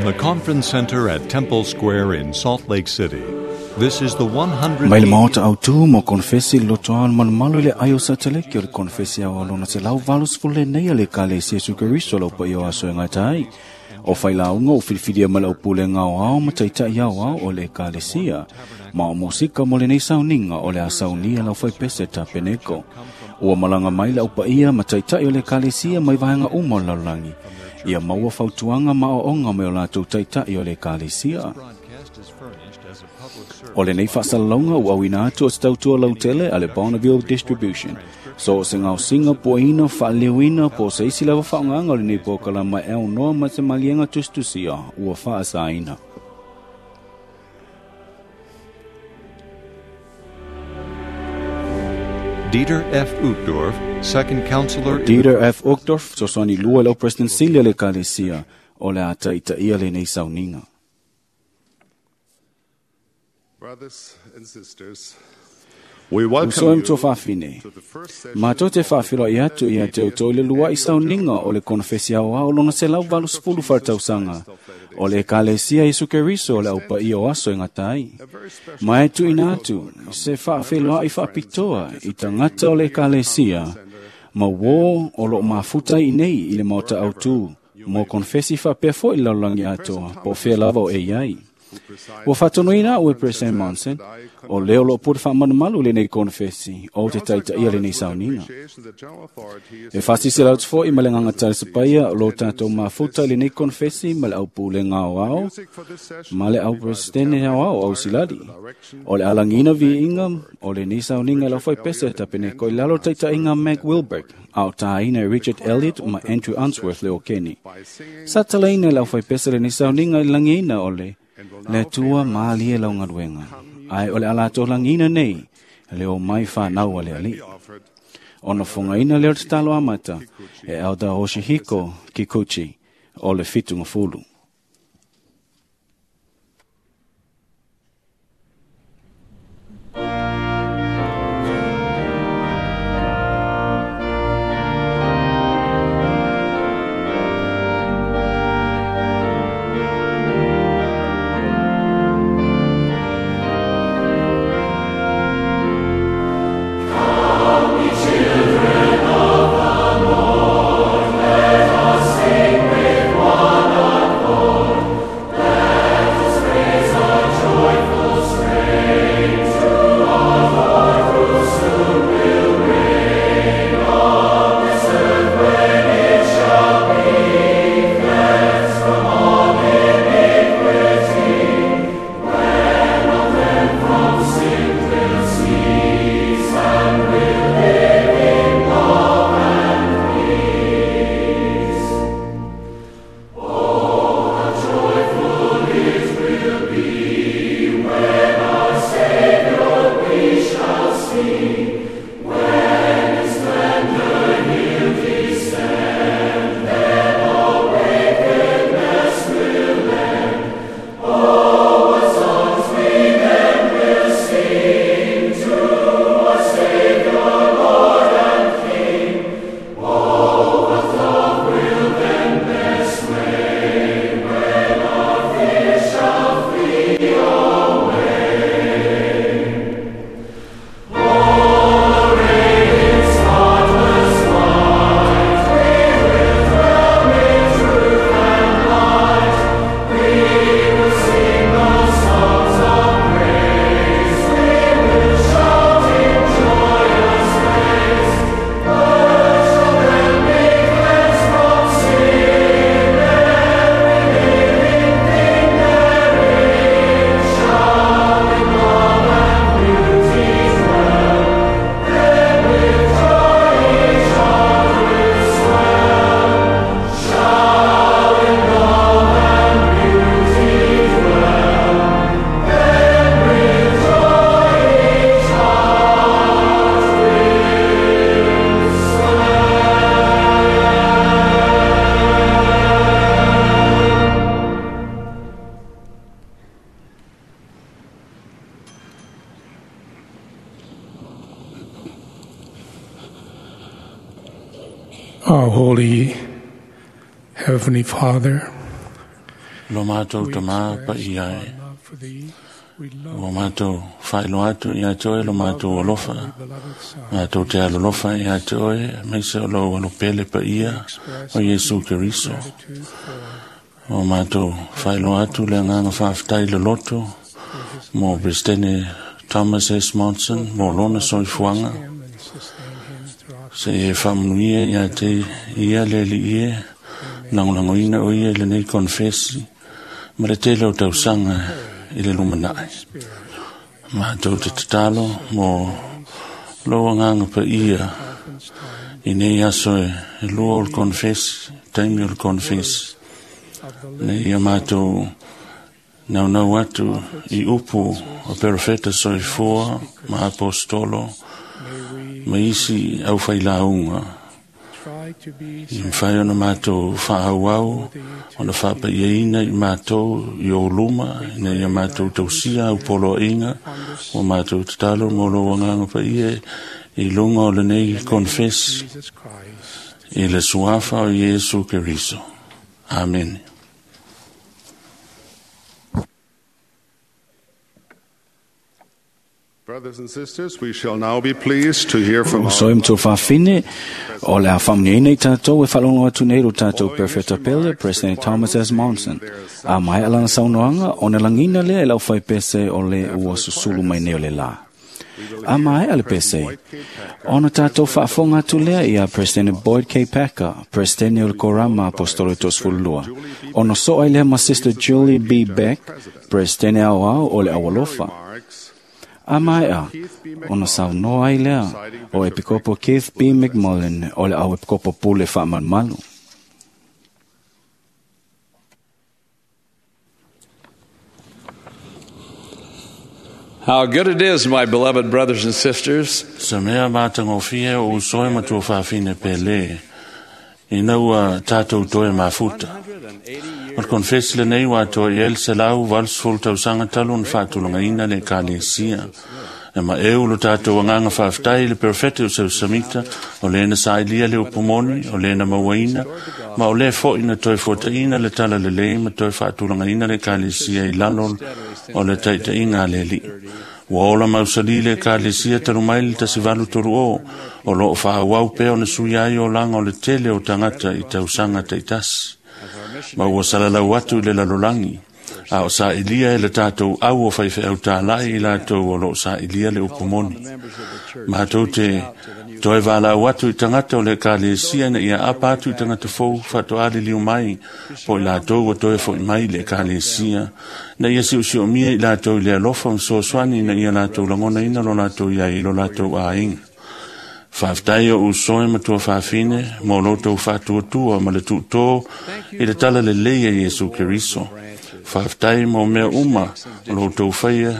From the Conference Center at Temple Square in Salt Lake City, this is the 100. Mai le maota autū mo konfesi lotoa o malumalu i le ai o Sataleke o le konfesi au alona se lau valu sefulu nei a le Ekalesia Iesu Keriso lau paia o aso e gata ai. O failauga o filifilia ma le aupulega aoao ma taitai aoao o le Ekalesia. Ma o mosika mo lenei sauniga o le a saunia lau faipese tapeneko. Ua malaga mai le aupaia ma taitai o le Ekalesia mai vaega uma o le lalolagi. Ia maua fautuaga ma aoaoga mai o latou taitai o le Ekalesia. O lenei faasalalauga ua auina atu o se tautua lautele a le Bonneville Distribution. So o se gaosiga puaina faaleleuina po o se isi lava faaaogaga o lenei polokalama e aunoa ma se maliega tusitusia ua faasaina. Dieter F. Uchtdorf, second counselor in the Dieter F. Uchtdorf, fesoasoani lua i lau President Sili a le Ekalesia, o le a taitaia lenei sauniga. Brothers and sisters, we welcome Uso e you matuafafine. to the first session Matou te faafeiloai atu ia te outou i le lua'i sauniga o le konofesi aoao lona 180 faatausaga o le Ekalesia Iesu Keriso o le aupaia o aso e gata ai. a very special Ma e tuuina atu se faafeiloai faapitoa i tagata o le Ekalesia ma uō o loo mafuta i nei i le maota autū mo konfesi faapea fo'i le lalolagi atoa po o fea lava o e i ai. Ua faatonuina a'u e President Monson, o lea o loo pule faamalumalu lenei konofesi o te taitaia lenei sauniga. appreciation the general authorities E faasilasila atu fo'i ma le agaga talisapaia o lo tatou mafuta i lenei konofesi ma le aupulega aoao music for this session ma le auperesetene aoao ausilali. O le alagiina viiga o lenei sauniga i lau faipese tapeneko i lalo o taitaiga Mac Wilberg, a o tāina e Richard Elliott ma Andrew Unsworth le o Keni. by singing Sa talaina e lau faipese lenei sauniga i lagiina o le le Atua malie lau galuega. Ae o le ala tolagiina nei, le o mai whanau a le alii. offered Ona fogaina lea o le tatalo amata e Elder Hoshihiko Kikuchi o le Fitugafulu. Our holy Heavenly Father, Lo mātou We tamā express pa ia our e. love for thee. We love Ua mātou whailo atu ia te oe lo mātou alofa. thy beloved Son. Mātou te alolofa ia te oe, meise o lau alopele pa ia Express o Iesu Keriso. gratitude for O mātou whailo atu le nganga whaaftai le loto for his mo Presidente Thomas S. Monson, mo lona soifuaga. him and sustain him throughout Se e whamunuia ia te ia le li ie, langolangoina o ia i lenei konfesi, ma le tele o tausaga i le lumanai. Spirit. Mātou te tatalo mo lou agaga paia Conference time i nei aso e lua o le konfesi, taimi o le konfesi. of the Nei ia mātou naunau atu i upu o perofeta soifua ma apostolo May we ma isi au whailāunga. try to be I mwhai ona mātou whaauau, ona whapaiaina i mātou i o luma, ina ia mātou tausia au poloainga, o mātou tatalo mo lo wanganga pa ia i lunga o lenei konfesi Jesus Christ. i le suafa o Iesu Keriso. Amen. Brothers and sisters, we shall now be pleased to hear from O our soe matou fafine, o le a whaamniaina i tātou e whalongo atu nei ro tātou Perfecta Pele, President Thomas S. Monson. A mai alana saunoanga, o na langina lea e lau whai pese o le ua susulu mai nei o le la. A mai ale pese, ona tātou whaafonga atu lea ia President Boyd K. Packer, President o le Korama Apostolo Tosfulua. Ona soa i lea ma Sister Julie B. Beck, President au au o le awalofa. remarks. A maea, ona saunoa ai lea o Epikopo Keith B. McMullen o le au Epikopo Pule Whaamalumalu. How good it is, my beloved brothers and sisters, Sa mea mātangofia o usoe matua whawhine pele, i naua tātou toe mafuta. O le konfesi lenei ua atoa i ai le 180 tausaga talu ona faatulagaina le ekalesia. E ma eu lo tātou agaga faafetai i le perofete o Seusamita, o lena saʻilia le upumoni, o lena mauaina, ma o lē foʻi na toe fuataʻina le tala lelei ma toe faatulagaina le ekalesia i lalo o le taʻitaʻiga a le Alii. Ua ola mausali le ekalesia talu mai le 1830 o loo faaauau pea ona sui ai olaga o le tele o tagata i tausaga taʻitasi. Ma ua salalau atu i le lalolagi, a o saʻilia e le tatou au o faifeau tālaʻi i latou o loo saʻilia le upumoni. Matou te toe valaau atu i tagata o le ekalesia ina ia apa atu i tagata fou faatoaliliu mai po i latou ua toe foʻi mai i le ekalesia, na ia siosiomia i latou i le alofa ma soasoani ina ia latou lagonaina lo latou iai i lo latou aiga. Faafetai o usoe matua fafine mo lo tou faatuatua ma le tuutō i le tala lelei a Iesu Keriso. Faafetai mo mea uma o lo tou faia,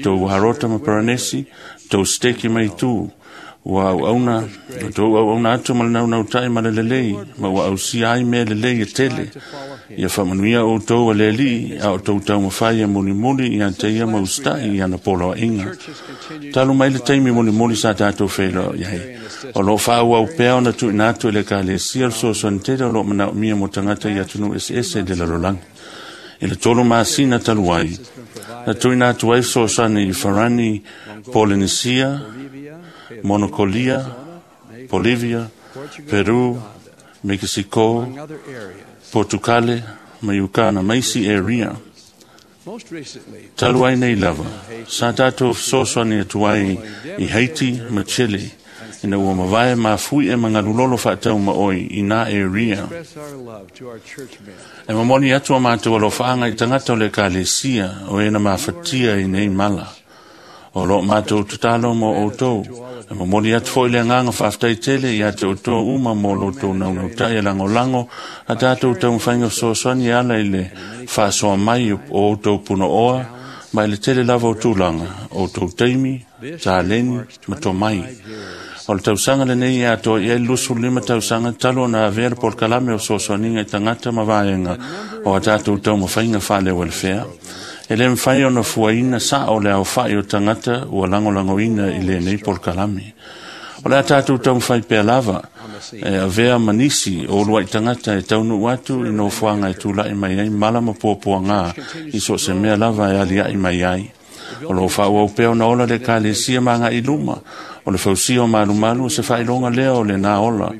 tou harota ma paranesi, tou steki mai tū. Ua auauna, tou auauna atu ma le naunautai ma le lelei, ma ua ausia ai mea lelei e tele. Ia faamanuia outou a le Alii, a o tou taumafai e mulimuli ia te ia mausitaʻi i ana poloaʻiga. Talu mai le taimi mulimuli sa tatou feiloai ai. O loo faaauau pea ona tuuina atu i le ekalesia le fesoasoani tele o loo manaomia mo tagata i atunuu eseese i le lalolagi. I le 3 masina talu ai, na tuuina atu ai fesoasoani i Farani, Polynesia, Monokolia, Bolivia, Peru, Mexico, Portucale, ma Uganda, ma isi area. Talu ai nei lava, sa tātou fesoasoani atu ai i Haiti ma Chile, ina ua mavae mafui e magalulolo faatau ma oi i nā area. E momoli atu a mātou alofaaga i tagata o le ekalesia o ena mafatia i nei mala. O loo mātou tatalo mo outou. E momoli atu foʻi le agaga faafetai tele ia te outou uma mo loutou naunautai e lagolago a tatou taumafaiga fesoasoani e ala i le faasoa mai o outou punooa ma i le tele lava o tulaga, outou taimi, taleni ma tomai. O le tausaga lenei e atoa i ai le 25 tausaga talu ona avea le polokalame o fesoasoaniga i tagata ma vaega o a tatou taumafaiga faaleualefea. E le mafai ona fuaina saʻo le aofaʻi o tagata ua lagolagoina i lenei polokalame. O le a tatou taumafai pea lava E avea ma nisi o uluai tagata e taunuu atu i nofoaga e tula'i mai ai mala ma puapuagā i so o se mea lava e alia'i mai ai. O loo faaauau pea ona ola le ekalesia ma agaʻi luma. O le fausia o malumalu o se faailoga lea o lenā ola.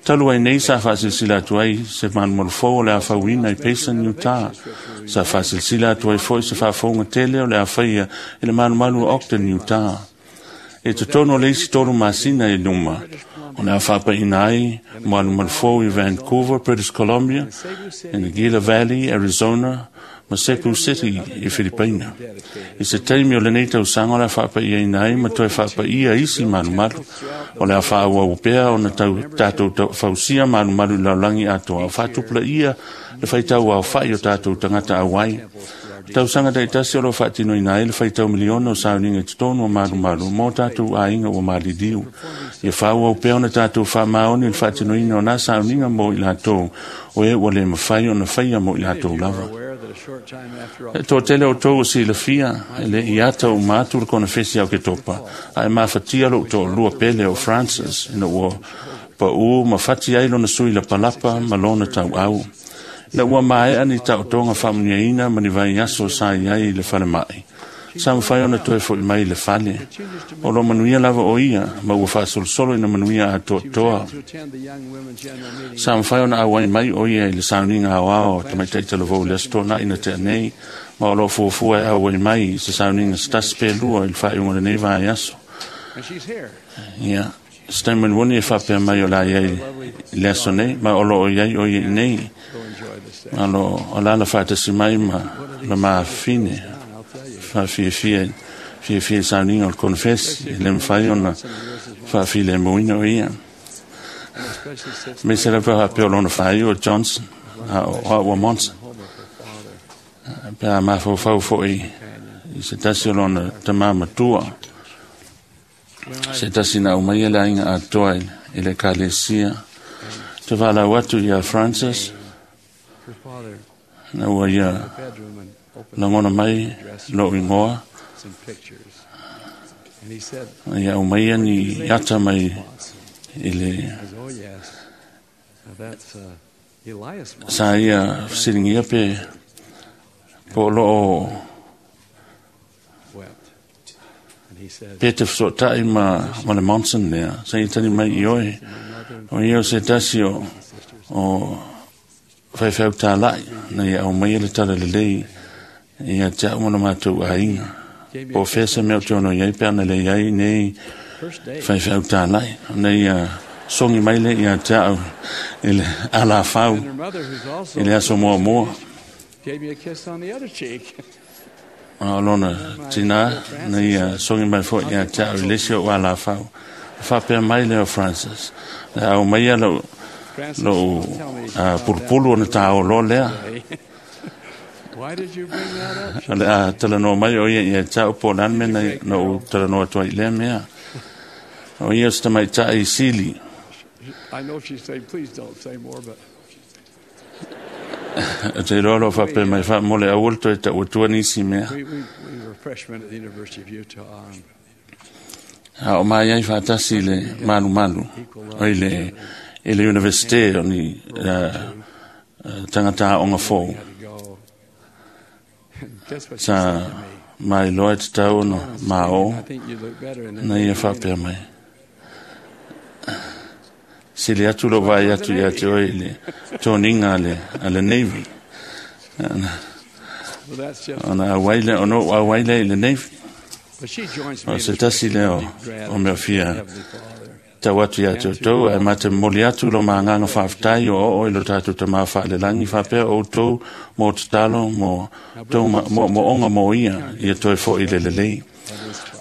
Talu ai nei sa faasilasila atu ai se malumalu fou o le a fauina i Payson, Utah. Sa faasilasila atu ai foi se faafouga tele o le a faia i le malumalu o Ogden, Utah. E totonu o le isi 3 masina i luma, o le a faapaʻiina ai malumalu fou i Vancouver, British Columbia, i Gila Valley, Arizona, ma Cebu City i Filipaina. I se taimi o lenei tausaga o le a faapaʻiaina ai ma toe faapaʻia isi malumalu. O le a faaauau pea ona tatou fausia malumalu i le lalolagi atoa, o faatupulaia le faitau aofaʻi o tatou tagata auai. Tausaga taitasi o loo faatinoina ai le faitau miliona o sauniga i totonu o malumalu mo tatou aiga ua maliliu. Ia faaauau pea ona tatou faamaoni i le faatinoina o nā sauniga mo i latou o e ua le mafai ona faia mo i latou lava. E toatele o tou o silafia e le i ata uma atu le konefesi au Oketopa, ae mafatia lou toalua pele o Francis ina ua paʻū ma fati ai lona sui lapalapa ma lona tauau. Ina ua maea ni taotoga faamuniaina ma ni vaiaso sa i ai i le falemaʻi, sa mafai ona toe foʻi mai i le fale. O lo manuia lava o ia ma ua faasolosolo ina manuia atoatoa. Sa mafai ona auai mai o ia i le sauniga aoao tamaitaʻi talavou i le aso tonaʻi na tea nei, ma o loo fuafua e auai mai i se sauniga se tasi pe lua i le faaiuga o lenei vaiaso. Ia se taimi mulimuli e faapea mai o le a iai i le aso nei, ma o loo iai o ia i nei. Alo o lala faatasi mai ma la mafine faafiafia fiafia i sauniga o le konefesi e le mafai ona faafilemuina o ia. Me se lava faapea o lona faaiu o Johnson a o a'u Monson. Pe a mafaufau foʻi i se tasi o lona tamā matua, se tasi na aumaia le aiga atoa i le ekalesia. Te valaau atu ia Francis, na ua ia lagona mai lou igoa, ia aumaia ni ata mai i le sa ia fesiligia pe po o loo pe te fesootaʻi ma le Monson lea sa ia tali mai i oe. O ia o se tasi o faifeau tālaʻi na ia aumaia le tala lelei ia te a'u ma le matou aiga. Po o fea se mea o te ono iai pe ana le iai nei faifeau tālaʻi, na ia sogi mai le ia te a'u i le alafau i le aso muamua. A o lona tinā na ia sogi mai foʻi ia te a'u i le isi oʻu alafau. Faapea mai lea o Francis, le aumaia lou pulupulu ona tāoloa lea. O le a talanoa mai o ia ia te a'u po o le a le mea na ou talanoa atu ai i lea mea. O ia o se tamaitaʻi sili. O te iloa loo faapea mai faamole aua le toe taʻu atua nisi mea. A o mai ai faatasi i le malumalu o i le universite o ni tagata aoga fou. Sa mailoa e tatau ona maō na ia faapea mai. Sili atu lou vaai atu ia te oe i le toniga a le Navy. Ona auai lea, ona ou auai lea i le Navy. O se tasi lea o mea fia tau atu ia te outou, ae mate momoli atu lo maagaga faafetai o oo i lo tatou tamā faalelagi faapea o outou mo tatalo mo tou moomooga mo ia ia toe foʻi le lelei.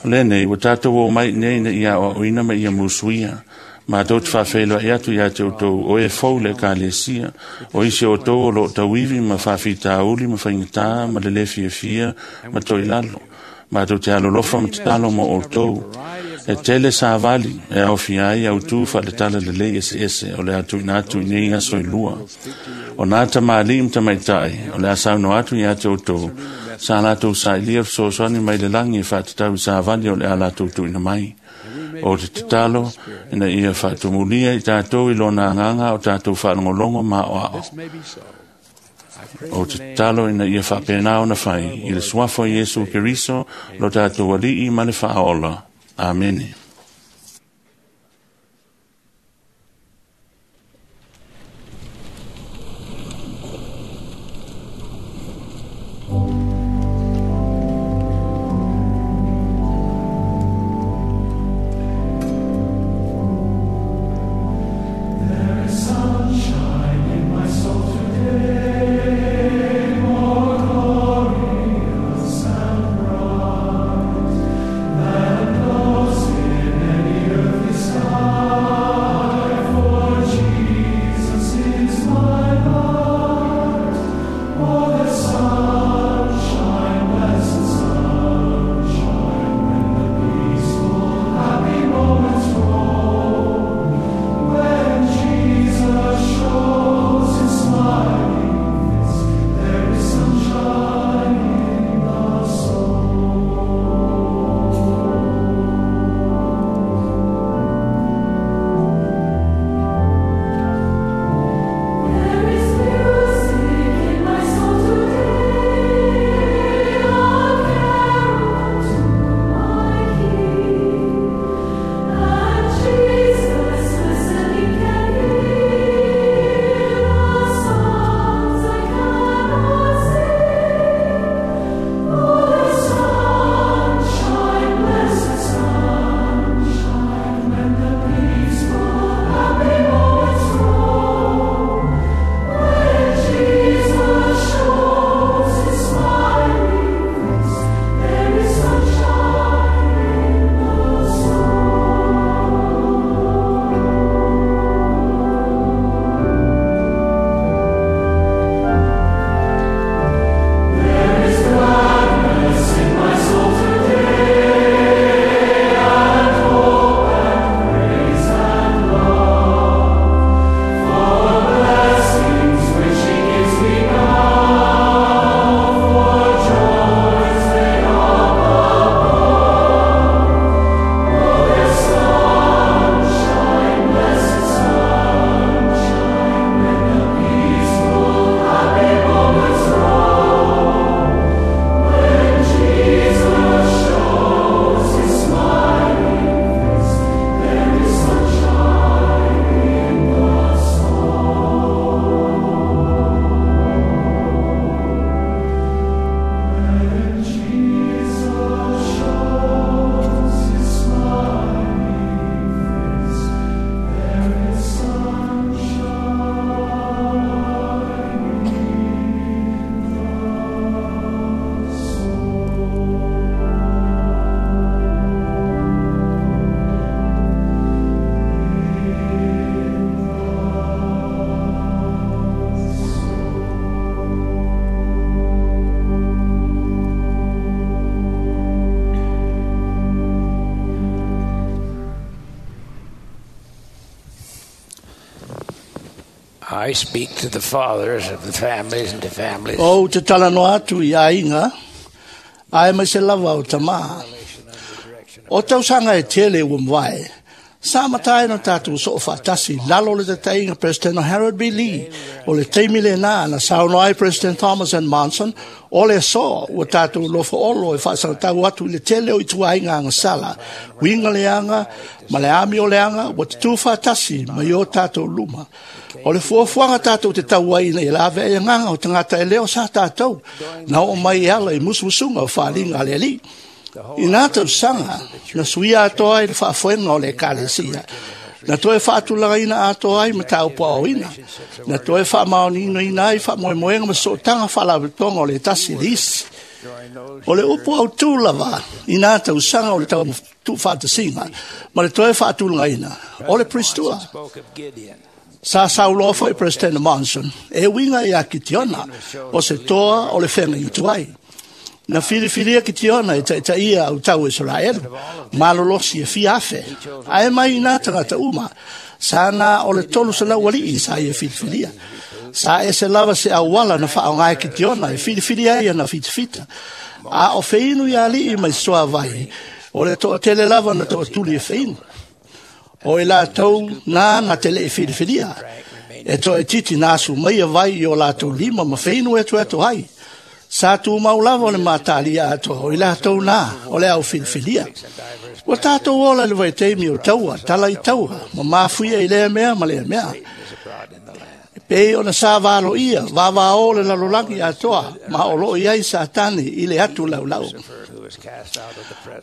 O lenei ua tatou o mai nei ina ia aoaoina ma ia musuia. Matou te faafeiloai atu ia te outou o e fou le ekalesia, o isi o outou o loo tauivi ma faafitauli ma faigatā ma le lē fiafia ma toilalo. Matou te alolofa ma tatalo mo outou. E tele savali e aofia ai autū faaletala lelei eseese o le a tuuina atu i nei aso e lua. O nā tamalii ma tamaitaʻi o le a saunoa atu ia te outou, sa latou sailia fesoasoani mai le lagi e faatatau i savali o le a latou tuuina mai. O te tatalo ina ia faatumulia i tatou i lona agaga o tatou faalogologo ma aoao. O te tatalo ina ia faapena ona fai i le suafa o Iesu Keriso lo tatou Alii ma le Faaola. Amene. I speak to the fathers of the families and to families. O te talanoa atu i aiga, ae mai se lava o tamā. O tausaga e tele ua mavae, sa matae na tatou soo faatasi lalo o le taitaiga President Harold B. Lee o le taimi lenā na saunoa ai President Thomas N. Monson o le aso ua tatou lofoolo e faasagatau atu i le tele o ituaiga agasala, uiga leaga ma le amio leaga ua tutū faatasi mai o tatou luma. O le fuafuaga tatou te tau ai ina ia lavea ai agaga o tagata e leo sa tatou na oo mai e ala i musumusuga o faaaliga a le Alii. I nā tausaga na suia atoa ai le faafoega o le Ekalesia, na toe faatulagaina atoa ai mataupu aoaoina, na toe faamaoniinoina ai faamoemoega ma sootaga faalapotopotoga o le tasi i le isi. O le upu autū lava i nā tausaga o le tuufaatasiga ma le toe faatulagaina o le Priestua. Sa sauloa foi President Monson e uiga ia Kitiona o se toa o le feagaiga ai. Na filifilia Kitiona e taitaia au tau Israelu, malolosi e fia afe, ae mai i nā tagata uma, sa na o le 300 alii sa ia filifilia. Sa ese lava se auala na faaoga e Kitiona e filifilia ai ana fitafita. A o feinu ia alii mai soa vai, O le toʻatele lava na toʻatuli e feinu. O i latou na na te leʻi filifilia. E toʻaititi na asu mai e vai i o latou lima ma feinu e etoeto ai. Sa tumau lava o le matalia atoa o i latou na o le au filifilia. Ua tatou ola i le vaitaimi o taua, tala i taua, ma mafuia i lea mea ma lea mea. E pei ona sa valoia, vavao le lalolagi atoa, ma o loo i ai Satani i le atu laulau.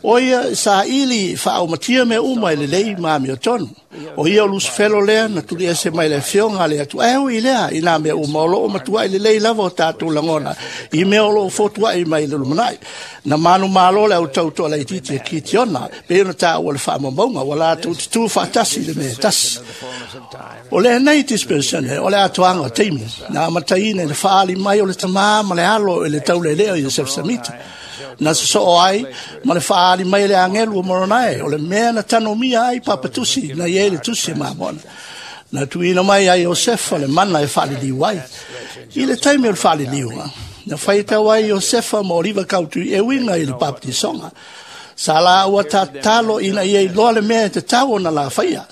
O ia sa ili faaumatia mea uma i lelei ma amiotonu. O ia o Lusifelo lea na tuli ese mai le afioga a le Atua. Ae ui lea i nā mea uma o loo matuai lelei lava o tatou lagona i mea o loo fotuai mai le lumanai. Na manu malo le au tautoa laitiiti e Kitiona, pei ona taua le faamaumauga, ua latou tutū faatasi i le mea e tasi. O lenei dispensation o le atoaga o taimi, na amataina i le faali mai o le tamā ma le alo i le taulelea o Iosefa Samita. Na sosoo ai ma le faali mai le agelu o Moronae, o le mea na tanomia ai papatusi na i ai le tusi e mamona. Na tuuina mai ai Iosefa le mana e faaliliu ai. I le taimi o le faaliliuga, na faitau ai Iosefa ma Oliva Kautui e uiga i le papatisoga. Sa laua tatalo ina ia iloa le mea e tatau ona lafaia.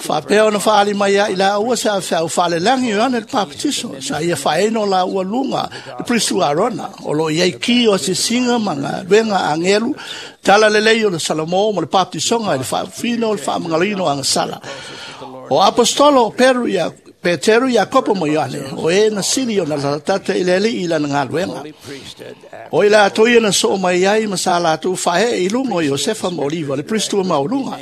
Faapea ona faali mai ai laua se afeau faalelagi o Ioane le Papatiso, sa ia faaeno laua luga le Pristu Arona, o loo i ai ki o asiasiga ma galuega agelu, tala lelei o le Salamo ma le papatisoga i le faafufina o le faamagaloina o agasala. O apostolo o Peru ia Peteru, Iakopo ma Ioane, o e na sili ona latatata i le alii i lana galuega. O i latou ia na soo mai ai ma sa latou faaee i luga o Iosefa ma Oliva, le Pristua maualuga,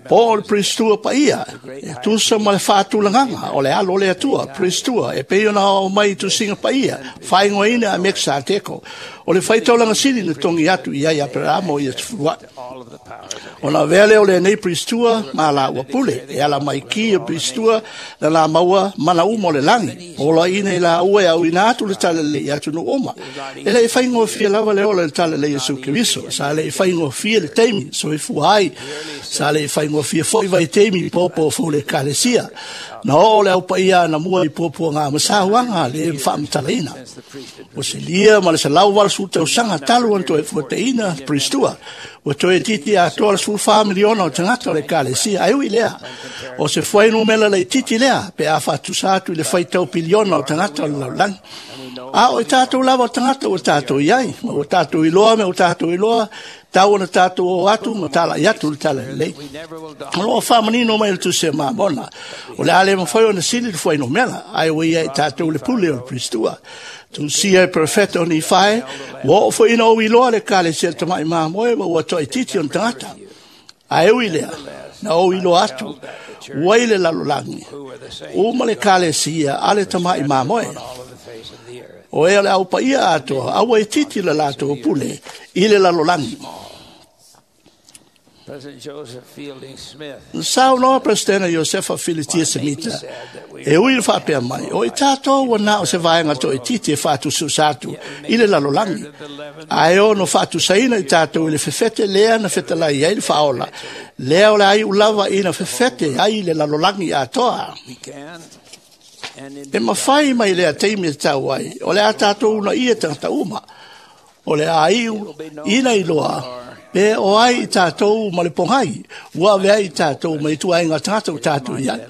po o le Pristua paia, e tusa ma le faatulagaga o le alo o le Atua, Pristua, e pei ona ao mai i tusiga paia, faaigoaina a Mekisateko, o le faitaulaga sili na togi atu i ai Aperamo ia tafuluai. Ona avea lea o lenei Pristua ma laua pule, e ala mai ki o Pristua na la maua mana uma o le lagi, poloaiina i laua e auina atu le talalelei i atunuu uma. E leʻi faigofie lava le ola i le talalelei Iesu Keriso, sa leʻi faigofie le taimi soifua ai, sa leʻi faigofie foi vaitaimi i popo fou le ekalesia. Na oo le au paia ana mua i puapuaga ma sauaga le faamatalaina. Ua silia ma le 180 tausaga talu ona toe fuataina Pristua. Ua toe itiiti atoa le 14 miliona o tagata o le ekalesia. Ae ui lea, o se fuainumera laitiiti lea pe a faatusa atu i le faitau piliona o tagata o le lalolagi. A o i tatou lava o tagata ua tatou i ai, ma ua tatou iloa me ua tatou iloa, tau ona tatou o atu ma talai atu le tala lelei. O loo faamanino mai le tusi a Mamona, o le a le mafai ona sili le fuainumera, ae ua ia i tatou le pule o le Pristua. Tusia e profeta o Nifae, ua oo foi ina ou iloa le ekalesia le tamaʻi mamoe ma ua toaitiiti ona tagata. Ae ui lea, na ou iloa atu, ua i le lalolagi, uma le ekalesia a le tamaʻi mamoe. O e o le au paia atoa, aua itiiti le latou pule i le lalolagi. Na saunoa Peresetene Iosefa Filitia Semita, e ui le faapea mai, o i tatou ua na o se vaega toaitiiti e faatusatusa atu i le lalolagi, ae ono faatusaina i tatou i le fefete lea na fetalai ai le faaola, lea o le aiu lava ina fefete ai le lalolagi atoa. E mafai mai lea taimi e tau ai, o le a tatou unaia tagata uma, o le a iu ina iloa pe o ai i tatou ma le pogai, ua ave ai i tatou ma i tuaiga tagata ua tatou i ai.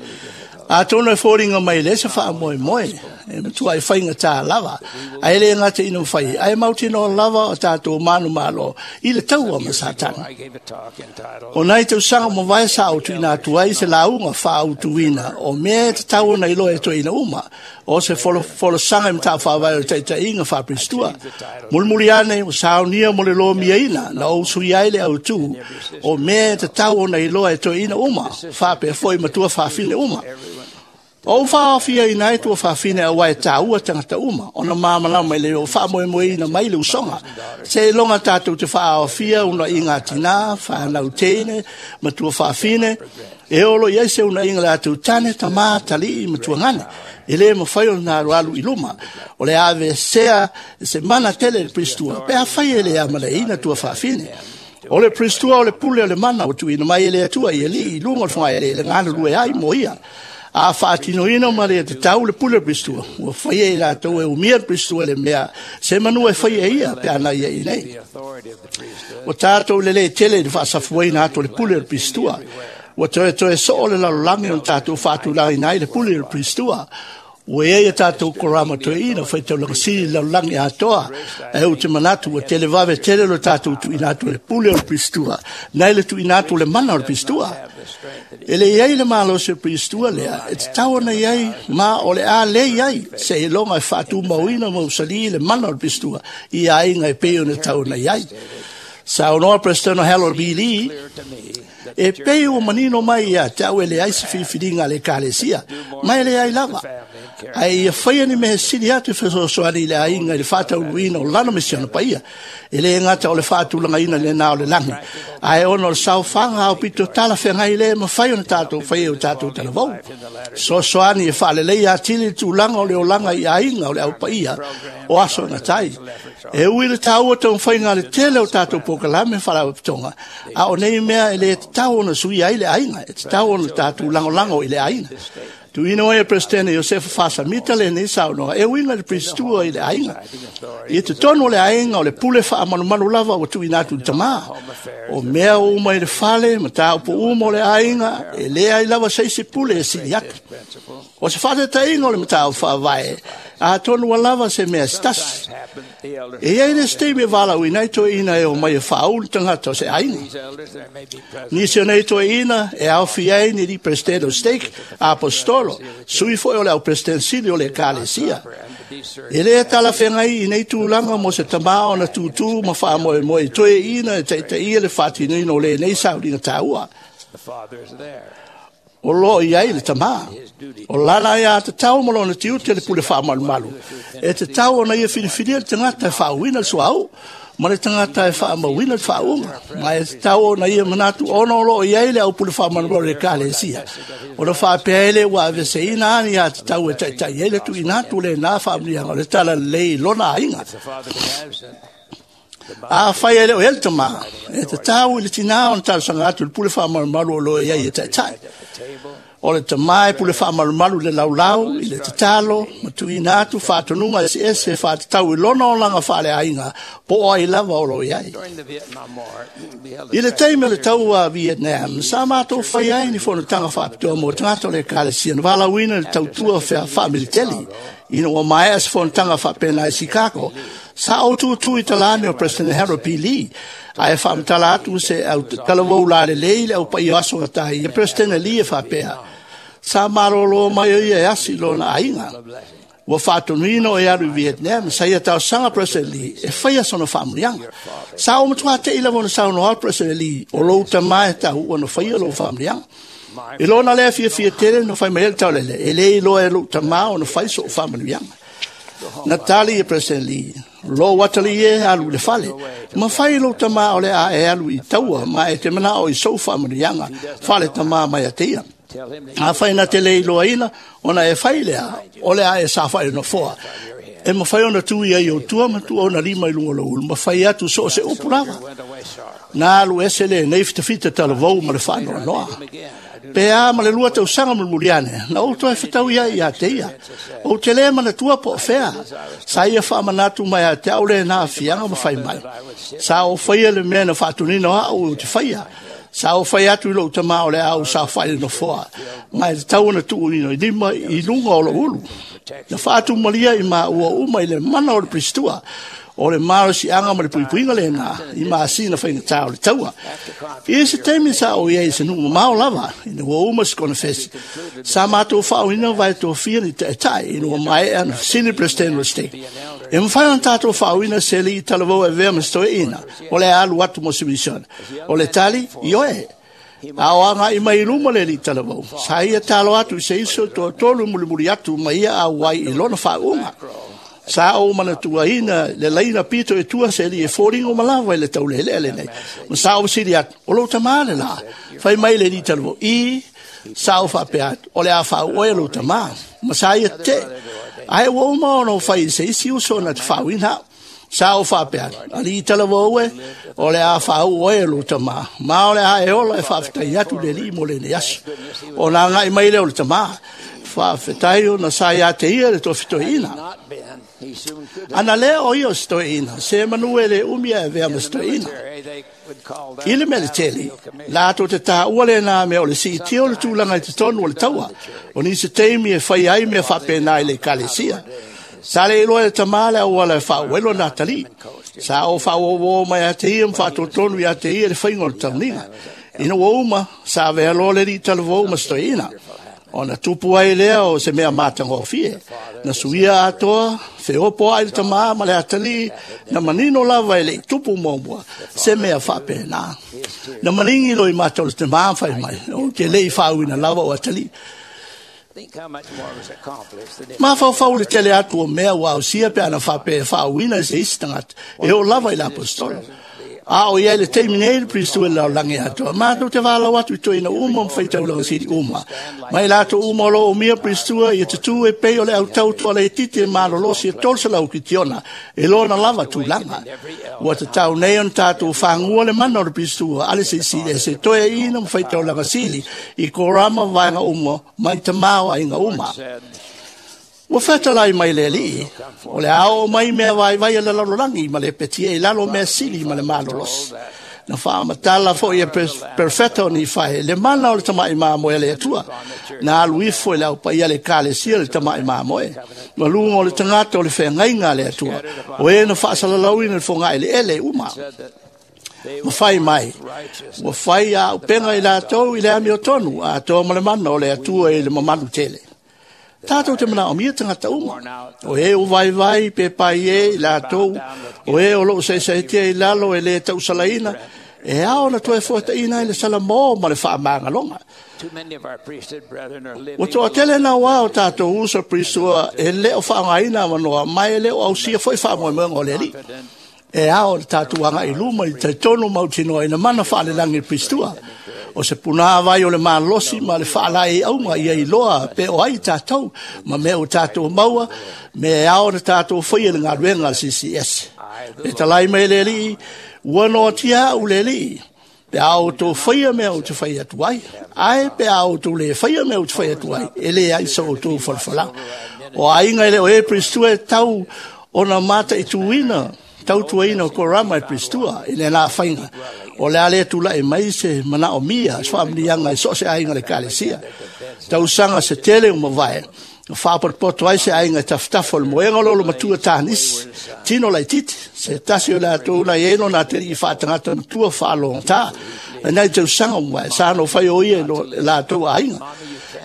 Atonu e foliga mai le se faamoemoe, e matua e faigata lava, ae le gata ina mafai, ae mautinoa lava o tatou manumalo i le taua ma Satani. O nai tausaga ua mavae sa ou tuuina atu ai se lauga faaautuina o mea e tatau ona iloa e toeaina uma, o se folasaga i mataupu faavae o le taitaiga faa-Peristua. Mulimuli ane ua saunia mo le lomiaina na ou sui ai le autū o mea e tatau ona iloa e toeaina uma, faapea foi matua fafine uma. O ou faaofiaina ai tua fafine aua e taua tagata uma, ona malamalama i le o faamoemoeina mai le usoga. Seiloga tatou te faaofia unaiga a tinā, whānau teine, matua fafine, e olo i ai se unaiga le atu tane, tamā, talii, matua gane. E le mafai ona alualu i luma. O le avesea se mana tele le Pristua, pe afai e le amaleina tua fafine. O le Pristua o le pule o le mana o tuuina mai e le Atua i alii i luga o le fogaeleele galulue ai mo ia. A faatinoina ma le tatau le pule o le pistua, ua faia i latou e umia le pistua le mea se manu e faia ia pe ana ia i nei. Ua tātou le le tele i le faasafuaina atu o le pule o le pistua. Ua toe toe soo le lalolagi o tātou faatulagaina ai le pule o le pistua. Ua ia ia tātou korama toe ina whaitaulaga sili lalolagi atoa. E u te manatu ua tele vave tele lo tātou tuuina atu le pule o le pistua. Nei le tuuina atu le mana o le pistua. E le iai le malo se pistua lea, e te tau ona iai ma o le a le iai se iloga e faatumauina ma usali le mana o le pistua i aiga e pei ona tau ona iai. Saunoa President Harold B. Lee, e pei ua manino mai ia te au e leai se filifiliga a le ekalesia, ma e leai lava. Ae ia faia ni mea sili atu e fesoasoani i le aiga i le faataunuuina o lana misiona paia. E le gata o le faatulagaina lenā o le lagi, ae ona o le saofaga aopito talafeagai lea e mafai ona tatou faia i o tatou talavou. Soasoani e faaleleia atili le tulaga o le olaga i aiga o le au paia o aso e gata ai. E ui le taua taumafaiga a le tele o tatou polokalame faalapotopotoga, a o nei mea e le tatau ona suia ai le aiga, e tatau ona tatou lagolago i le aiga. Tuuina mai e Peresetene Iosefa Faasamita lenei saunoaga e uiga i le Piristua i le aiga. I totonu o le aiga o le pule faamalumalu lava ua tuuina atu i le tamā. O mea uma i le fale, mataupu uma o le aiga, e leai lava se isi pule e sili atu. O se faataitaiga o le mataupu faavae, atonu ua lava se mea se tasi. E i ai le isi taimi e valaauina ai toeaiina e omai e faaulu tagata o se aiga. Nisi o nei toeaiina e aofia ai ni alii Peresetene o Stake, Aposetolo, sui foi o le au Peresetene sili o le Ekalesia. E le talafeagai i nei tulaga mo se tamā ona tūtū ma faamoemoe i toeaiina e taitaia le faatinoina o lenei sauniga taua. O lo o i ai le tamā. O lana ai aiatatau ma lona tiute le pule faamalumalu. E tatau ona ia filifilia le tagata e faauuina le suauu ma le tagata e faamauina le faauuga. Ma e tatau ona ia manatu ona o lo o i ai le au pule faamalumalu o le Ekalesia. Ona faapea ai lea ua aveeseina a ni aiatatau e taitai ai le tuuina atu o lenā faamanuiaga o le talalelei i lona aiga. Afai e le o i ai le tamā, e tatau i le tinā ona talosaga atu i le pule faamalumalu o lo o i ai e taitai. O le tamā e pule faamalumalu i le laulau, i le tatalo, ma tuuina atu faatonuga eseese e faatatau i lona olaga faaleaiga po o ai lava o lo o i ai. I le taimi o le taua a Vietnam, sa matou fai ai ni fonotaga faapitoa mo tagata o le Ekalesia na valaauina i le tautua faamiliteli. Ina ua maea se fonotaga faapena i Chicago, sa ou tūtū i talane o President Harold P. Lee, ae faamatala atu se au talavou lalelei i le au paia o aso gata ia President Lee e faapea, sa malōlō mai o ia e asi i lona aiga. Ua faatonuina o e alu i Vietnam, sa ia talosaga President Lee e faia sona faamanuiaga. Sa ou matua te'i lava ona saunoa President Lee, o lou tamā e tau ona faia lou faamanuiaga. I lona lea fiafia tele na fai mai ai le taulele, e le iloa e lou tamā ona fai so'u faamanuiaga. Na tali e President Lee, lou atalii e alu i le fale, ma fai i lou tamā o le a e alu i taua, ma e te mana'o i sou faamanuiaga fale tamā mai a te ia. Afai na te le iloaina, ona e fai lea, o le a e saofai i le nofoa. E mafai ona tu ia i ou tua ma tuu ona lima i luga o lou ulu, ma fai atu so o se upu lava. Na alu ese lenei fitafita talavou ma le faanoanoa. Pe a ma le 2 tausaga mulimuli ane, na ou toe fetau ai ia te ia. Ou te le manatua po o fea. Sa ia faamanatu mai ia te au lenā aafiaga ma fai mai. Sa ou faia le mea na faatonina o au ou te faia. Sa ou fai atu i lou tamā o le a ou saofai i le nofoa, ma e tatau ona tuuina i lima i luga o lou ulu. Na faatumalia i maua uma i le mana o le Piristua, o le malosiaga ma le puipuiga lenā i masina faigata o le taua. I se taimi sa ou i ai i se nuu mamao lava, ina ua uma se konefesi, sa matou faaoina vae tofia ni taitai ina ua maea ona fesili Peresetene o le Stake. E mafai ona tatou faaoina se alii talavou e avea ma se toeaina o le a alu atu mo se misiona. O le tali, ioe. A o agai mai i luma le alii talavou, sa ia talo atu i se isi o toatolu mulimuli atu ma ia auai i lona faauuga. Sa ou manatuaina le laina pito e tua se alii e foliga uma lava i le taulelea lenei. Ma sa ou fesili atu, o lou tamā le la? Fai mai le alii talavou, i, sa ou faapea atu, o le a faauu oe lou tamā. Ma sa ia tetee. Ae ua uma ona ou fai i se isi uso na te faauuina au. Sa o faapea, alii talavou e, o le a faauu oe e lou tamā, ma o le a e ola e faafetai atu le Alii mo lenei aso. Ona agai mai lea o le tamā, faafetai ona sa ia te ia le tofi toeaina. Ana lea o ia o se toeaina, se manu e le umi ae avea ma se toeaina. I le mea le tele, latou te taua lena mea o le siitia o le tulaga i totonu o le taua, o nisi taimi e fai ai mea faapena i le ekalesia. Sa le iloa e le tamā le auala e faauu ai lona atalii. Sa oo faauouo mai ia te ia ma faatotonu ia te ia le faiga o le tauniga. Ina ua uma, sa avea loa le alii talavou ma se toeaina. Ona tupu ai lea o se mea matagofie. Na suia atoa, feopo ai le tamā ma le atalii, na manino lava e le i tupu muamua, se mea faapena. Na maligi loa i mata o le tamā ma fai mai, ou te le i faauuina lava o atalii. Mafaufau le tele atu o mea ua ausia pe ana faapea e faauuina e se isi tagata, e oo lava i le aposetolo. A o i ai le taimi nei le Priesthood i le lalolagi atoa, matou te valaau atu i toeaina uma ma faitaulaga sili uma, ma i latou uma o lo o umia Priesthood ia tutū e pei o le autau toalaitiiti e malolosi e 300 kitiona e lona lava tulaga. Ua tatau nei ona tatou fagua le mana o le Priesthood a le Silisili Ese toeaina ma faitaulaga sili i korama vaega uma mai tamā o aiga uma. Ua fetalai mai le Alii, o le a oo mai mea vaivai a le lalolagi ma le petia i lalo mea sili ma le malolosi. Na faamatala foi e Perfeta o Nifae le mana o le tamai mamoe a le Atua. Na alu ifo e le au paia a le Ekalesia le tamai mamoe. Ma luga o le tagata o le feagaiga a le Atua, o e na faasalalauina le fogaeleele uma. Ma fai mai, ua fai a auupega i latou i le amiotonu, atoa ma le mana o le Atua i le mamalu tele. Tatou te manaomia tagata uma, o e ua vaivai pe pai e i latou, o e o loo saesaetia i lalo e le tausalaina, e ao ona toe fuataina ai le salamo ma le faamagaloga. Ua toatele nauā o tatou uso Priesthood e le o faaaogaina avanoa ma e le o ausia foi faamoemoega o le Alii. E ao le tatou agai i luma i talitonu mautinoa ina mana faalelagi le Priesthood. O se punāvai o le malosi ma le faalaeiauga ia iloa pe o ai tatou ma mea ua tatou maua, mea e ao ona tatou faia i le galuega a le CCS. Pe talai mai le Alii, ua noatia au le Alii, pe a outou faia mea ou te fai atu ai, ae pe a outou le faia mea ou te fai atu ai, e leai sa outou falafalaga. O aiga e le o e Priesthood e tau ona mataituina tautuaina o korama e Priesthood i lena faiga. O le a le tulai mai se manaomia, se faamuniaga i so o se aiga o le Ekalesia. Tausaga se tele ua mavae, na faapotopoto ai se aiga i tafatafa o le moega o lolo matua Tanisi, tino laitiiti, se tasi o latou na i ai lona atalii faatagata matua faalogotā. Nai tausaga ua mavae, sa no fai o ia i latou aiga.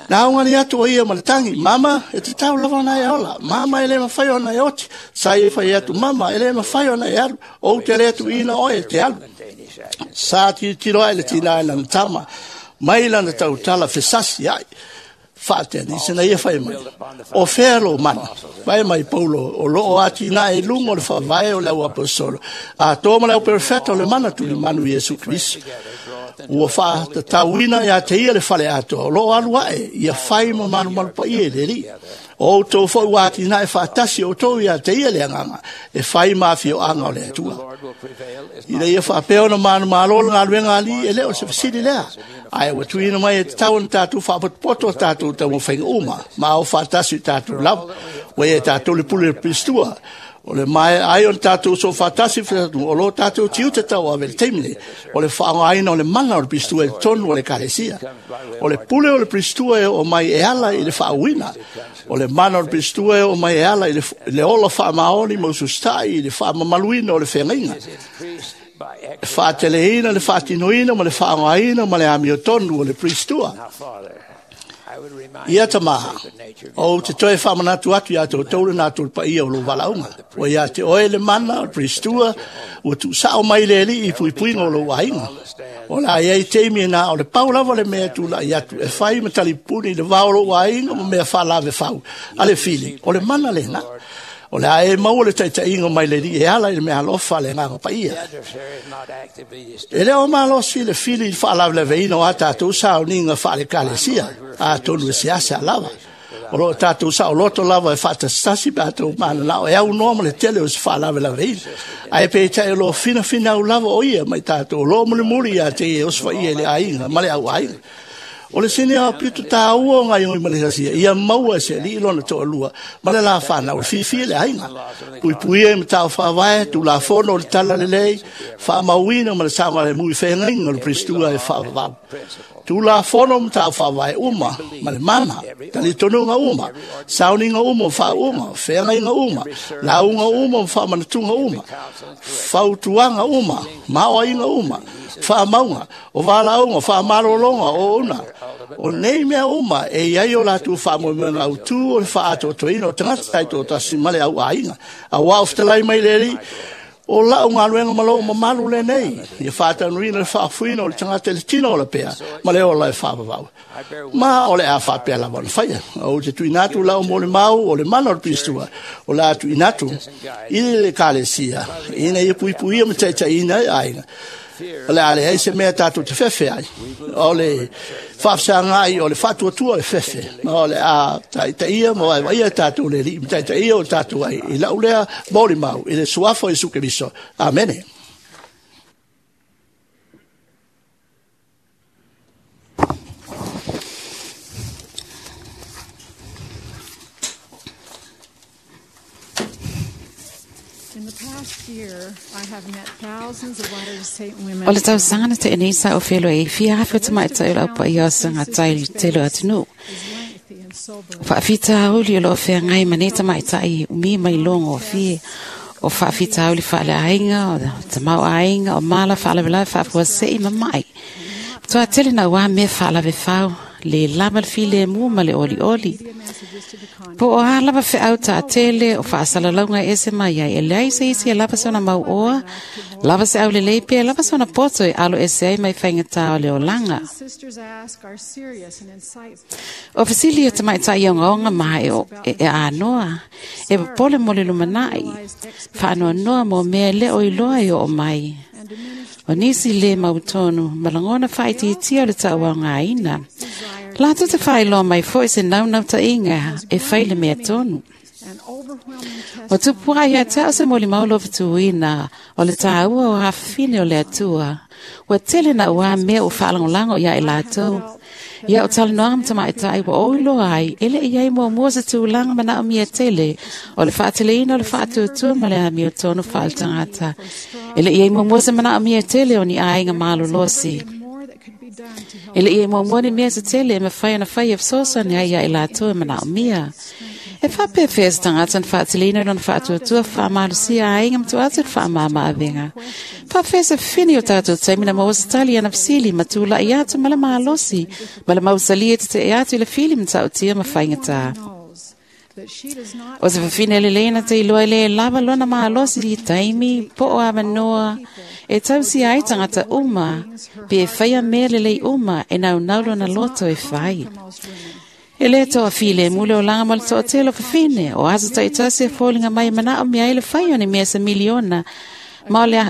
Na augani atu o ia ma le tagi, mama, e tatau lava ona e ola, mama e le mafai ona e oti, sa ia fai atu, mama, e le mafai ona e alu, ou te le tuuina oe e te alu. Sa tilotilo ai le tinā i lana tama, mai lana tautala fesasi ai, faateanisi na ia fai mai, o fea lou mana? Fai mai Paulo, o loo atinae i luga o le faavae o le au aposetolo, atoa ma le au perofeta o le mana tulimanu Iesu Keriso. Ua faatatauina ia te ia le fale atoa, o loo alu ae, ia fai ma malumalu paia i le Alii. O outou foi ua atinae faatasi outou ia te ia le agaga, e fai ma afioaga o le Atua. Ina ia faapea ona manumalo le galuega a Alii, e le o se fesili lea. Ae ua tuuina mai e tatau ona tatou faapotopoto a tatou taumafaiga uma, ma ao faatasi i tatou lava. Ua ia tatou le pule o le Priesthood. O le maea ai o le tatou soo faatasi o lo tatou tiute tauave i le taimi nei, o le faaaogaina o le mana o le Priesthood i totonu o le Ekalesia. O le pule o le Priesthood e oo mai e ala i le faauuina. O le mana o le Priesthood e oo mai e ala i le ola faamaoni ma ususitai i le faamamaluina o le feagaiga. E faateleina le faatinoina ma le faaaogaina ma le amiotonu o le Priesthood. Ia tamā, ou te toe faamanatu atu ia te outou le natura paia o lou valaauga. Ua ia te oe le mana o le Priesthood, ua tuusao mai le Alii i puipuiga o lou aiga. O le a i ai taimi e na o le pau lava le mea e tulai atu, e fai ma talipuni i le va o lou aiga ma mea faalavefau a le fili, o le mana lena. O le a e maua le taitaiga mai le Alii e ala i le meaalofa a le Agaga Paia. E le o malosi le fili i le faalavelaveina o a tatou sauniga faale-ekalesia, atonu e seasea lava. O loo tatou saoloto lava e faatasitasi pe a tou mananao e aunoa ma le tele o se faalavelaveina. Ae peitai o loo finafinau lava o ia ma i tatou o loo mulimuli ia te ia e osofaia i le aiga ma le auaiga. O le sini aupito tāua o ngai oi ma le sasia, ia maua e se alii lona toalua, ma le la whanau, e fiafia le aiga. Puipuia i matao whaavae, tulafono o le tala lelei, whaamauina ma le saogalemu i feagaiga o le Peristua e faavavau. Tulafono matao whaavae uma, ma le mana, talitonuga uma, sauniga uma o faauuga, feagaiga uma, lauga uma o faamanatuga uma, fautuaga uma, maoaiga uma, faamauga, o valaauga, faamalologa, o una. O nei mea uma e iai o latou faamoemoega autū o le faaatoatoaina o tagata taitoatasi ma le auaiga. Auā o fetalai mai le Alii, o lau galuega ma lou mamalu lenei, ia faataunuina le faafuina o le tagata i le tino o le pea ma le ola e faavavau. Ma o le a faapea lava ona faia. Ou te tuuina atu lau molimau o le mana o le Peristua, o le a tuuina atu i le Ekalesia, ina ia puipuia ma taitaiina ai aiga. O le a leai se mea tatou te fefe ai. O le faafesagai o le faatuatua o le fefe. Ma o le a taitaia ma vaevaia tatou le Alii ma taitaia o tatou ai i lau lea molimau i le suafa o Iesu Keriso. Amene. O le tausaga na tea nei sa o feloai e fia afe o tamaitai o le aupaia o sagatai i le tele o atunuu. Faafitauli o loo feagai ma nei tamaitai umi mai logofie o faafitauli faaleaiga o tamaoaiga o mala faalavelave faafuasei ma mai. Toa tele na ua mea faalavefau le lava le filemu ma le olioli. Po o a lava feau taatele o faasalalauga e ese mai ai, e leai se isi e lava sona mau oa, lava se au lelei pe lava sona poto e alo ese ai mai faigata o le olaga. O fesili o tamaitai ogaoga ma e, e, e anoa, e popole mo le lumanai, faanoanoa mo mea le o iloa e oo mai. O nisi le mautonu, ma lagona faaitiitia o le tauaogaina. Latou te faailoa mai foi se naunautaiga e fai le mea tonu. Ua tupu ai ia te au se molimau lofatuina o le tāua o hafafine o le Atua. Ua tele na ua mea ua faalagolago ia i latou. Ia o talanoaga ma tamaitai ua ou iloa ai, e le i ai muamua se tulaga manaomia tele o le faateleina o le faatuatua ma le amiotonu faaletagata. E le i ai muamua se manaomia tele o ni aiga malolosi. E le i ai muamua ni mea se tele e mafai ona fai e fesoasoani ai ia i latou e manaomia. E faapefea se tagata na faateleina lona faatuatua faamalosia aiga ma tuu atu le faamama-avega. Faapefea se fefini o tatou taimi na maua se tali ana fesili ma tulai atu ma le malosi ma le mausali e tetee atu i le fili matautia ma faigata. O se fafine lelei na te iloa e le lava lona malosi i taimi po o avanoa e tausia ai tagata uma pe e faia mea lelei uma e naunau lona loto e fai. E le toafilemu le olaga ma le toatele o fafine, o aso taitasi e foliga mai e manaomia ai le fai o ni mea se miliona, ma o le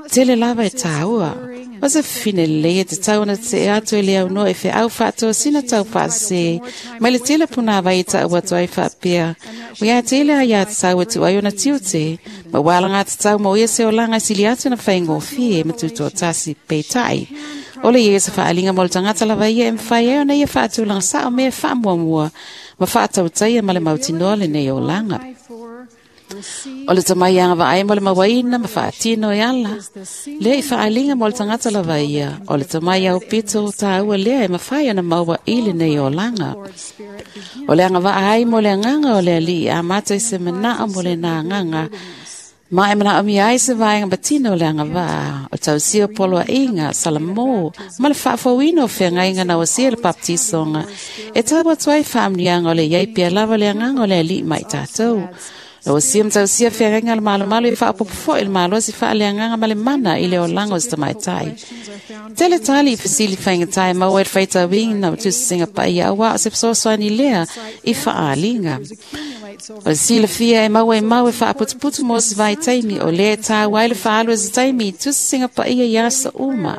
tele lava e tāua. O se fafine lelei e tatau ona tetee atu e le aunoa i feau faatosina taufaasese mai le tele punāvai e taʻu atu ai faapea, Ua ia tele a ia tatau e tuu ai ona tiute, ma ua alagatatau mo ia se olaga e sili atu ona faigofie ma tutoatasi. Peitai, o le ia se faaaliga mo le tagata lava ia e mafai ai ona ia faatulaga sao mea e faamuamua ma faatautaia ma le mautinoa lenei olaga. O le tamai agavaa ai mo le mauaina ma faatino e ala lea i faaaliga mo le tagata lava ia, o le tamai aupito tāua lea e mafai ona maua i lenei olaga. O le agavaa ai mo le agaga o le Alii amata i se manao mo lena agaga, ma e manaomia ai se vaega patino o le agavaa, o tausia o poloaiga, salamo, ma le faafouina o feagaiga na osia le baptisoga, e tau atu ai faamanuiaga o le iai pea lava le agaga o le Alii ma i tatou. Na osia ma tausia feagaiga a le malomalo e faaopoopo foi le malosi faaleagaga ma le mana i le olaga o se tamaitai. Tele tali i fesili faigata e maua ai le faitauina o tusisiga paia auā o se fesoasoani lea i faaaliga. O le silafia e maua i mau e faaputuputu mo se vaitaimi, o lea e tāua ai le faaalu o se taimi i tusisiga paia i aso uma.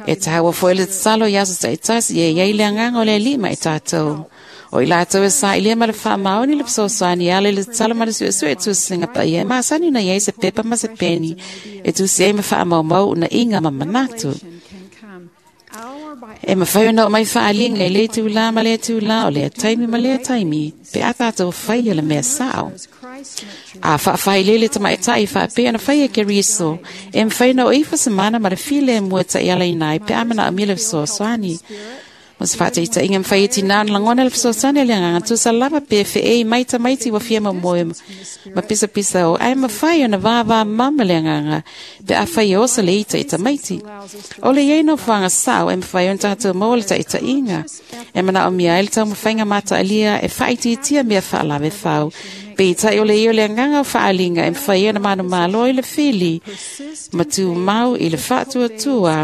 E tāua foi le tatalo i aso taitasi e i ai le agaga o le Alii ma i tatou. O i latou e saʻilia ma le faamaoni le fesoasoani e ala i le tatalo ma le suesue e tusiga paia e masani ona i ai se pepa ma se peni e tusi ai ma faamaumau unaʻiga ma manatu. E mafai ona oo mai faaliga i lea itulā ma lea itulā, o lea taimi ma lea taimi, pe a tatou faia le mea sao. A faafailele le tamaitai faapea ona faia e Keriso, e mafai ona oo ifo se mana ma le filemu e taialaina ai pe a manaomia le fesoasoani. Mo se faataitaiga, e mafai e tinā ona lagona le fesoasoani a le agaga tusa lava pe feei mai tamaiti ua fia momoe ma pisapisa o, ae mafai ona vavamama le agaga pe afai e oso le ita i tamaiti. O le i ai nofoaga sao e mafai ona tatou maua le taitaiga e manaomia ai le taumafaiga mataalia e faaitiitia mea faalavefau. Peitai o le i o le agaga o faaaliga e mafai ai ona manumalo i le fili ma tumau i le faatuatua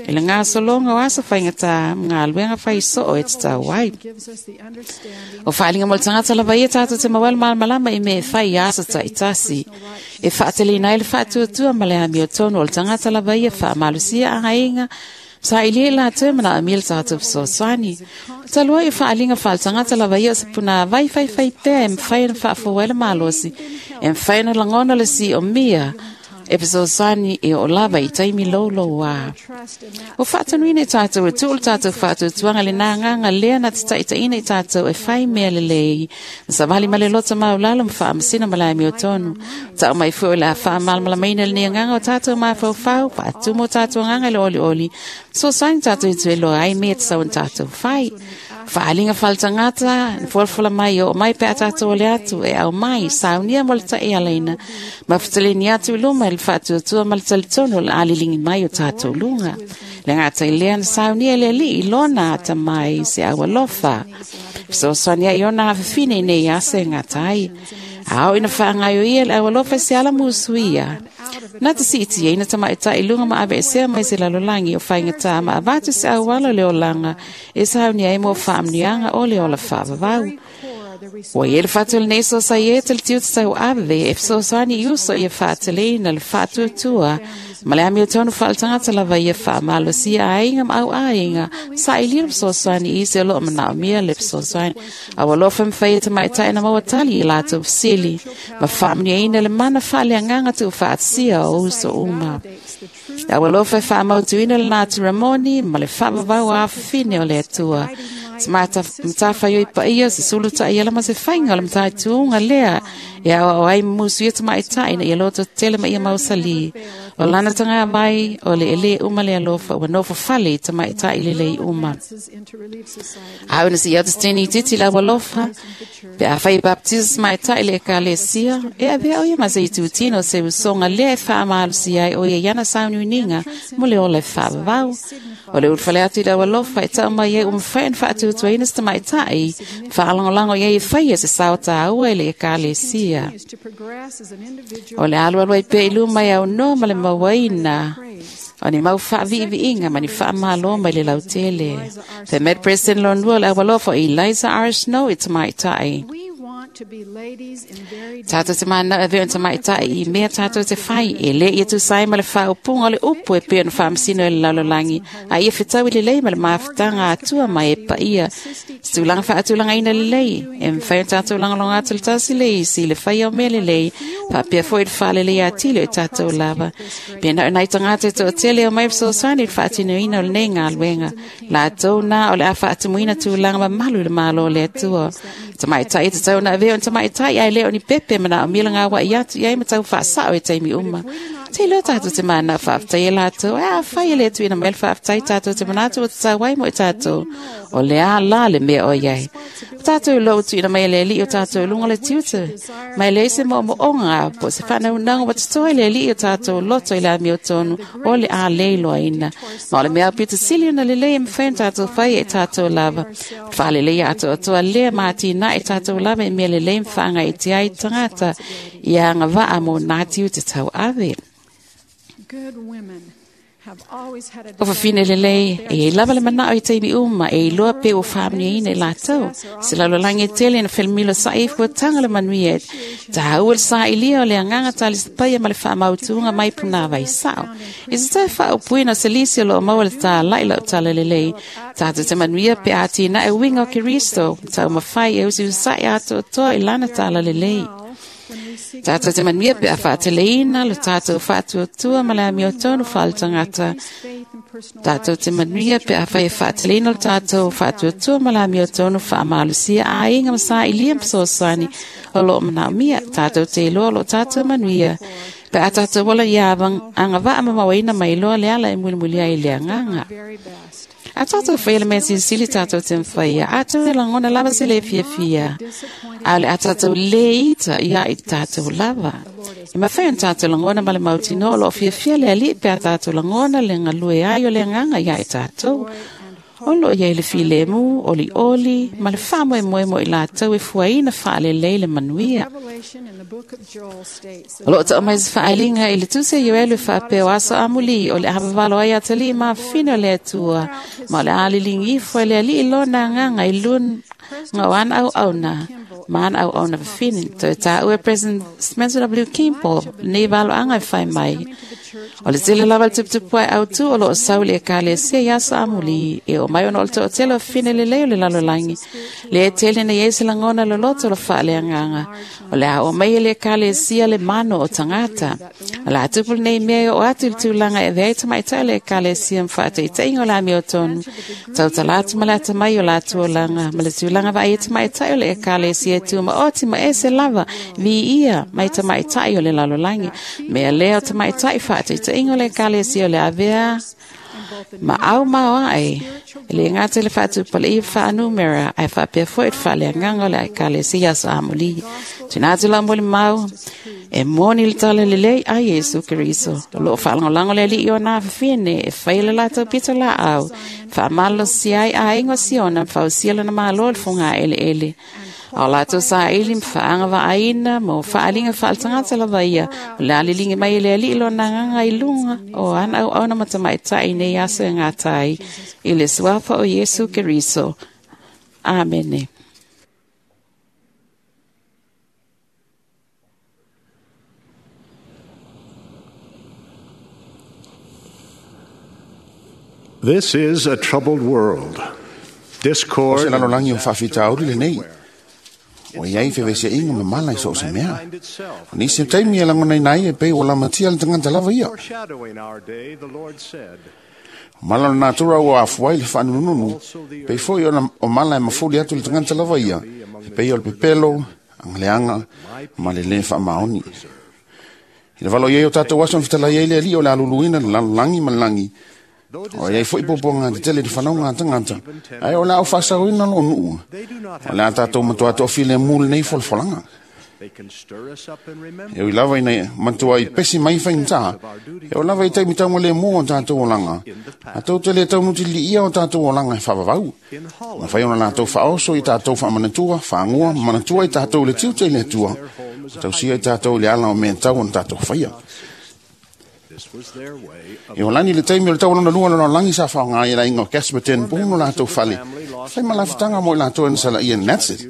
i le gasologa o aso faigata ma galuega fai soo e tatau ai. O faaaliga mo le tagata lava ia tatou te maua ai le malamalama i mea e fai i aso taitasi. E faateleina ai le faatuatua ma le amiotonu o le tagata lava ia faamalosia aiga sailia i latou e manaomia le tatou fesoasoani. Talu ai o faaaliga faaletagata lava ia o se punāvai faifai pea e mafai ona faafou ai le malosi, e mafai ona lagona le siomia e fesoasoani e oo lava i taimi loulouā. Ua faatonuina i tatou e tuu le tatou faatuatuaga i lena agaga lea na te taitaiina i tatou e fai mea lelei, ma savali ma le loto maulalo ma faamasina ma le amiotonu. Tau mai foi o le a faamalamalamaina lenei agaga o tatou mafaufau, faatumu o tatou agaga i le olioli, fesoasoani tatou i tueloa ai mea e tatau ona tatou fai. Faaaliga faaletagata, na folafola mai e oo mai pe a tatou ole atu e aumai, saunia mo le taialaina, ma fetaleni atu i luma i le faatuatua ma le talitonu o le a liligi mai o tatou luga. Le gata i lea na saunia e le Alii i lona atamai se au alofa. Fesoasoani ai i ona afafine i nei aso e gata ai. A oo ina faagaioia le au alofa i se ala musuia, na te siitiaina tamaitai i luga ma aveesea mai se lalolagi o faigata ma avatu se auala o le olaga e saunia ai mo faamanuiaga o le ola faavavau. Ua i ai le fatu o lenei Sosaiete le tiute tauave e fesoasoani i uso ia faateleina le faatuatua ma le amiotonu faaletagata lava ia faamalosia aiga ma auaiga sailia le fesoasoani i isi o loo manaomia le fesoasoani. A ua alofa mafai e tamaitai na maua tali i latou fesili ma faamanuiaina le mana faaleagaga tuufaatasia o uso uma. A ua alofa e faamautuina le natura moni ma le faavavau afafine o le Atua. Se matafaioi paia, se sulu taʻiala ma se faiga o le mataituga lea e aoao ai ma musu ia tamaitai ina ia loto tetele ma ia mausalī. O lana tagavai o le elē uma le alofa ua nofo fale i tamaitai lelei uma. A ona si atu teni titi la alofa, pe afai e baptisa tamaitai le ekalesia, e avea o ia ma se itutino se usoga lea e faamalosia ai o ia i ana sauniuniga mo le ola e faavavau. O le ulufale atu i le aualofa e tau mai ai ua mafai ona faatuatuaina se tamaitai, faalagolago i ai e faia se sao taua i le ekalesia. O le alualu ai pea i luma e aunoa ma le mauaina o ni mau faaviiviiga ma ni faamalo mai le lautele. Fai mai le President lonua o le aualofa o Eliza R. Snow i tamaitai. Tatou te manao e avea o ni tamaitai i mea tatou te fai, e le ia tusa ai ma le faaupuga o le upu e pei ona faamasino e le lalolagi, a ia fetaui lelei ma le mafutaga a Atua mai e paia se tulaga faatulagaina lelei, e mafai ona tatou lagolago atu le tasi le isi i le faia o mea lelei, faapea foi i le faaleleia atili o i tatou lava. Pe na o nai tagata e toatele e omai e fesoasoani i le faatinoina o lenei galuega, latou na o le a faatumuina tulaga mamalu i le Malo o le Atua. Tamaitai e tatau ona avea o ni tamaitai ae le o ni pepe manaomia le gauaʻi atu i ai ma tau faasao i taimi uma. Te iloa tatou te manao faafetai e latou, ae afai e le tuuina mai le faafetai tatou te manatu ua tatau ai mo i tatou, o le a la le mea o i ai. O tatou iloa ua tuuina mai e le Alii o tatou i luga o le tiute, ma e leai se moomooga po o se faanaunaga ua totoe i le Alii o tatou loto i le amiotonu o le a le iloaina. Ma o le mea aupito sili ona lelei e mafai ona tatou faia i tatou lava. O le faaleleia atoatoa lea ma atinae tatou lava i mea lelei ma faagaitia ai tagata ia agavaa mo nā tiute tauave. Good women O fafine lelei, e iai lava le manao i taimi uma, e iloa pe ua faamanuiaina i latou. Se lalolagi e tele na felemilo sa'i ai fuataga le manuia, taua le sa'ilia o le agaga talisapaia ma le faamautuga mai punāvai sa'o. I se toe faaupuina o se lisi o loo maua le tāla'i lau tala lelei, tatou te manuia pe a atinae uiga o Keriso, taumafai e usiusisa'i atoatoa i lana tala lelei. Tatou te manuia pe a faateleina le tatou faatuatua ma le amiotonu faaletagata. Tatou te manuia pe a fai e faateleina le tatou faatuatua ma le amiotonu faamalosia aiga ma sa'ilia ma fesoasoani o loo manaomia. Tatou te iloa o loo tatou manuia pe a tatou ola ia agavaa ma mauaina mai loa le ala e mulimuli ai i le agaga. A tatou faia le mea silisili tatou te mafaia, atonu e lagona lava se lē fiafia, a o le a tatou lē ita ia i tatou lava. E mafai ona tatou lagona ma le mautinoa o loo fiafia le Alii pe a tatou lagona le galue ai o le agaga ia i tatou. O loo iai le filemu, olioli ma le faamoemoe mo i latou e fuaina faalelei le manuia. O loo tau mai se faaaliga i le tusi a Ioelu e faapea o aso amulī o le a vavalo ai atalii ma afafine o le Atua, ma o le a liligi ifo e le Alii lona agaga i luga o ana auauna ma ana auauna fafine. Toe taua e President Spencer W. Kimball lenei valoaga e fai mai. O le tele lava le tuputupu ae autū o loo sau i le ekalesia i aso amulī, e oo mai ona o le toatele o fafine lelei o le lalolagi. Lea e tele na iai se lagona loloto o le faaleagaga. O le a oo mai e le ekalesia le mano o tagata. O le a tupu lenei mea e oo atu i le tulaga e avea ai tamaitai o le ekalesia ma faataitaiga o le amiotonu, tautala atu ma le atamai o latou olaga, ma le tulaga vaai ai tamaitai o le ekalesia e tumaoti ma ese lava viia mai tamaitai o le lalolagi. Mea lea o tamaitai faataitaiga o le ekalesia o le avea ma au maoae, e le gata i le faatupalaia faanumera, ae faapea foi le faaleagaga o le ekalesia aso amulī. Tuuina atu lau molimau, e moni le tala lelei a Iesu Keriso. O loo faalagolago le Alii o ona afafine e faia le latou pito laau, faamalosia ai aiga o Siona ma fausia lona malo i le fogaeleele. A o latou saili ma faagavaaina ma faaaliga faaletagata lava ia, o le a liligi mai e le Alii lona agaga i luga o ana auauna ma tamaitai i nei aso e gata ai, i le suafa o Iesu Keriso. Amene. This is a troubled world. O Discord se lalolagi o faafitauli lenei. O iai feveseaiga ma mala i so o se mea. O nisi o taimi e lagonaina ai e pei ua lamatia le tagata lava ia. Foreshadowing our day, the Lord said, O mala o le natura ua afua ai le faanunununu, pei foi ona o mala e mafuli atu le tagata lava ia, e pei o le pepelo, agaleaga, ma le lē faamaoni. I le valo i ai o tatou aso na fetalai ai le Alii o le aluluina le lalolagi ma le lagi, o iai foi puapuaga tetele i le fanauga a tagata, ae o le a o faasaoina loo nuu, o le a tatou matuā toafilemu lenei folafolaga. They can stir us up and remember E ui lava ina matua i pesi mai faigata, e o lava i taimi taugalemu o tatou olaga, atou te le taunutiliia o tatou olaga e faavavau. Mafai ona latou faaoso i tatou faamanatua, faagua ma manatua i tatou i le tiute i le Atua, o tausia i tatou i le ala o mea e tatau ona tatou faia. this was their way of E o lani le taimi o le tau lona lua o le lalolagi sa faaaoga ai e le aiga o Casper ten Boom o latou fale, fai ma lafutaga mo i latou e na salaia i Natsit.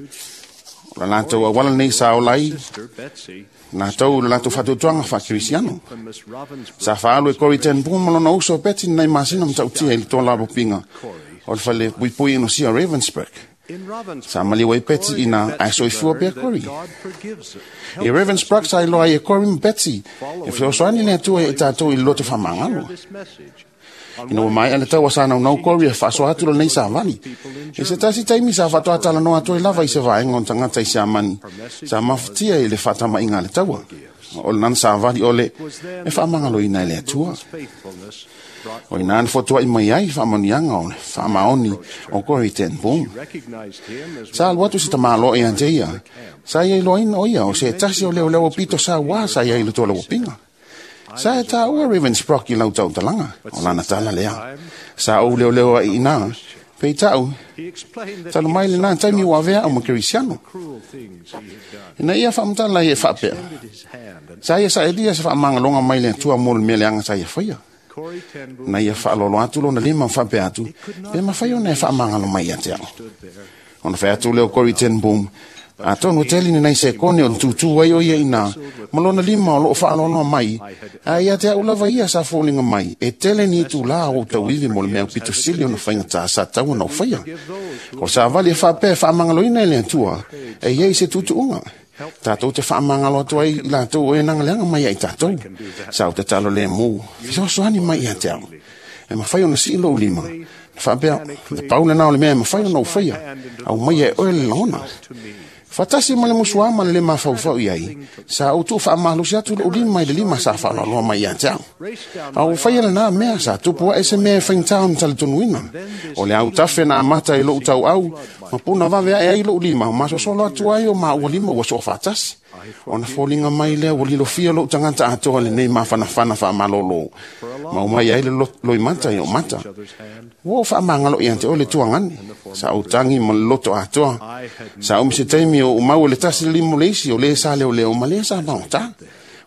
O le latou auala nei sa ola ai, sister Betsy latou i le latou faatuatuaga faakerisiano. from Miss Ravensbrück Sa faaalu e Corrie ten Boom ma lona uso o Betsy ni nai masina matautia i le tolapopiga o le fale puipui inosia o Ravensbrück. in Ravensbrück. Sa maliu ai Betsy ina ae soifua pea Learned that Corrie. God forgives it. I Ravensbrück sa iloa ai e Corrie ma Betsy, e fesoasoani le Atua ia i tatou i le loto faamagalo. This message. Ina ua maea le tau a sa naunau Corrie e faasoa atu lenei savali. E se tasi taimi sa faatoatalanoa atu ai lava i se vaega o tagata i Siamani, sa mafatia i le faatamaiga a le taua. O le nana savali o le e faamagaloina e le Atua. Faithfulness brought O ina na fotuai mai ai faamanuiaga o le faamaoni o Corrie ten Boom. recognized him as Sa alu atu se tamāloa ia te ia. Sa ia iloaina o ia o se tasi o leoleo o pito sa wā sa ia i le tola upinga. Sa e tā ua Ravensbrück i lau tautalaga, o lana tala lea. Sa ou leoleo ai ina, pei tau, he explained that talu mai le nā taimi ua avea au ma Kerisiano. cruel things he had done. Ina ia faamatala ia e faapea. His hand and Sa ia sa elia se faamagaloga mai le Atua mo le mea leaga sa ia faia. Na ia faalolo atu lona lima faapea atu, pe mafai ona e faamagalo mai ia te au. Ona fai atu lea o Corrie ten Boom, atonu tele ni nai sekone o le tūtū ai o ia ina, ma lona lima o loo faaloaloa mai, a ia te au lava ia sa foliga mai, e tele ni itulā o ou tauivi mo le mea aupito sili ona faigata sa tatau ona ou faia. O le savali e faapea e faamagaloina e le Atua, e iai se tuutuuga. Tatou te faamagalo atu ai i latou o e nagaleaga mai ai tatou. Sa ou tatalo lemu, fesoasoani mai ia te au. E mafai ona sii lou lima. Na faapea, le pau lena o le mea e mafai ona ou faia, aumaia e oe le lagona. Faatasi ma le musuā ma le lē mafaufau i ai, sa ou tuufaamalosi atu lou lima i le lima sa faaloaloa mai ia te au. A ua faia lenā mea, sa tupu ae se mea e faigata ona talitonuina. O le autafe na amata i lou tauau, ma puna vave ae ai lou lima, ma sosolo atu ai o maua lima ua soofaatasi. Ona foliga mai lea ua lilofia lou tagata atoa lenei mafanafana faamalōlō, ma omai ai le loimata i ou mata. Ua ou faamagalo ia te oe le tuagane. Sa ou tagi ma le loto atoa. Sa umi se taimi o ou mau e le tasi le lima o le isi o lē sa leoleo ma lē sa maotā.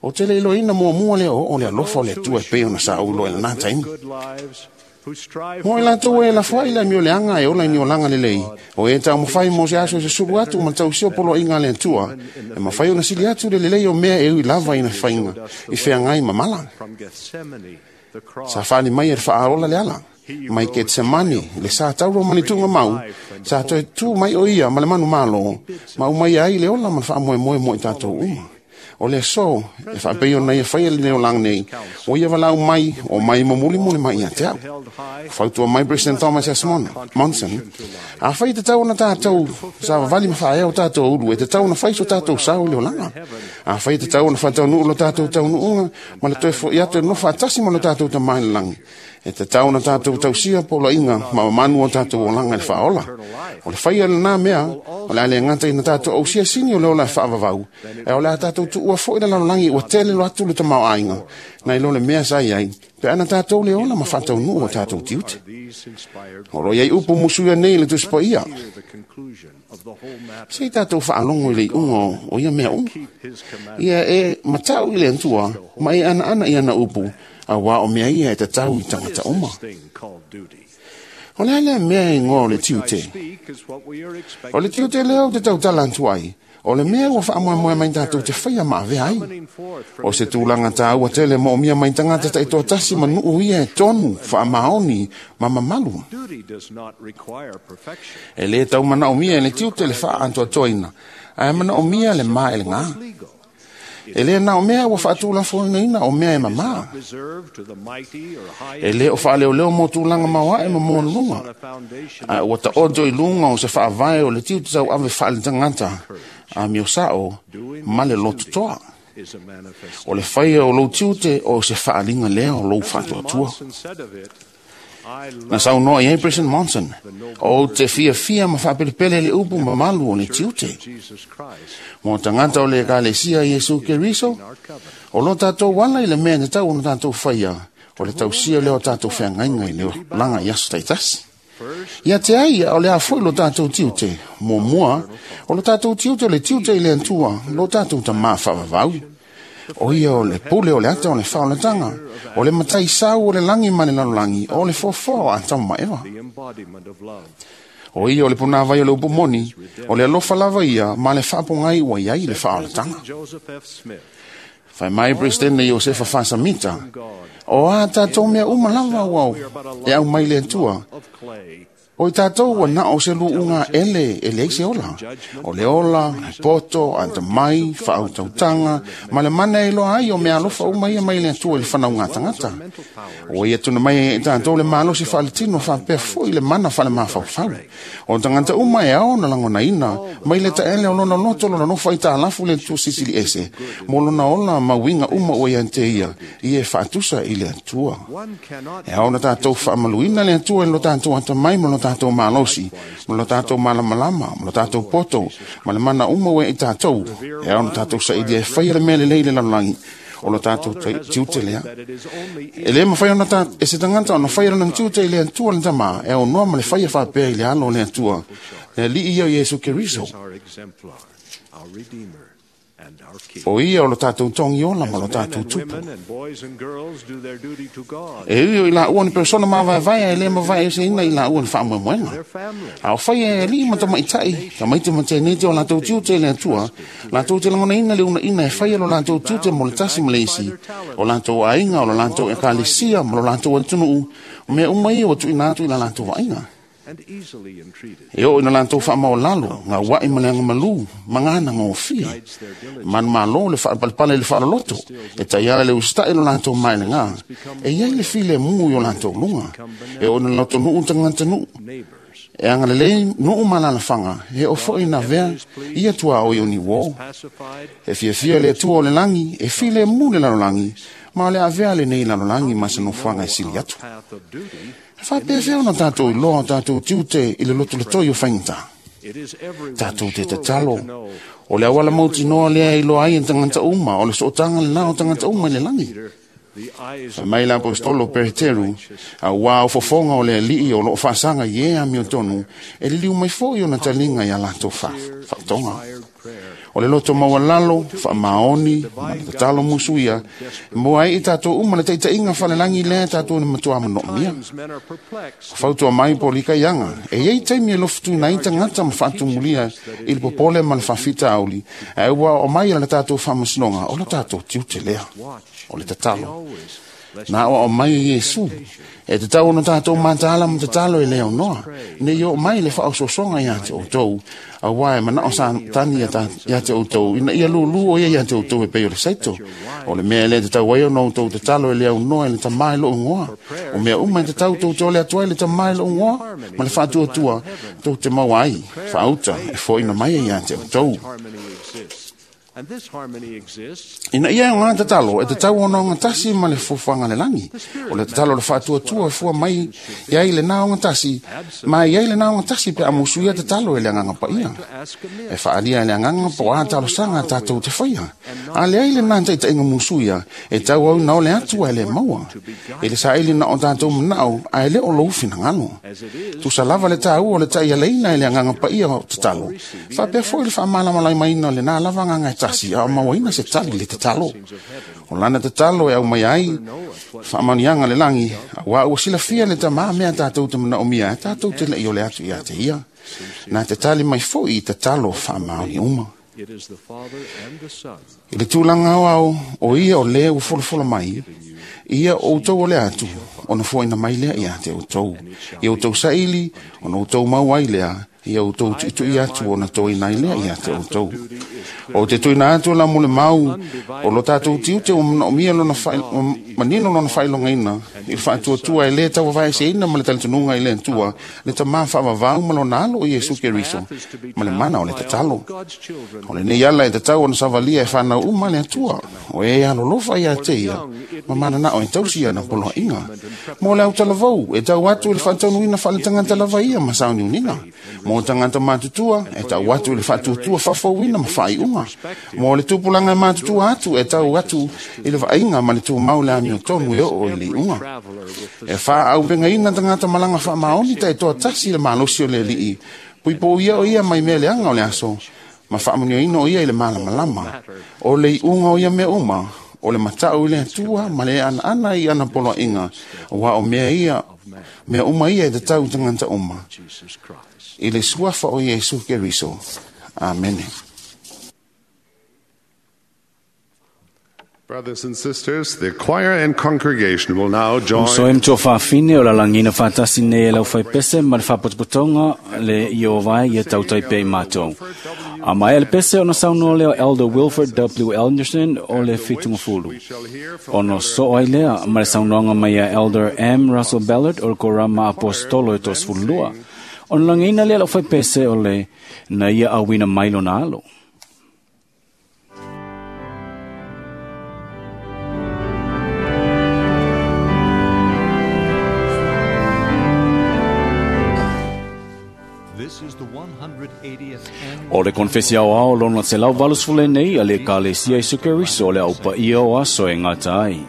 O te le iloaina muamua lea o oo le alofa o le Atua e pei ona sa ou iloa i lenā taimi. Mo i latou e lafoai le amio leaga e ola i ni olaga lelei, o e taumafai mo se aso e susulu atu ma le tausia o poloaiga a le Atua, e mafai ona sili atu le lelei o mea e ui lava ina faiga i feagai ma mala. Sa fali mai e le faaola le ala, mai Ketsemane, le sa tauro ma le tuugamau, sa toe tu mai o ia ma le manumalo, ma umaia ai le ola ma le faamoemoe mo i tatou uma. O le aso, e faapei ona ia faia lenei olaga nei, ua ia valaau mai, o mai momulimuli mai ia te au. Fautua mai President Thomas S. Monson, afai e tatau ona tatou savavali ma faaea o tatou ulu, e tatau ona fai so tatou sao i le olaga. Afai e tatau ona faataunuu lo tatou taunuuga ma le toe fo'i atu e nofo faatasi ma lo tatou Tama i le lagi, e tatau ona tatou tausia poloaiga ma mamanu o tatou olaga i le faaola. O le faia lenā mea, o le a le gata ina tatou ausia sini o le ola e faavavau, ae o le a tatou tuua foi le lalolagi ua tele loa atu le tamaoaiga, nai lo le mea sa i ai, pe ana tatou le ola ma faataunuu o tatou tiute. O lo o i ai upu musuia nei i le Tusi Paia. Se i tatou faalogo i le iuga o ia mea uma. Ia e matau i le Atua ma e anaana i ana upu, auā o mea ia e tatau i tagata uma. O le a lea mea e igoa o le tiute? O le tiute lea ou te tautala atu ai, o le mea ua faamoemoe mai tatou te faia ma avea ai. O se tulaga taua tele moomia mai tagata taitoatasi ma nuu ia e tonu, faamaoni ma mamalu. E lē tau manaomia e le tiute le faaatoatoaina, ae manaomia le maelegā. E lē na o mea ua faatulafonoina o mea e mamā. E lē o faaleoleo mo tulaga maoae ma maualuluga, ae ua taoto i luga o se faavae o le tiute tauave faaletagata, amio sao ma le lototoa. O le faia o lou tiute o se faaaliga lea o lou faatuatua. Na saunoa i ai President Monson, ou te fiafia ma faapelepele le upu mamalu o le tiute. Mo tagata o le Ekalesia a Iesu Keriso, o lo tatou ala i le mea e tatau ona tatou faia, o le tausia lea o tatou feagaiga i le olaga i aso taitasi. Ia te ai, o le a foi lo tatou tiute. Muamua, o lo tatou tiute o le tiute i le Atua, lo tatou Tamā faavavau. O ia o le pule o le ata o le faaolataga, o le matai sau o le lagi ma le lalolagi, o le foafoa o Atama ma Eva. O ia o le punāvai o le upu moni, o le alofa lava ia ma le faapogai ua i ai le faaolataga. Fai mai Peresetene Iosefa Faasamita, o a tatou mea uma lava ua e aumai le Atua, o i tatou ua na o se luuga ele e leai se ola. O le ola, le poto, atamai, faautautaga, ma le mana e iloa ai o mea alofa uma ia mai le Atua i le fanauga tagata. Ua ia tuna mai ai e tatou le malosi faaletino faapea foi le mana faalemafaufau. O tagata uma e ao ona lagonaina mai le taele o lona loto lona nofo aitalafu le Atua Silisili Ese mo lona ola ma uiga uma ua ia te ia, ia e faatusa i le Atua. E ao ona tatou faamaluina le Atua i lo tatou atamai ma lo tatou malosi, ma lo tatou malamalama, ma lo tatou poto, ma le mana uma ua ia i tatou. E ao ona tatou sailia e faia le mea lelei i le lalolagi, o lo tatou tiute lea. E lē mafai ona e se tagata ona faia lona tiute i le Atua le Tamā, e aunoa ma le faia faapea i le alo o le Atua, le Alii ia o Iesu Keriso. O ia o lo tātou tongi ola ma lo tātou tupu. E ui o i la ua ni persona ma vai vai e le ma vai e se ina i la ua ni whaamoemoenga. A o whai e li ma tamaitai, tamaiti ma te nete o lātou tiute le atua, lātou te langona ina le una ina e whai lo lātou tiute mo le tasi ma le isi, o lātou ainga, o lo lātou ekalesia, ma lo lātou atunuu, o mea uma ia o tuina atu i la lātou vaaiga. E o ina lātou whaamaolalo, ngā wai ma le anga malu, mangana ngā ofie. Manu malo le whaapalpale le whaaloloto, e taiara le ustai lo lātou mai le ngā. E iai le file mu i o lātou lunga. E o ina lātou nuu tangata nuu. E anga le lei nuu malala whanga, e o fo ina vea, ia tua o i oni wō. E fia fia le tua o le langi, e file mu le lalolangi, ma o le avea le nei lalolangi ma se nofuanga e sili atu. Whapea ona tātou i loa tātou tiute i le loto le toi o whaingata. Tātou te tatalo. O le awala mauti noa lea i loa ai en tangata uma, o le sootanga le nao tangata uma i le langi. Mai la apostolo Peteru, a ua o fofonga o le alii o loo whaasanga i ea mio tonu, e liliu mai fo i ona talinga i a latou whatonga. O le loto maualalo, whaamaoni, ma le tatalo musuia, moa ai i tātou uma le taitainga whalelangi lea tātou ni matua mano'omia. Fautua mai po lika ianga, e iei taimi e lofutu na i tangata ma whaatumulia i le popole ma le whawhita auli, e ua o mai ala tātou whamasinoga, o le tātou tiute lea, o le tatalo. Nā o mai e Iesu, e te tau ona tātou mātāla ma tatalo e leo noa, ne i o mai le whaososonga ia te outou, a wai mana o sa tani ia te outou, ina ia lulu o ia ia te outou e pei o le saito. O le mea le te tau ai ona outou tatalo e leo noa e le tamai lo ngoa. O mea uma e te tau tou te ole atua e le tamai lo ngoa, ma le whaatuatua, tou te mau ai, whaauta, e foina mai ia te outou. Ina ia ngā tatalo, e te tau ona ngā tasi ma le fufuanga le langi. O le tatalo le whaatuatua e fua mai i ai le nā o ngā tasi, ma i ai le nā o ngā tasi pe amusu ia tatalo e le anganga pa ia. E whaalia e le anganga po a talo sanga tātou te whaia. A le ai le nā taita inga musu ia, e tau au nao le atua e le maua. E le saili na o tātou manao, a e le o lou finangalo. Tusa lava le tāu o le tai aleina e le anganga pa ia o tatalo. Whapea foi le whaamalamalai maina le nā lava nganga e tasi, a mauaina se tali le tatalo. O lana tatalo e au mai ai, whaamanianga le langi, a wā ua silafia le tamā mea tātou te manaomia, e tātou te lei o le atu ia te ia. Nā te tali mai foi i tatalo whaamaoni uma. I le tūlanga au au, o ia o lea ua folofola mai, ia o outou o le atu, ona foina mai lea ia te outou. Ia outou saili, ona outou mau ai lea, ia outou tuitui atu ona toina ai lea ia te outou. O te tuina atu la mo le mau, o lo tātou tiute o manaomia lona manino lona whailongaina, i le whaatuatua e le tau se ina ma le talitonuga i le Atua, le tamā whaavavau ma lona alo o Iesu Keriso, ma le mana o le tatalo. O le nei ala e tatau ona savalia e whanau uma le Atua, o e alolofa ia te ia, ma mana na o e tausi ana poloaiga. Mo le autalavou, e tau atu i le whaataunuina whaletangata lava ia ma sauniunina. Mo tangata matutua, e tau atu i le whaatuatua whafauina ma whaiunga. Mo le tupulanga e matutua atu, e tau atu i le vaaiga ma le tumau le amio tonu e oo i le iunga. E wha au pengaina tangata malanga wha maoni ta e toa tasi le malosi o le lii. Puipo ia o ia mai mea le anga o le aso, ma whaamunioina o ia i le malamalama. O le iunga o ia mea uma, o le matau i le atua ma le ana ana i ana poloaiga, wa o mea ia, mea uma ia e te tau tangata uma. I le suafa o Iesu Keriso. Amene. Brothers and sisters, the choir and congregation will now join. Uso em tō whawhine o la langina whātasi nei e lau whaipese ma le whapotopotonga le i o vai i a tautai pe i mātou. A mai ele pese ona saunoa leo Elder Wilford W. Anderson o le Fitungafulu. Ono so ai lea ma le saunoanga mai a Elder M. Russell Ballard o le Korama Apostolo e tosfulua. Ona langina lea lau whaipese o le na ia awina mai lona alo. O le konfesi au ao lona te lau valusfule nei a le kalesia Iesu Keriso le au paia o aso e ngata ai.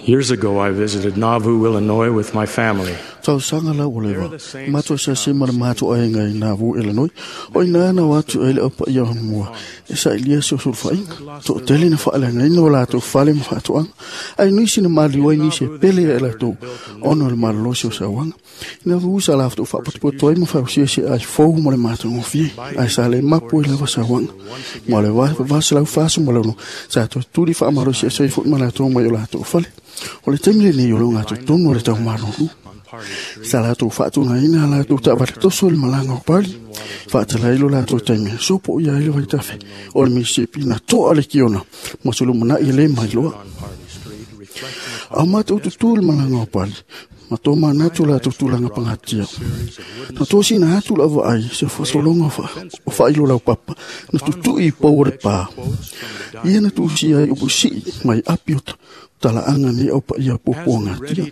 Years ago, I visited Nauvoo, Illinois with my family. Tausaga la ua leva matou asiasi ma le matou aiga i Nauvoo, Illinois. O ina na o atu ai le aupaia o mua e saʻilia se osulufaʻiga. Toʻatele na faaleagaina o latou fale ma faatoaga, ae nisi na maliu ai nisi e pele ia i latou ona o le malolosi o sauaga. I Nauvoo sa lafotou faapotopoto ai ma fausia se ai fou mo le matagofie, ae sa le mapu ai lava sauaga. Ma o le 1846 sa toe tuli faamalosi ese ai foʻi ma latou mai o latou fale. O le taimi lenei o le ogatotonu o le taumalolu. Sa latou faatugaina latou taavale toso i le malaga o Pali. Faatalai lo latou taimi aso po o ia ai le vaitafe o le Mississippi na toa le kiona ma se lumanai e lē mailoa. A o matou tutū i le malaga o Pali, ma tō manatu latou tulaga pagatia. Na tosina atu lau vaai se fasologa o faailo laupapa na tutuʻi i pou o le pā. Ia na tuusia ai upu sii mai api o talaaga nei au paia puapuagatia.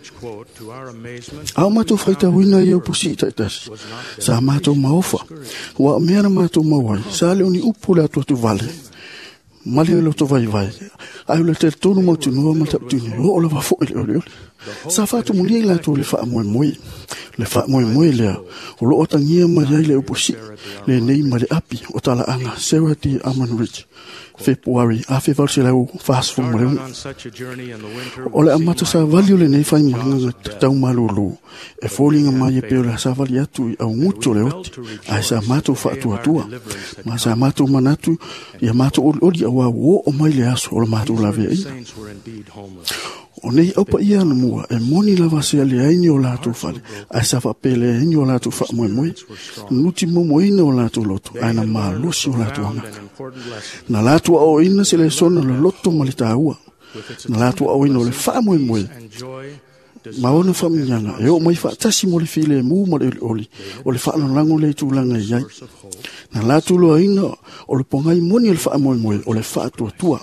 A o matou faitauina ia upu sii taʻitasi, sa matou maofa, ua o mea na matou mau ai, sa le o ni upu le atuatu vale, ma le loto vaivai, ae o le talitonu mautinoa ma taʻutini oo lava foʻi le olioli. Sa faatumulia i latou le faamoemoe. Le faamoemoe lea, o loo atagia mai ai le upu sii lenei ma le api o talaaga Sarah D. Armanridge, Fepuari 1846. O le amata savali o lenei faimalaga taumalūlū e foliga mai e pei o le savali atu i augutu o le oti, ae sa matou faatuatua ma sa matou manatu ia matou olioli auā ua oo mai le aso o le matou laveaiga. O nei aupaia anamua e moni lava se aleaini o latou fale, ae sa faapeleaini o latou faamoemoe, nuti momoina o latou loto, ae na malosi o latou agaga. Na latou aoaoina se lesona o le loto ma le taua. Na latou aoaoina o le faamoemoe ma ona faamanuiaga e oo mai faatasi mo le filemu ma le olioli o le faalagolago le tulaga i ai. Na latou loaina o le pogai moni o le faamoemoe o le faatuatua.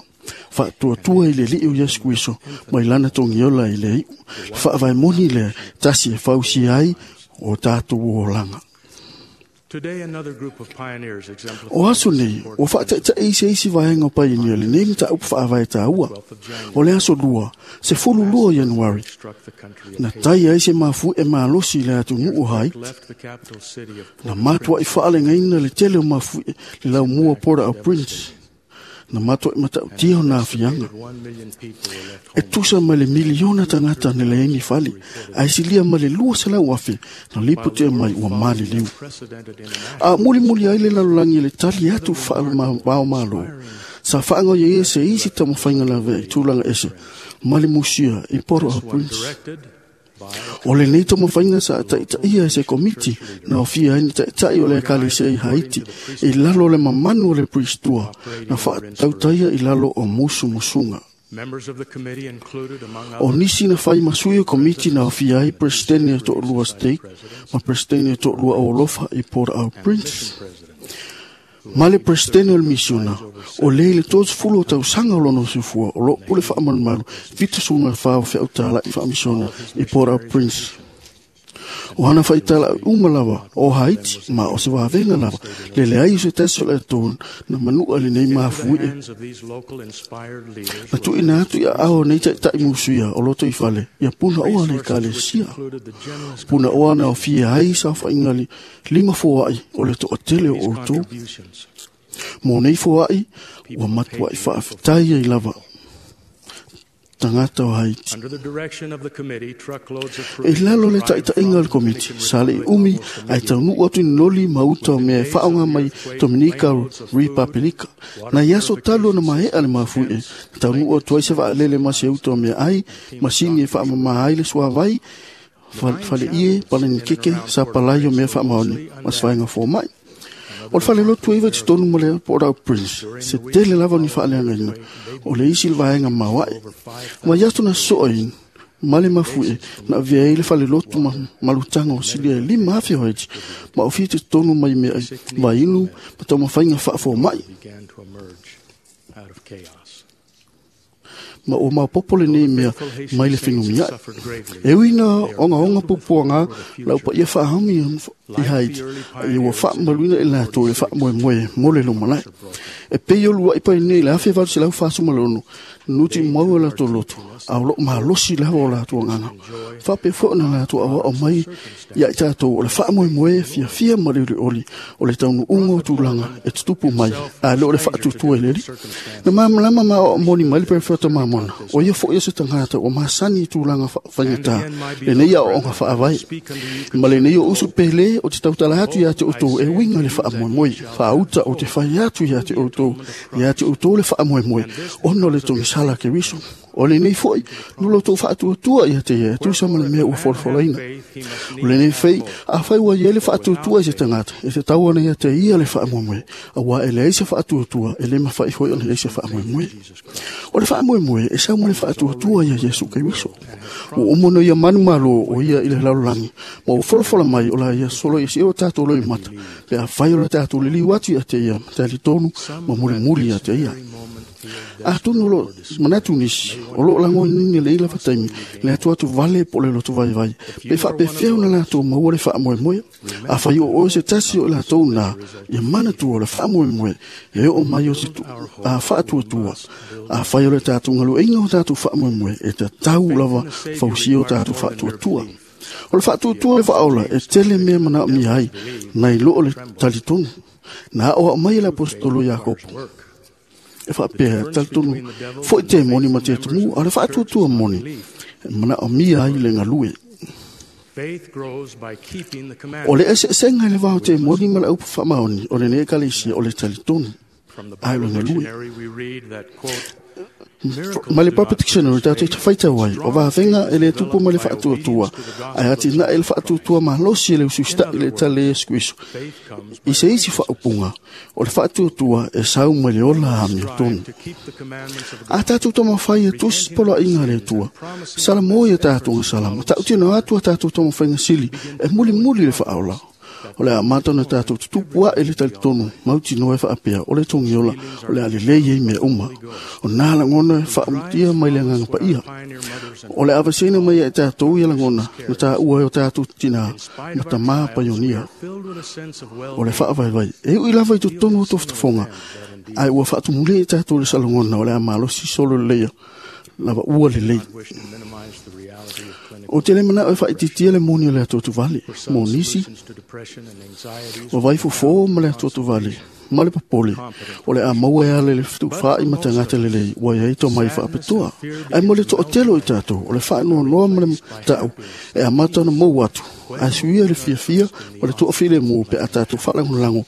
Faatuatua i le alii o Iesu Keriso mai lana togiola i le iʻu. Le faavae moni lea tasi e fausia ai o tatou olaga. O aso nei, ua faataʻitaʻi se isi vaega o paionia lenei mataupu faavae taua. O le aso lua, 12 Ianuari, na tai ai se mafuie malosi i le atunuu o Haiti. Na matuaʻi faalegaina le tele o mafuie le laumua Port-au-Prince. Na matuaʻi matautia o na afiaga. E tusa ma le miliona tagata na leai ni fale, ae silia ma le 200,000 na lipotia mai ua maliliu. A mulimuli ai le lalolagi i le tali atu faavao malo, sa faagaoioia se isi taumafaiga lavea i tulaga ese ma le musia i Port-au-Prince. O lenei taumafaiga sa taʻitaʻia e se komiti na ofia ai ni taʻitaʻi o le ekalesia i Haiti i lalo o le mamanu o le Priestua na faatautaia i lalo o musumusuga. O nisi na fai ma sui o komiti na ofia ai Presideni e toʻalua State ma Presideni e toʻalua Olofa i Port-au-Prince. Ma le Presideni o le misiona, o le i le 30 o tausaga o lona soifua o loo pule faamalumalu 74 o feautalaʻi faamisiona i Port-au-Prince. O hana faitalaʻi uma lava o Haiti ma o se vavega lava le leai o se tasi o le atou na manuʻa lenei mafuie. Na tuuina atu i aao nei taʻitaʻi musuia o loto i fale ia punaoa le ekalesia. Punaoa na aofia ai saofaiga lima foaʻi o le toʻatele o outou. Mo nei foaʻi ua matuaʻi faafetai ai lava tagata o Haiti. E lalo le taʻitaʻiga o le komiti, sa leʻi umi ae taunuu atu i noli ma uta o mea e faaoga mai Dominika Ripapelika. Na i aso talu ona maeʻa le mafuie, na taunuu atu ai se vaalele ma se uta o mea ai, masini e faamamā ai le suavai, faleie, palanikeke, sa palai o mea faamaoni, ma se vaega fomaʻi. O le falelotu e iva i totonu ma le Port-au-Prince, se tele lava o ni faaleagaina, o le isi le vaega maoaʻe. Ma i aso na soʻoina, ma le mafuie, na avea ai le falelotu ma malutaga o silia e 5,000 o Haiti, ma ofia i totonu mai mea ai vainu ma taumafaiga faafomaʻi. Ma ua maopopo lenei mea mai le fenumiaʻi. E ui na ogaoga puapuaga lau paia faahaumi i Haiti, ia ua faamamaluina i latou i le faamoemoe mo le lumalae. E pei o luaʻi painei i le 1846 Nuti mau o latou loto, a o loo malosi lava o latou agaga. Faapea foi ona latou aoao mai ia i tatou o le faamoemoe fiafia ma le olioli o le taunuuga o tulaga e tutupu mai, ae le o le faatuatua i le Alii. Na malamalama ma aoao moni mai le perofeta Mamona, o ia foi o se tagata ua masani i tulaga faigata lenei aoaoga faavae. Ma lenei o usu pele o te tautala atu ia te outou e uiga le faamoemoe, faauta o te fai atu ia te outou, ia te outou le faamoemoe, ona o le togisala Keriso. O lenei foi, no loutou faatuatua ia te ia, tusa ma le mea ua folafolaina. O lenei fei, afai ua i ai le faatuatua i se tagata, e tatau ona ia te ia le faamoemoe, auā e leai se faatuatua, e le mafai foi ona i ai se faamoemoe. O le faamoemoe e sau ma le faatuatua ia Iesu Keriso. Ua uma ona ia manumalo o ia i le lalolagi, ma ua folafola mai o la ia solo i se o tatou loimata, pe afai o le tatou liliu atu ia te ia, talitonu ma mulimuli ia te ia. Atonu o loo manatu nisi, o loo lagonaina i lenei lava taimi, le atuatu vale po o le loto vaivai, pe faapefea ona latou maua le faamoemoe. Afai o oe se tasi o i latou na, ia manatua o le faamoemoe e oo mai o se faatuatua. Afai o le tatou galueaiina o tatou faamoemoe, e tatau lava fausia o tatou faatuatua. O le faatuatua le faaola e tele mea manaomia ai, nai lo o le talitonu. Na aoao mai e le aposetolo Iakopo e faapea, talitonu foi te moni ma te atumu, a o le faatuatua moni e manaomia ai le galue. O le eseesega i le va o te moni ma le upu faamaoni o lenei ekalesia o le talitonu, ae o le galue. Ma le Bible Dictionary tatou te faitau ai, o vavega e le tupu ma le faatuatua, ae atinae le faatuatua malosi e le usiusita'i le tale Iesu Keriso. I se isi faaupuga, o le faatuatua e sau mai le ola amiotonu. A tatou taumafai e tusi poloaiga a le Atua, salamo ia tatou salama, tautino atu a tatou taumafaiga sili e mulimuli le faaola. O le a amata ona tatou tutupu ae le talitonu mautinoa e faapea o le togiola o le a lelei ai mea uma. O nā lagona e faautia mai le agaga paia. O le avaseina mai ia i tatou ia lagona na taua ai o tatou tinā ma tamā paionia. O le faavaivai e ui lava i totonu o tofotofoga, ae ua faatumulia i tatou le salagona o le a malosi solo leleia lava ua lelei. O te le manao e faaitiitia le moni o le atuatuvale, mo nisi, o vaifofo ma le atuatuvale, ma le popole, o le a maua e ala i le fetufaai ma tagata lelei ua i ai tomai faapitoa. Ae mo le toatele o i tatou, o le faanoanoa ma le tau e amata ona mou atu, ae suia le fiafia ma le toafilemu pe a tatou faalagolago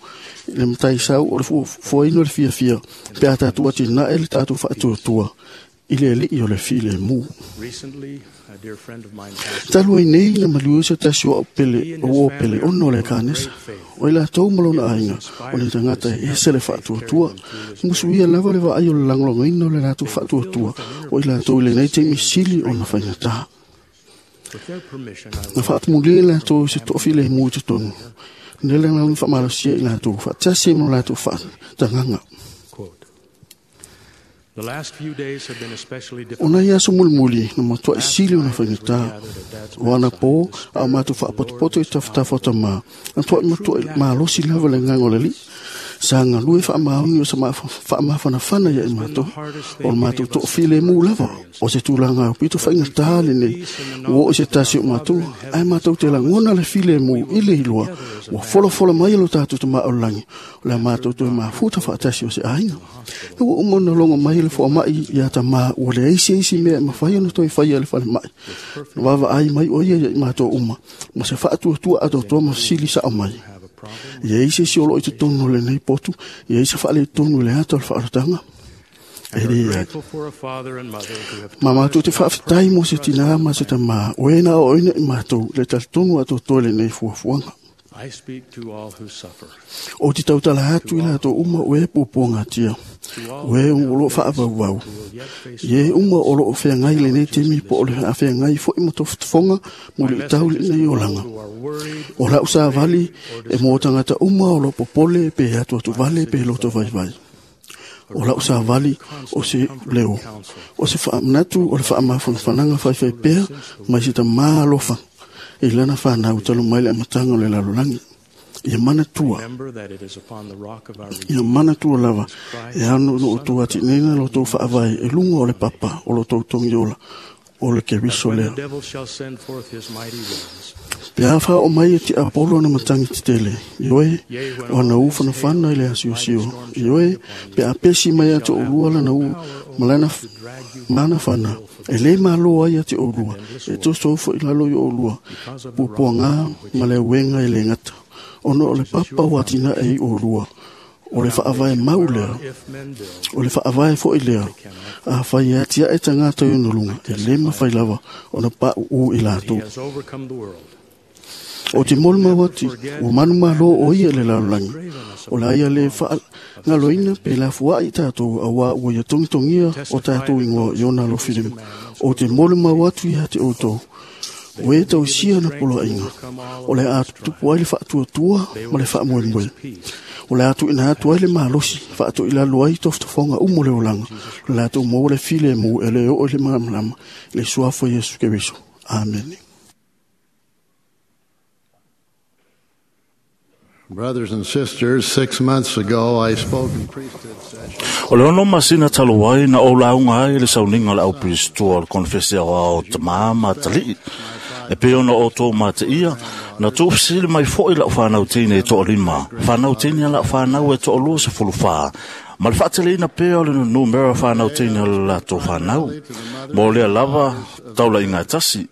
i le mataisau o le fuaina o le fiafia pe a tatou atinae le tatou faatuatua i le alii o le filemu. Talu ai nei na maliu ai se tasi o au pele, o uo pele ona o le kanesa. O i latou ma lona aiga, o le tagata e ese le faatuatua. Musuia lava le vaai o le lagolagoina o le latou faatuatua, o i latou i lenei taimi sili ona faigata. Na faatumulia i latou i se toafilemu i totonu, le lagolago faamalosia i latou, faatasi ai ma lo latou faatagaga. O nai aso mulimuli na matuai sili ona faigata. O anapo a o matou faapotopoto i tafatafa o tamā, na tuai matuai malosi lava le agaga o le Alii. Sa galue faamaoni o se faamafanafana ia i matou, o le matou toafilemu lava, o se tulaga aupito faigata lenei, ua oo i se tasi o matou, ae matou te lagona le filemu i le iloa, ua folafola mai e lo tatou Tama o le lagi, o le a matou toe mafuta faatasi o se aiga. Na ua uma ona logo mai le foamai ia tamā, ua leai se isi mea e mafai ona toe faia e le falemai. Na vaavaai mai o ia ia i matou uma, ma se faatuatua atoatoa ma fesili sao mai. E ai se isi o loo i totonu o lenei potu, e ai se faaletonu i le ata o le faaolataga. E leai. Ma matou te faafetai mo se tinā ma se tamā, o e na aoaoina i matou le talitonu atoatoa i lenei fuafuaga. O te tautala atu i latou uma o e puapuagatia, o e o loo faavauvau, i e uma o loo feagai lenei taimi po o le afeagai foi ma tofotofoga mo le itau i lenei olaga. O lau savali e mo tagata uma o loo popole pe atuatuvale pe loto vaivai. O lau savali o se leo, o se faamanatu o le faamafanafanaga faifai pea mai se tamā alofa i lana whanau talu mai le amataga o le lalolagi. Ia manatua. Ia manatua lava e ano no o tou atineina lo tou faavae e luga o le papa o lo tou togiola o le Keriso lea. Pe a faaoo mai e tiapolo ona matagi tetele, ioe, o ana u fanafana i le asiosio, ioe, pe a pesi mai ia te oulua lana u ma lana mana fana, e lē mālō ai ia te oulua, e tosou foʻi lalo i oulua, puapuagā ma le auega e lē gata, ona o le papa ua atinae ai oulua, o le faavae mau lea, o le faavae foʻi lea, afai e atiaʻe tagata i ona luga, e lē mafai lava ona paʻuʻū i latou. O te molimau atu, ua manumālō o ia i le lalolagi, o le a ia lē faagaloina pe lafuaʻi tatou auā ua ia togitogia o tatou igoa i ona alofilima. O te molimau atu iā te outou, o e tausia na poloaiga, o le a tutupu ai le faatuatua ma le faamoemoe. O le a tuuina atu ai le malosi faatoilalo ai tofotofoga uma o le olaga, le latou maua le filemu e le oo i le malamalama i le suafa o Iesu Keriso. Amene. Brothers and sisters, 6 months ago I spoke in priesthood session. O le 6 masina talu ai na ou lauga ai le sauniga o le aupirisitoa o le konefesi aoao tamā ma atalii. E pei ona outou mateia, na tuufesili mai foʻi lau fanau teine e toalima, fanau teine a lau fanau e 24, ma le faateleina pea o le numera fanau teine o le latou fanau. Mo lea lava taulaiga e tasi.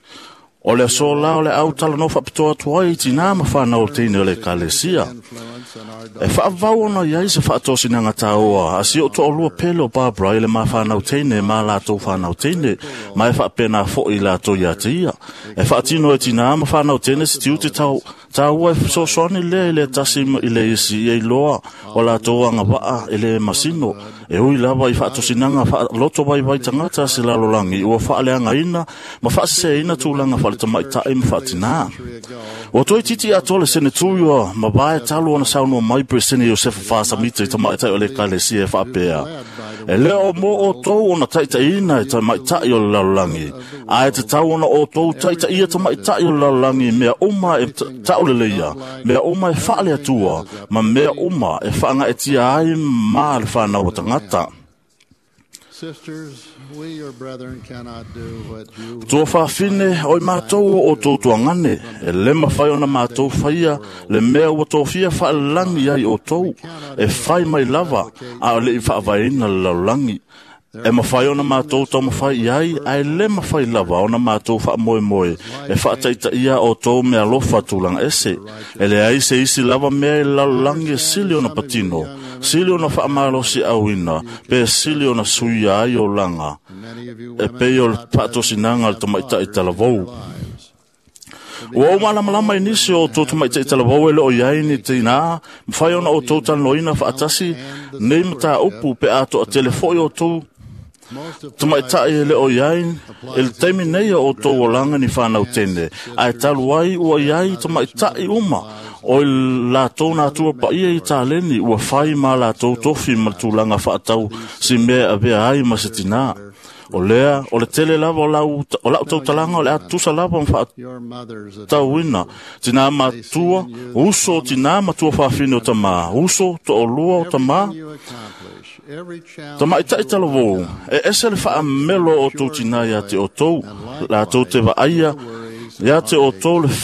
O le aso la o le au talanoa faapitoa atu ai i tinā ma fanau teine o le ekalesia. E faavavau ona i ai se faatosinaga tāoa a si o toalua pele o Barbara i le ma fanau teine ma latou fanau teine, ma e faapena foʻi latou iā te ia. E faatino e tinā ma fanau teine se tiute tāua e fesoasoani lea i le tasi i le isi ia iloa o latou agavaa e le masino. E ui lava i faatosinaga faaloto vaivai tagata se lalolagi ua faaleagaina ma faaseseina tulaga faaletamaitai ma faatinā. Ua toe titi atoa le senetui ua mavae talu ona saunoa mai Peresene Iosefa Fasamita i tamaitai o le ekalesia e faapea, e le o mo outou ona taitaiina e tamaitai o le lalolagi, ae tatau ona outou taitaia tamaitai o le lalolagi i mea uma e tauleleia, mea uma e faaleatua, ma mea uma e faagaetia ai ma le fanau a tagata. Sisters, we your brethren cannot do what you Tua faafine o i matou o outou tuagane, e le mafai ona matou faia le mea ua tofia faalelagi ai outou, e fai mai lava a o le i faavaeina le lalolagi. E mafai ona matou taumafai i ai, ae le mafai lava ona matou faamoemoe e faataitaia outou meaalofa tulaga ese. E leai se isi lava mea i le lalolagi e sili ona patino, sili ona faamalosiauina, pe sili ona suia ai olaga, e pei o le faatosinaga a le tamaitai talavou. Ua ou malamalama i nisi o outou tamaitai talavou e le o i ai ni tinā, mafai ona outou talanoaina faatasi nei mataupu pe a toatele foʻi outou tamaitai e le o i ai i le taimi nei o outou olaga ni fanau teine, ae talu ai ua i ai tamaitai uma o i latou natua paia i taleni ua fai ma latou tofi ma le tulaga faatau si mea e avea ai ma se tinā. O lea, o le tele lava o lau tautalaga o le a tusa lava ma faatauina tinā matua, uso o tinā matua faafine o tamā, uso toalua o tamā, tamaitai talavou, e ese le faamelo o outou tinā iā te outou, latou te vaaia iā te outou le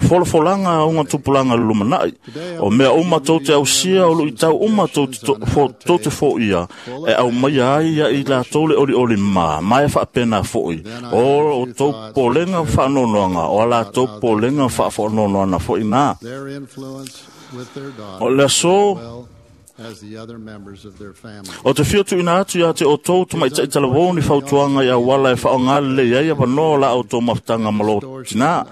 folafolaga auga tupulaga le lumanai. O mea uma tou te ausia o luitau uma tou te foia, e aumaia ai ia i latou le olioli ma, ma e faapena foʻi. O outou popolega ma faanoanoaga, o a latou popolega ma faafaanoanoaga foʻi na. O le aso o te fia tuuina atu iā te outou tamaitai talavou ni fautuaga i auala e faaaogā lelei ai avanoa o la outou mafutaga ma lo tinā,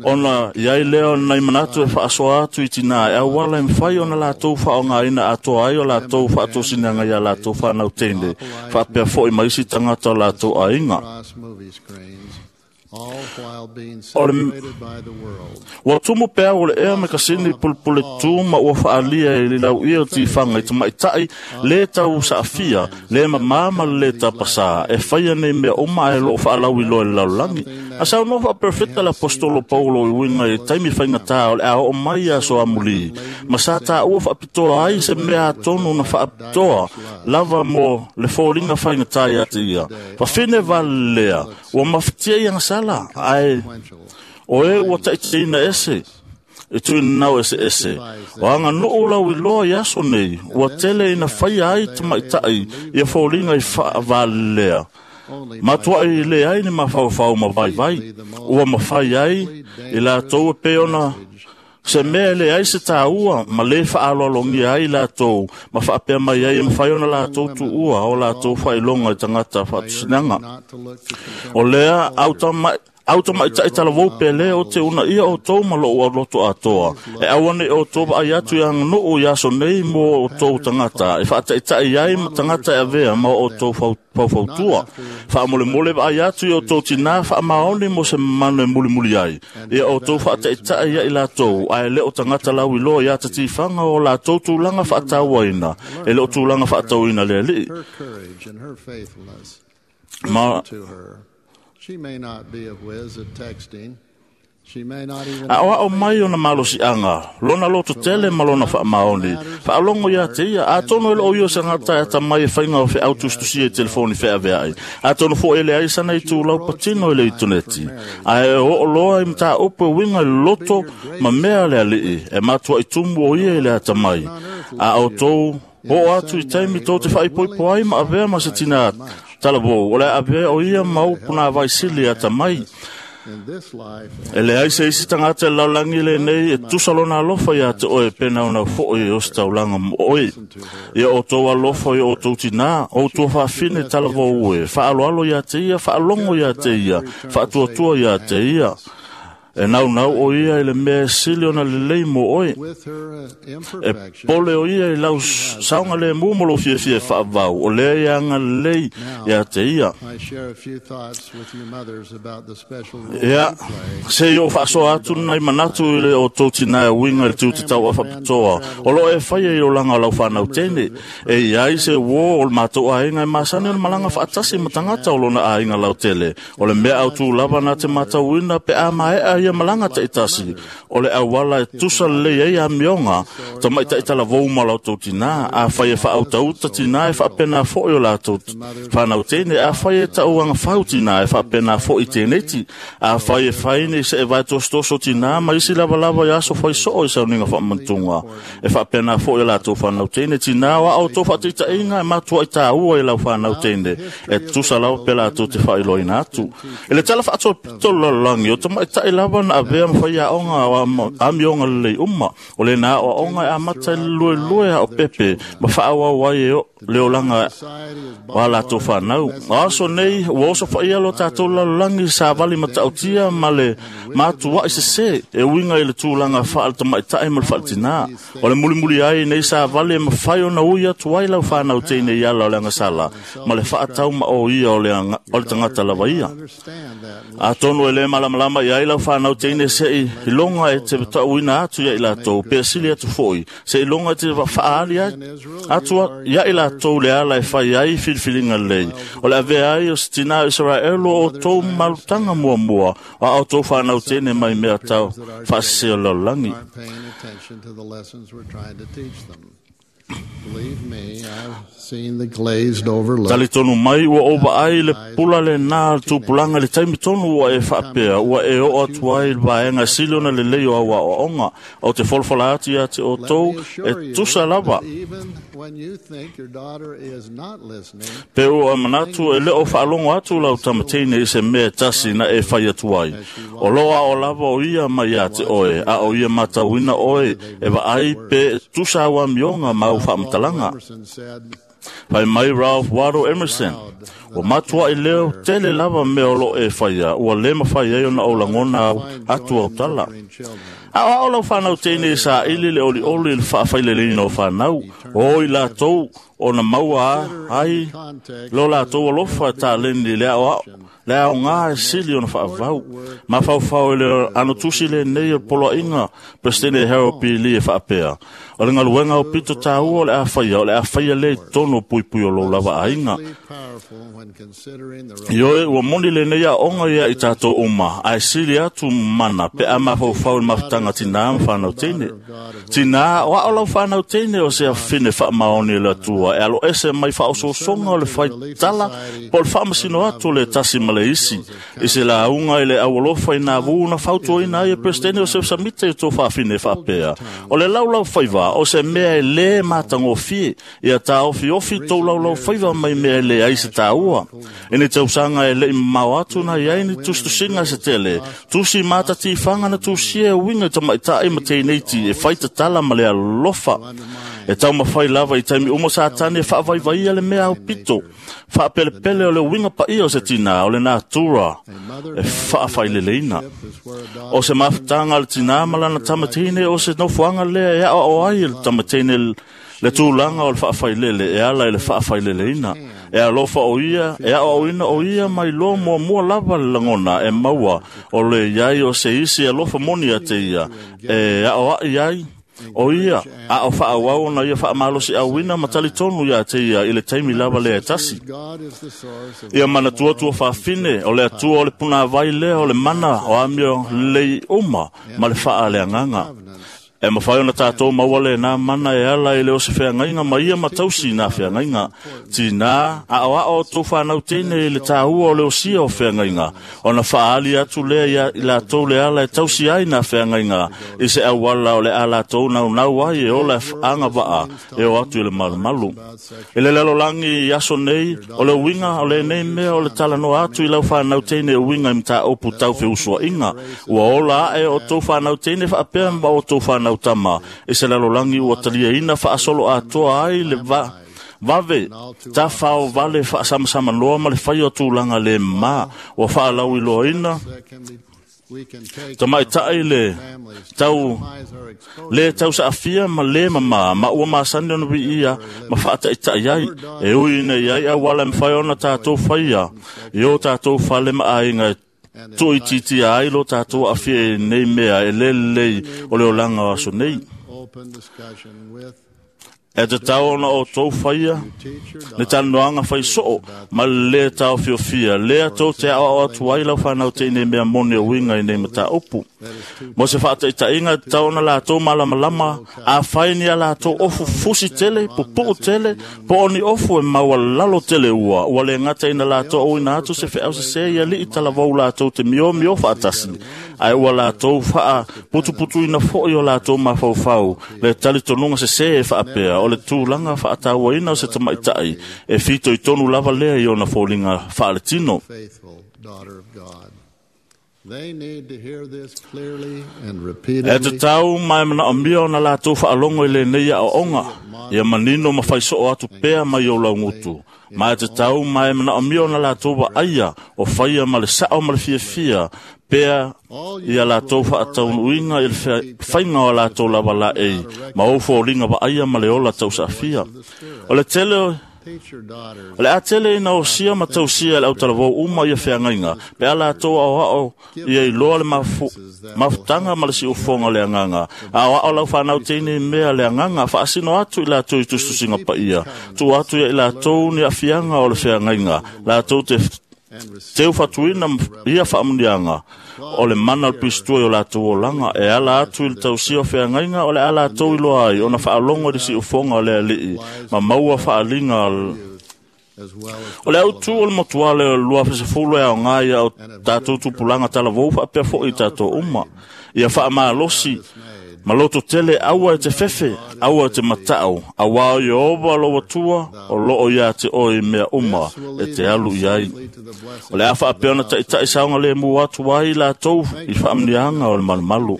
ona i ai lea o nai manatu e faasoa atu i tinā e auala e mafai ona latou faaaogāina atoa ai o latou faatosinaga iā latou fanau teine, faapea foʻi ma isi tagata o latou aiga. O le ua tumu pea o le ea me kasini pulupule tū ma ua whaalia i le lau ia o tiwhanga i tamaitai le tau saafia, le mamama le tapasā, e whaia nei mea oma e loo whaalau i loe le lalolagi. A sau no wha perfecta le apostolo Paulo i winga i taimi whaingatā o le ao o mai a so amuli. Ma sa tā ua whaapitoa ai se mea tonu na whaapitoa lava mo le fōlinga whaingatā i ate ia. Whawhine vale lea, ua mawhitia i angasala, ai o e ua taiteina ese, e tui nau ese ese. O anga nuu lau i loa i aso nei, ua tele ina whaia ai tamaitai ia fōlinga i whaavalelea. Matua i le ai ni mawhauwhau ma vai vai, ua mawhai ai i la tau e peona se mea le ai se tāua ma le whaaloalongia ai lātou ma whaapea mai ai e mawhai ona lātou tu ua o lātou whailonga i tangata whaatusinanga. O lea au tamaitai talavou pele o te una ia o tou ma lou auloto atoa. E auane o tou vaai atu i aganuu i aso nei mo o tou tagata, e faataitai ai ma tagata e avea ma o tou faufautua. Faamolemole vaai atu i o tou tinā faamaoni mo se manu e mulimuli ai. Ia o tou faataitai ia i latou, ae le o tagata lauiloa i atatifaga o latou tulaga faatauaina, e le o tulaga faatauina le alii. Her courage and her faithfulness. Ma To her. She may not be a whiz at texting. She may not even A o ao mai ona malosiaga, lona loto tele ma lona faamaoni. Faalogo ia te ia, atonu e loo ia se gata e ata mai e faiga o feau tusitusia i telefoni feaveai. Atonu foʻi e leai sana i tulau patino i le itoneti. Ae o oo loa i mataupu e uiga i le loto ma mea le alii, e matuaʻi tumu o ia i le ata mai. A outou oo atu i taimi tou te faaipoipo ai ma avea ma se tinā talavou, o le avea o ia ma upu nā vaisili ata mai. in this life E le ai se isi tagata e lalolagi lenei e tusa lona alofa ia te oe pena ona foʻi o se taulaga mo oe. Ia outou alofa i outou tinā, outou faafine talavou e, faaloalo ia te ia, faalogo ia te ia, faatuatua ia te ia. E naunau o ia i le mea e sili ona lelei mo oe. with her E imperfection. pole o ia i lau saoga le mu mo lou fiafia e faavau, o lea ia agalelei ia te ia. I share a few thoughts with you mothers about the special role Ia, you play. se i o faasoa atu nai manatu i le o tou tinā e uiga i le tiute tau awhapitoa. O loo e whaia i o langa o lau whanau tene. E i ai se wō o le mātou āinga e masani o le malanga whaatasi ma tangata o lona āinga lau tele. O le mea au tū lava nā te mātauina pe a maea ia malanga te itasi. O le awala e tusa lelei ai a mionga, ta mai taitala vou ma lau tou tinā, a whai e whaautauta tinā e whaapena foʻi o latou whanau tene, a whai e tauanga whau tinā e whaapena foʻi tēneti, a whai e whaine se e vai tosotoso tinā, ma isi lava lava i aso whai soo i sauninga whaamantunga. E whaapena foʻi o latou whanau tene, tinā o au tō whaataitainga e matua i tāua i lau whanau tene, e tusa lava pe latou te whailoina atu. E le tala whaatoa pito lalolagi, o tamaitai lava na avea ma whai aonga o amionga lelei uma, o le nā o aonga e amata i le lue lue a o pepe, ma whaawau ai e o le olanga o a latou whanau. O aso nei, ua oso whaia lo tātou lalolagi sa vali matautia ma le mātua i se se, e uiga i le tūlanga whaale tamaitai ma le whaaletinā. O le mulimuli ai nei sa vali e mawhai o na ui atu ai lau whanau tēnei ala o le angasala, ma le whaatau ma o ia o le, anga, o le tangata lava ia. Atonu e le malamalama i ai lau whanau teine se i longa e te tauina atu ia i latou, pe sili atu foi, se i longa e te whaali ai, atu ia i latou le ala e whai ai filfilinga lei. O le avea ai o se tina o Israel o tou malutanga mua mua, o au tou whanau teine mai mea tau whaasese o lalolagi. Aren't paying attention to the lessons we're trying to teach them. Believe me, I've seen the glazed over look. Tali tonu mai ua ova ai le pula le nā tupulanga le taimi tonu ua e whaapea, ua e o atu ai le vaenga sili ona le lei o aua o onga, o te wholawhala atu ia te o tou e tusa lava. Even when you think your daughter is not listening, Pe ua manatu e leo whaalongo atu lau tamateine i se mea tasi na e whai atu ai. O loa o lava o ia mai a te oe, a o ia matauina oe, e vaai pe tusa au amionga mau whaamatalaga. Emerson said, Pai mai Ralph Waldo Emerson, Ua matua'i leo tele lava mea o loo e faia, ua lē mafai ai ona ou lagona atu autala. Aoao lau fanau teine e saili le olioli i le faafaileleina o fanau, o i latou ona maua ai lo latou alofa e taleni i le aoao le aogā e sili ona faavavau. Mafaufau i le anotusi lenei o le poloaiga Peresetene Harold P. Lee e faapea, o le galuega aupito tāua o le a faia, o le a faia lea i totonu o puipui o lou lava aiga. Ioe, ua moni lenei aoga ia i tatou uma, ae sili atu mana pe a mafaufau i le mafutaga tinā ma fanau teine. Tinā, o ao lau fanau teine o se afine faamaoni e le Atua e aloese mai faaosoosoga o le faitala po o le faamasino atu o le tasi ma le isi. I se lauga i le aualofa i nā vu na fautuaina ai e Peresetene o Joseph Smith i tou faafine e faapea, o le laulau faiva o se mea e lē matagofie, ia taofiofi tou laulau faiva mai mea e leai se tāua. I ni tausaga e le'i mamao atu na i ai ni tusitusiga se tele, tusi matatifaga na tusia e uiga i tamaita'i ma teineiti e faitatala ma le alofa. E taumafai lava i taimi uma Satani e faavaivaia le mea aupito faapelepele o le uiga paia o se tinā o le natura e faafaileleina. O se mafutaga a le tinā ma lana tamateine o se nofoaga lea e aoao ai e le tamateine le tulaga o le faafailele e ala i le faafaileleina. E alofa o ia, e aoaoina o ia mai loa muamua lava le lagona e maua o le iai o se isi alofa moni ia te ia, e aoa'i ai o ia a o faaauau ona ia faamalosiauina ma talitonu iā te ia i le taimi lava lea e tasi. Ia manatua tua faafine o le Atua o le punāvai lea o le mana o amio lelei uma ma le faaleagaga. E mafai ona tatou maua lenā mana e ala i le o se feagaiga ma ia ma tausi nā feagaiga. Tinā, aoao o tou fanau teine i le tāua o le osia o feagaiga, ona faaali atu lea ia i latou le ala e tausi ai nā feagaiga i se auala o le a latou naunau ai e ola e agavaa e o atu i le malumalu. I le lalolagi i aso nei, o le uiga o lenei mea o le talanoa atu i lau fanau teine e uiga i mataupu tau feusua'iga. Ua ola a'e o tou fanau teine faapea ma o tou fanau tama i se lalolagi ua taliaina faasolo atoa ai le vave tafao vale faasamsamanoa ma le faia o tulaga le mā ua faalauiloaina tamaita'i le tau le tausaafia ma lē mamā ma ua masani ona viia ma faataʻitaʻi ai e ui ina iai auala e mafai ona tatou faia i o tatou fale ma aiga e tuuitiitia ai lo tatou aafia i nei mea e lē lelei o le olaga o aso nei. E tatau ona outou faia le talanoaga faisoo ma le lē taofiofia lea tou te aoao atu ai lau fanau teine i mea moni e uiga i nei mataupu. Mo se faataʻitaʻiga, e tatau ona latou malamalama afai ni a latou ofu fusi tele, pupuu tele, po o ni ofu e maualalo tele ua lē gata ina latou auina atu se feau sesē i aliʻi talavou latou te miomio faatasi, ae ua latou faaputuputuina foʻi o latou mafaufau le talitonuga sesē e faapea o le tulaga faatauaina o se tamaitaʻi e fitoitonu lava lea i ona foliga faaletino. E tatau ma e manaomia ona latou faalogo i lenei aoaoga, ia manino ma faisoo atu pea mai ou laugutu. Ma e tatau ma e manaomia ona latou vaaia o faia ma le sao ma le fiafia pea ia latou faataunuuina i le faiga o latou lava laei ma ou foliga vaaia ma le ola tausaafia. O le tele o le a tele ina osia ma tausia e le autalavou uma ia feagaiga, pe a latou aoao ia iloa le mafutaga ma le siufoga o le agaga. Aoao lau fanau teine i mea le agaga, faasino atu i latou i tusitusiga paia, tuu atu ia i latou ni aafiaga o le feagaiga, latou te teufatuina ia faamuniaga o le mana o le pistua i o latou olaga e ala atu i le tausia o feagaiga o le a latou iloa ai ona faalogo i le siufoga o le aliʻi ma maua faaliga o le autū o le motuale o le 2010 e aogā ia o tatou tupulaga talavou faapea foʻi i tatou uma. Ia faamalosi ma loto tele aua e te fefe, aua e te mata'u, auā o Ieova lou Atua o loo iā te oe i mea uma e te alu i ai. O le a faapea ona taʻitaʻi saogalēmū atu ai latou i faamuniaga o le malumalu.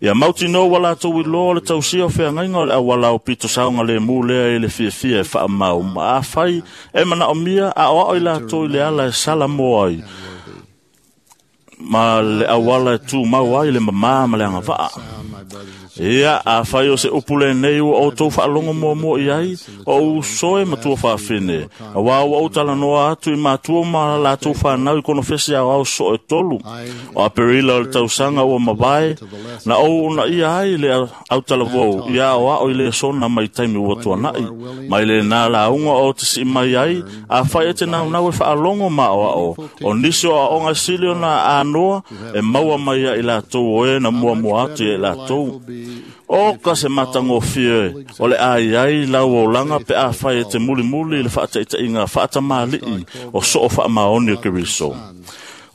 Ia mautinoa ua latou iloa o le tausia o feagaiga o le auala aupito saogalemu lea i le fiafia e faamau ma afai e manaomia aoao i latou i le ala e salamoa ai ma le auala e tumau ai le mamā ma le agavaa. Ia, afai o se upu lenei ua outou faalogo muamua i ai, o uso e matua faafine, auā ua ou talanoa atu i matua ma latou fanau i konofesi aoao soo e 3 o Aperila o le tausaga ua mavae, na ou uunaia ai le autalavou ia aoao i le sona mai taimi ua tuanai, mai lenā lauga o te sii mai ai, afai e te naunau e faalogo ma aoao, o nisi o aoga sili ona anoa e maua mai ia i latou o e na muamua atu ia i latou. O ka se matagofie o le ai ai lau olaga pe afai e te mulimuli i le faataitaiga faatamalii o soo faamaoni o Keriso.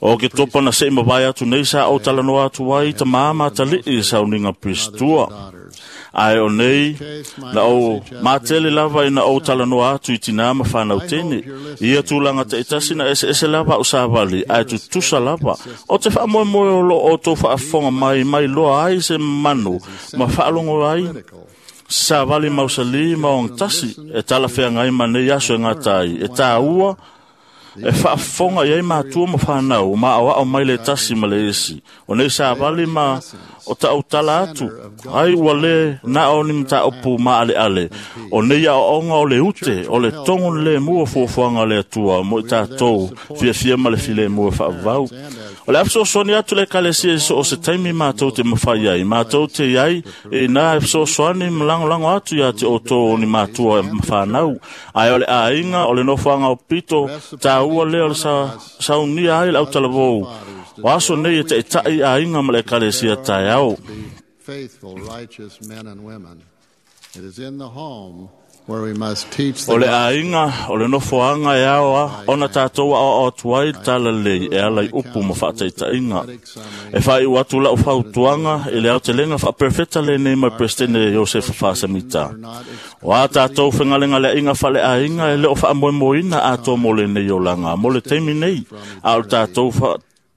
O ke topa na sei mavae atu nei sa o talanoa atu ai tamā matalii i sauniga Piristua. Ae o nei, na ou matele lava ina ou talanoa atu i tinā ma whanau tene. Ia tūlanga taitasi na eseese lava o savali, ae tutusa lava. O te whaamoemoe o lo o tō whaafonga mai, mai loa ai se manu, ma whaalongo ai, savali mausali ma ong tasi, e talawhea ngai ma nei aso e ngā tai, e tā ua, e faafofoga i ai matua ma fanau ma aoao mai le tasi ma le isi. O nei savali ma o taʻautala atu ai ua lē na o ni mataupu maaleale. O nei aoaoga o le ute o le togo lemu o fuafuaga o le Atua mo i tatou fiafia ma le filemu e faavavau. O le a fesoasoani atu le ekalesia i so o se taimi matou te mafai ai, matou te iai e inā e fesoasoani ma lagolago atu iā te outou o ni matua ma fanau. Ae o le aiga o le nofoaga o pito tāua lea o le saunia ai le autalavou. O aso nei e taʻitaʻi aiga ma le ekalesia taeao. Faithful, righteous men and women. It is in the home where we must teach O the le aiga o le nofoaga e aoa ona tatou aoao atu ai le talalelei e ala i upu ma faataitaiga. E faaiu atu lau fautuaga i le aotelega faaperefeta lenei mai Peresetene Iosefa Fasamita. O a tatou fegalegaleaiga faaleaiga e le o faamoemoeina atoa mo lenei olaga mo le taimi nei, a o le tatou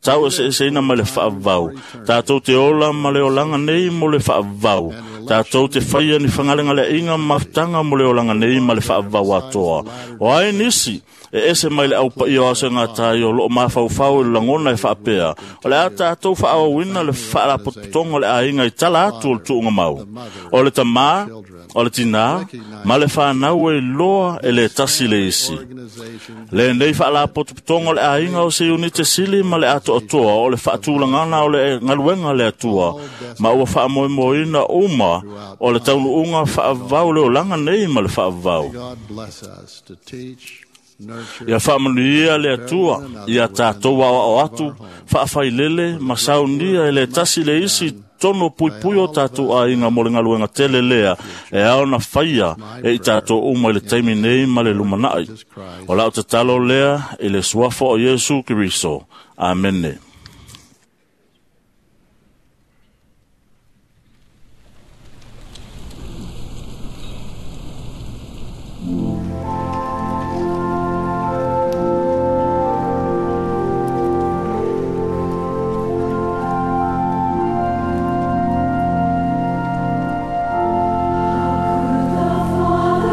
tau eseeseina mai le faavavau. Tatou te ola ma le olaga nei mo le faavavau. Tatou te faia ni fegalegaleaiga ma mafutaga mo le olaga nei ma le faavavau atoa. O ai nisi e ese mai le aupaia o aso e gatai o loo mafaufau i le lagona e faapea, o le a tatou faaauauina le faalapotopotoga o le aiga i tala atu o le tuugamau. O le tamā, o le tinā, ma le fanau e iloa e le tasi le isi. Lenei faalapotopotoga o le aiga o se iunite sili ma le atoatoa o le faatulagana o le galuega le Atua, ma ua faamoemoeina uma o le taunuuga faavavau le olaga nei ma le faavavau. God bless us to teach, nurture, Ia faamanuia le Atua ia tatou aoao atu, faafailele ma saunia e le tasi le isi tonu puipui o tatou aiga mo le galuega tele lea e ao na faia e i tatou uma i le taimi nei ma le lumanai. O lau tatalo lea i le suafa o Iesu Keriso. Amene. Tell the world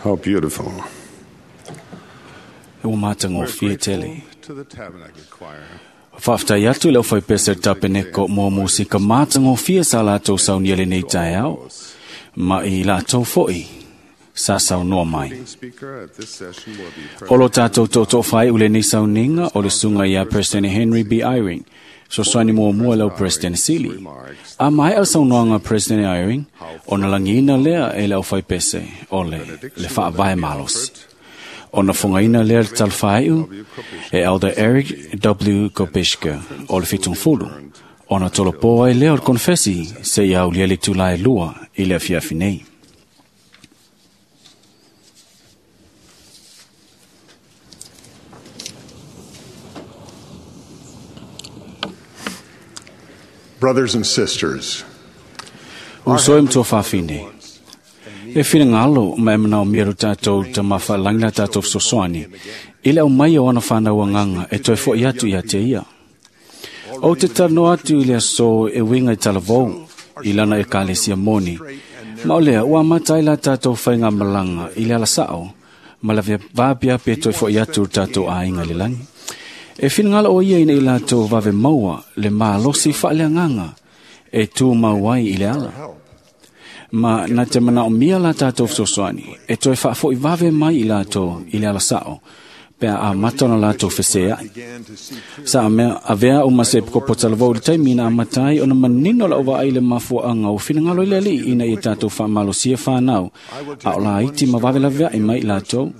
How beautiful. E ua matagofie tele. To the Tabernacle Choir. Faafetai atu i le aufaipese le tapeneko mo musika matagofie sa latou saunia lenei taeao, ma i latou fo'i sa saunoa mai. Speaker at this session will be O lo tātou tōtō whai ule nei sauniga o le sunga ia President Henry B. Eyring, sosoani muamua lau President Sili. A mai al saunoaga President Eyring, ona lagiina lea e le aufaipese o le le faavae malosi. Ona fogaina lea le talafāiu e Elder Eric W. Kopishka o le 70, ona tolopo ai lea o le konfesi se ia aulia le itulā e 2 i le afiafi nei. Brothers and sisters, Uso e matua faafine. E finagalo ma e manaomia lo tātou tamafa'alagi la tātou fesoasoani i le aumai o ana fanau agaga e toe fo'i atu ia te ia. O te talanoa atu i le aso e uiga i talavou i lana ekalesia moni, ma o lea ua amata ai la tātou faigamalaga i le alasa'o ma le vaapiapi e toe fo'i atu le tātou aiga i le lagi. E finagalo o ia ina i latou vave maua le malosi faaleagaga e tumau ai i le ala. Ma na te manaomia la tātou fesoasoani e toe faafo'i vave mai i latou i le alasa'o pe a amata ona latou fesea'i. Sa mea avea o ma se kopo talavou i le taimi na amata ai ona manino lau vaai i le mafuaaga o finagalo i le Alii ina ia tātou faamalosia fanau a o laiti ma vave laveai mai i latou.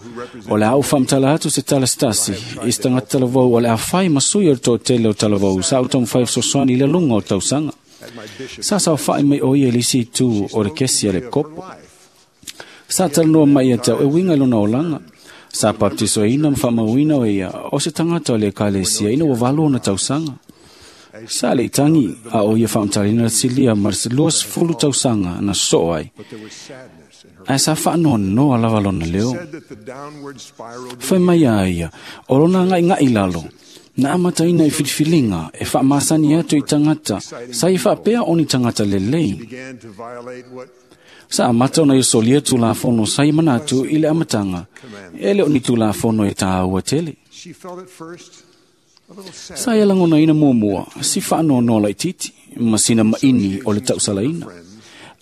O le a ou faamatala atu se tala se tasi i se tagata talavou o le a fai ma sui o le toatele o talavou sa ou taumafai fesoasoani i le luga o tausaga. Sa saofa'i mai o ia i le isi itu o le kesi a le kopo. Sa talanoa mai ia te au e uiga i lona olaga. Sa baptisoina ma faamauina o ia o se tagata o le ekalesia ina ua 8 ona tausaga. Sa le itagi a o ia faamatalaina le silia ma le 20 tausaga na sosoo ai. Ae sa faanoanoa lava lona leo. Fai mai a ia, o lona agaigai lalo, na amataina i filifiliga e faamasani atu i tagata sa ia faapea o ni tagata lelei. began to violate what Sa amata ona ia solia tulafono sa ia manatu i le amataga, e le o ni tulafono e tāua tele. she felt at first a little sad. Sa ia lagonaina muamua, si faanoanoa laitiiti, ma sina maini o le tausalaina.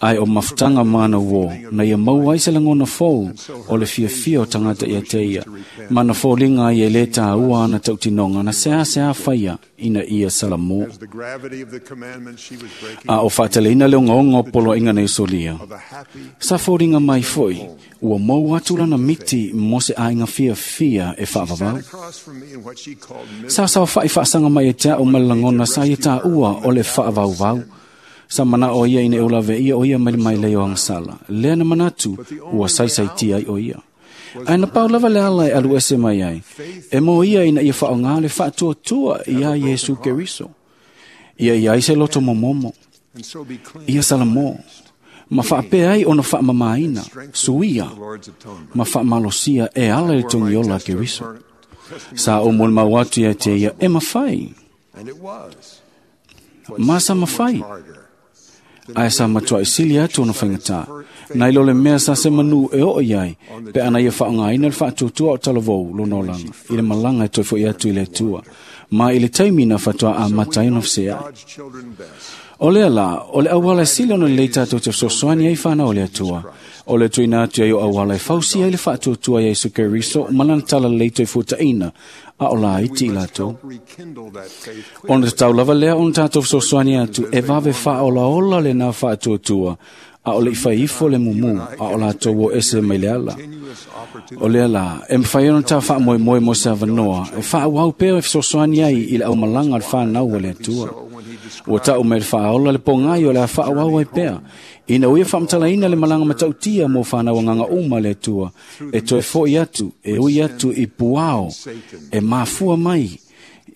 Ae o mafutaga ma ana uō, na ia maua ai se lagona fou o le fiafia o tagata ia te ia, ma na foliga ai e lē tāua ana tautinoga na seasea faia ina ia salamō. As the gravity of the commandment she was breaking A o faateleina le ogaoga o poloaiga na isolia. Sa foliga mai fo'i, ua maua atu lana miti mo se aiga fiafia e faavavau. across from me in what she called Sa saofa'i faasaga mai e te a'u ma le lagona sa ia tāua o le faavauvau. Sa mana'o ia ina e ulaveia o ia mai le mailei o agasala. Lea na manatu ua saisaitia ai o ia. Ae na pau lava le ala e alu ese mai ai, e mo ia ina ia faaaogā le faatuatua iā Iesu Keriso. Ia i ai se loto momomo, and so be clean ia salamō, ma faapea ai ona faamamāina, suia, ma faamalosia e ala i le togiola a Keriso. Sa ou molimau atu ia te ia e mafai, and it was ma sa mafai. Ae sa matua'i sili atu ona faigatā. Na i lo le mea sa se manu e oo i ai, pe ana ia faaaogāina le faatuatua o talavou lona olaga, i le malaga e toe fo'i atu i le Atua, ma i le taimi na faatoa amata ai ona fesea'i. God's children best. O lea la, o le auala e sili ona lelei tātou te fesoasoani ai fanau o le Atua. O le tuuina atu ai o auala e fausia ai le faatuatua ia Iesu Keriso ma lana talalelei toe fuataʻina, a o laiti i latou. Rekindle that faith Ona tatau lava lea ona tātou fesoasoani atu e vave faaolaola lenā faatuatua, a o le i fai ifo le mumu, a o latou o ese mai le ala. O lea la, e mafai ona tā faamoemoe mo se avanoa, e faaauau pea e fesoasoani ai i le aumalaga o le fanau a le Atua. Ua ta'u mai le faaola le pogai o le a faaauau ai pea, ina ua ia faamatalaina le malaga matautia mo fanau agaga uma le Atua, e toe fo'i atu, e ui atu i puao, e mafua mai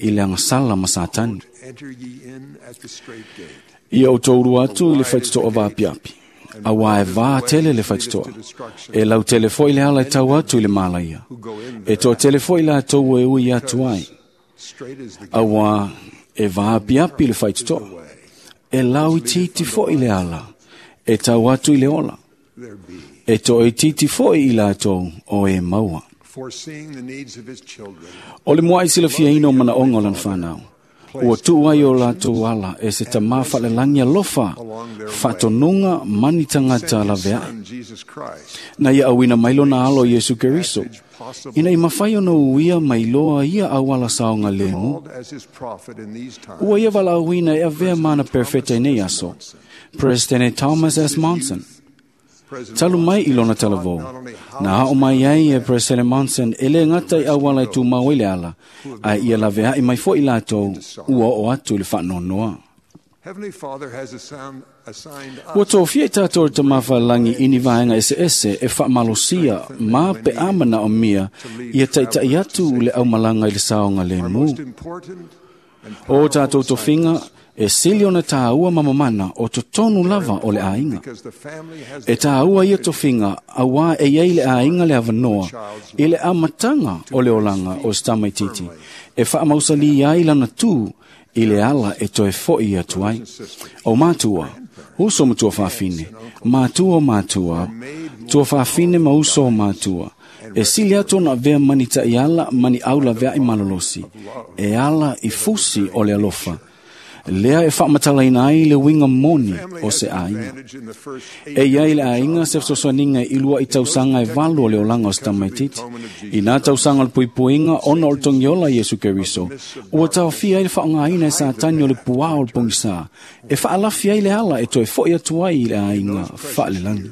i le agasala ma Satani. Enter ye in at the strait gate. Ia o touru atu i le faitotoa vaapiapi. Auā e vā tele le faitotoa. E lau tele fo'i le ala e tau atu i le malaia. E toatele fo'i latou e ui atu ai. Straight is the Auā e vaapiapi le faitotoa. E lau itiiti fo'i le ala. E tau atu i le ola. there be. E toʻaitiiti foʻi i latou o e maua. O le muaʻi silafiaina o manaʻoga o lana fanau, ua tuu ai o latou ala e se tamā faalelagi alofa faatonuga mani tagata laveaʻe. Na ia auina mai lona alo Iesu Keriso, ina i mafai ona uia mai loa ia auala saoga lemu. Ua ia valaauina e avea mana perfeta i nei aso, President Thomas S. Monson. Talu mai i lona talavou, na ao mai ai e President Monson e le gata i auala e tumau ai le ala, ae ia laveaʻi mai foʻi latou ua oo atu i le faanoanoa. Ua tofia i tatou le tamā falelagi i ni vaega eseese e faamalosia ma pe a manaomia ia taʻitaʻi atu le aumalaga i le saoga lemu. O tatou tofiga e sili ona tāua ma mamana o totonu lava o le aiga. E tāua ia tofiga auā e iai le aiga le avanoa i le amataga o le olaga o se tamaititi e faamausalī ai lana tū i le ala e toe foʻi atu ai. O matua, uso ma tuafafine, matua o matua, tuafafine ma uso o matua, e sili atu ona avea mani taʻiala mani au laveaʻi malolosi, e ala i fusi o le alofa, lea e faamatalaina ai le uiga moni o se aiga. E iai le aiga se fesoasoaniga i luaʻi tausaga e 8 o le olaga o se tamaititi. I nā tausaga o le puipuiga ona o le togiola Iesu Keriso, ua taofia ai le faaaogaina e Satani o le puā o le pogisā, e faalafi ai le ala e toe foʻi atu ai i le aiga faalelagi.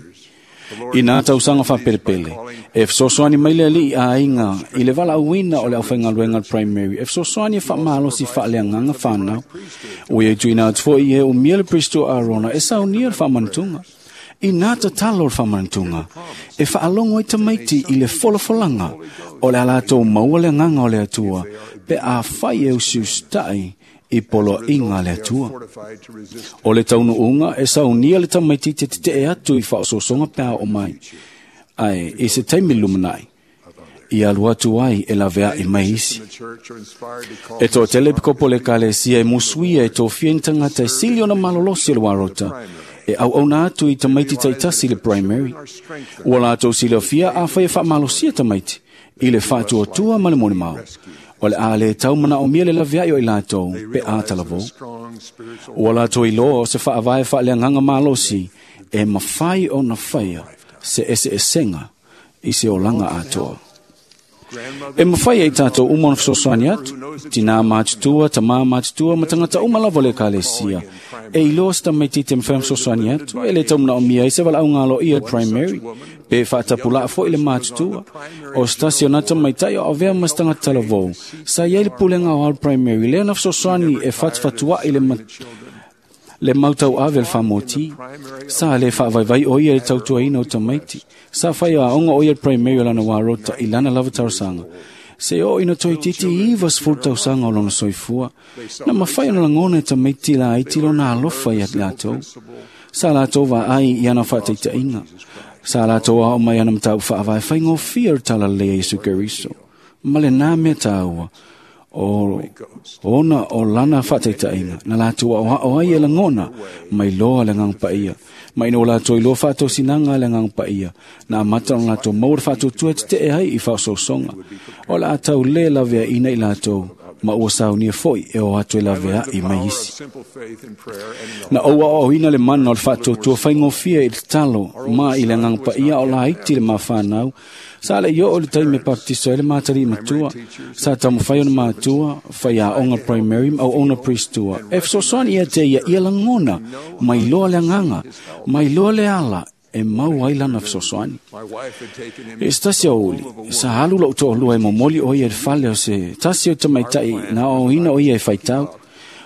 I nā tausaga faapelepele, e fesoasoani mai le alii aiga i le valaauina o le aufaigaluega le primary, e fesoasoani e faamalosi faaleagaga fanau. Ua ia tuuina atu foʻi e umia le Pristo Arona e saunia le faamanutuga. I nā tatalo o le faamanutuga, e faalogo ai tamaiti i le folafolaga o le a latou maua le agaga o le Atua, pe afai e usiusitaʻi i poloaiga a le Atua. O le taunuuga e saunia le tamaititi tetee atu i faaosoosoga pe a oo mai, ae i se taimi lumanaʻi, ia alu atu ai e laveaʻi mai isi. E toatele pikopo le ekalesia e musuia e tofia ni tagata e sili ona malolosi o le uarota, e auauna atu i tamaiti taitasi le primary. Ua latou silafia afai e faamalosia tamaiti i le faatuatua ma le molimau, o le a le tau manaomia le laveaʻi o i latou pe a talavou. Ua latou iloa o se faavae faaleagaga malosi e mafai ona faia se eseesega i se olaga atoa. E mafai ai tatou uma ona fesoasoani atu, tinā matutua, tamā matutua, ma tagata uma lava o le ekalesia. E iloa se tamaititi e mafai ona fesoasoani atu, e le tau manaomia ai se valaauga aloaia le primary, pe faatapulaʻa foʻi le matutua. O se tasi o na tamaitaʻi o avea ma se tagata talavou, sa iai le pulega o le primary, lea na fesoasoani e fatufatuaʻi le mautauave le faamoti. Sa le faavaivai o ia i le tautuaina o tamaiti. Sa fai aoga o ia le primary o lana uarota i lana lava talosaga. Se oo ina toeitiiti 90 tausaga o lona soifua, na mafai ona lagona e tamaiti laiti lona alofa ia latou. Sa latou vaai i ana faataitaiga. Sa latou ao mai ana mataupu faavae faigofie o le talalelei a Iesu Keriso. Ma lenā mea tāua, o ona o lana faataitaiga, na latou aoao ai e lagona mai loa le agaga paia. Ma ina ua latou iloa faatosinaga le agaga paia, na amata ona latou maua le faatuatua e tetee ai i faaosoosoga. O le a tau lē laveaʻina i latou, ma ua saunia foʻi e o atu e laveaʻi mai isi. Na ou aoaoina le mana o le faatuatua faigofie i le tatalo ma i le agaga paia o laiti le mafanau. Sa le i oo le taimi e baptiso ai le matalii matua, sa taumafai ona matua, fai aoga primary ma auauna priestua. E fesoasoani ia te ia ia lagona, mai loa le agaga, mai loa le ala e mau ai lana fesoasoani. E se tasi aoauli, sa alu lou toalua e momoli o ia i le fale o se tasi o tamaitaʻi na aoaoina o ia e faitau.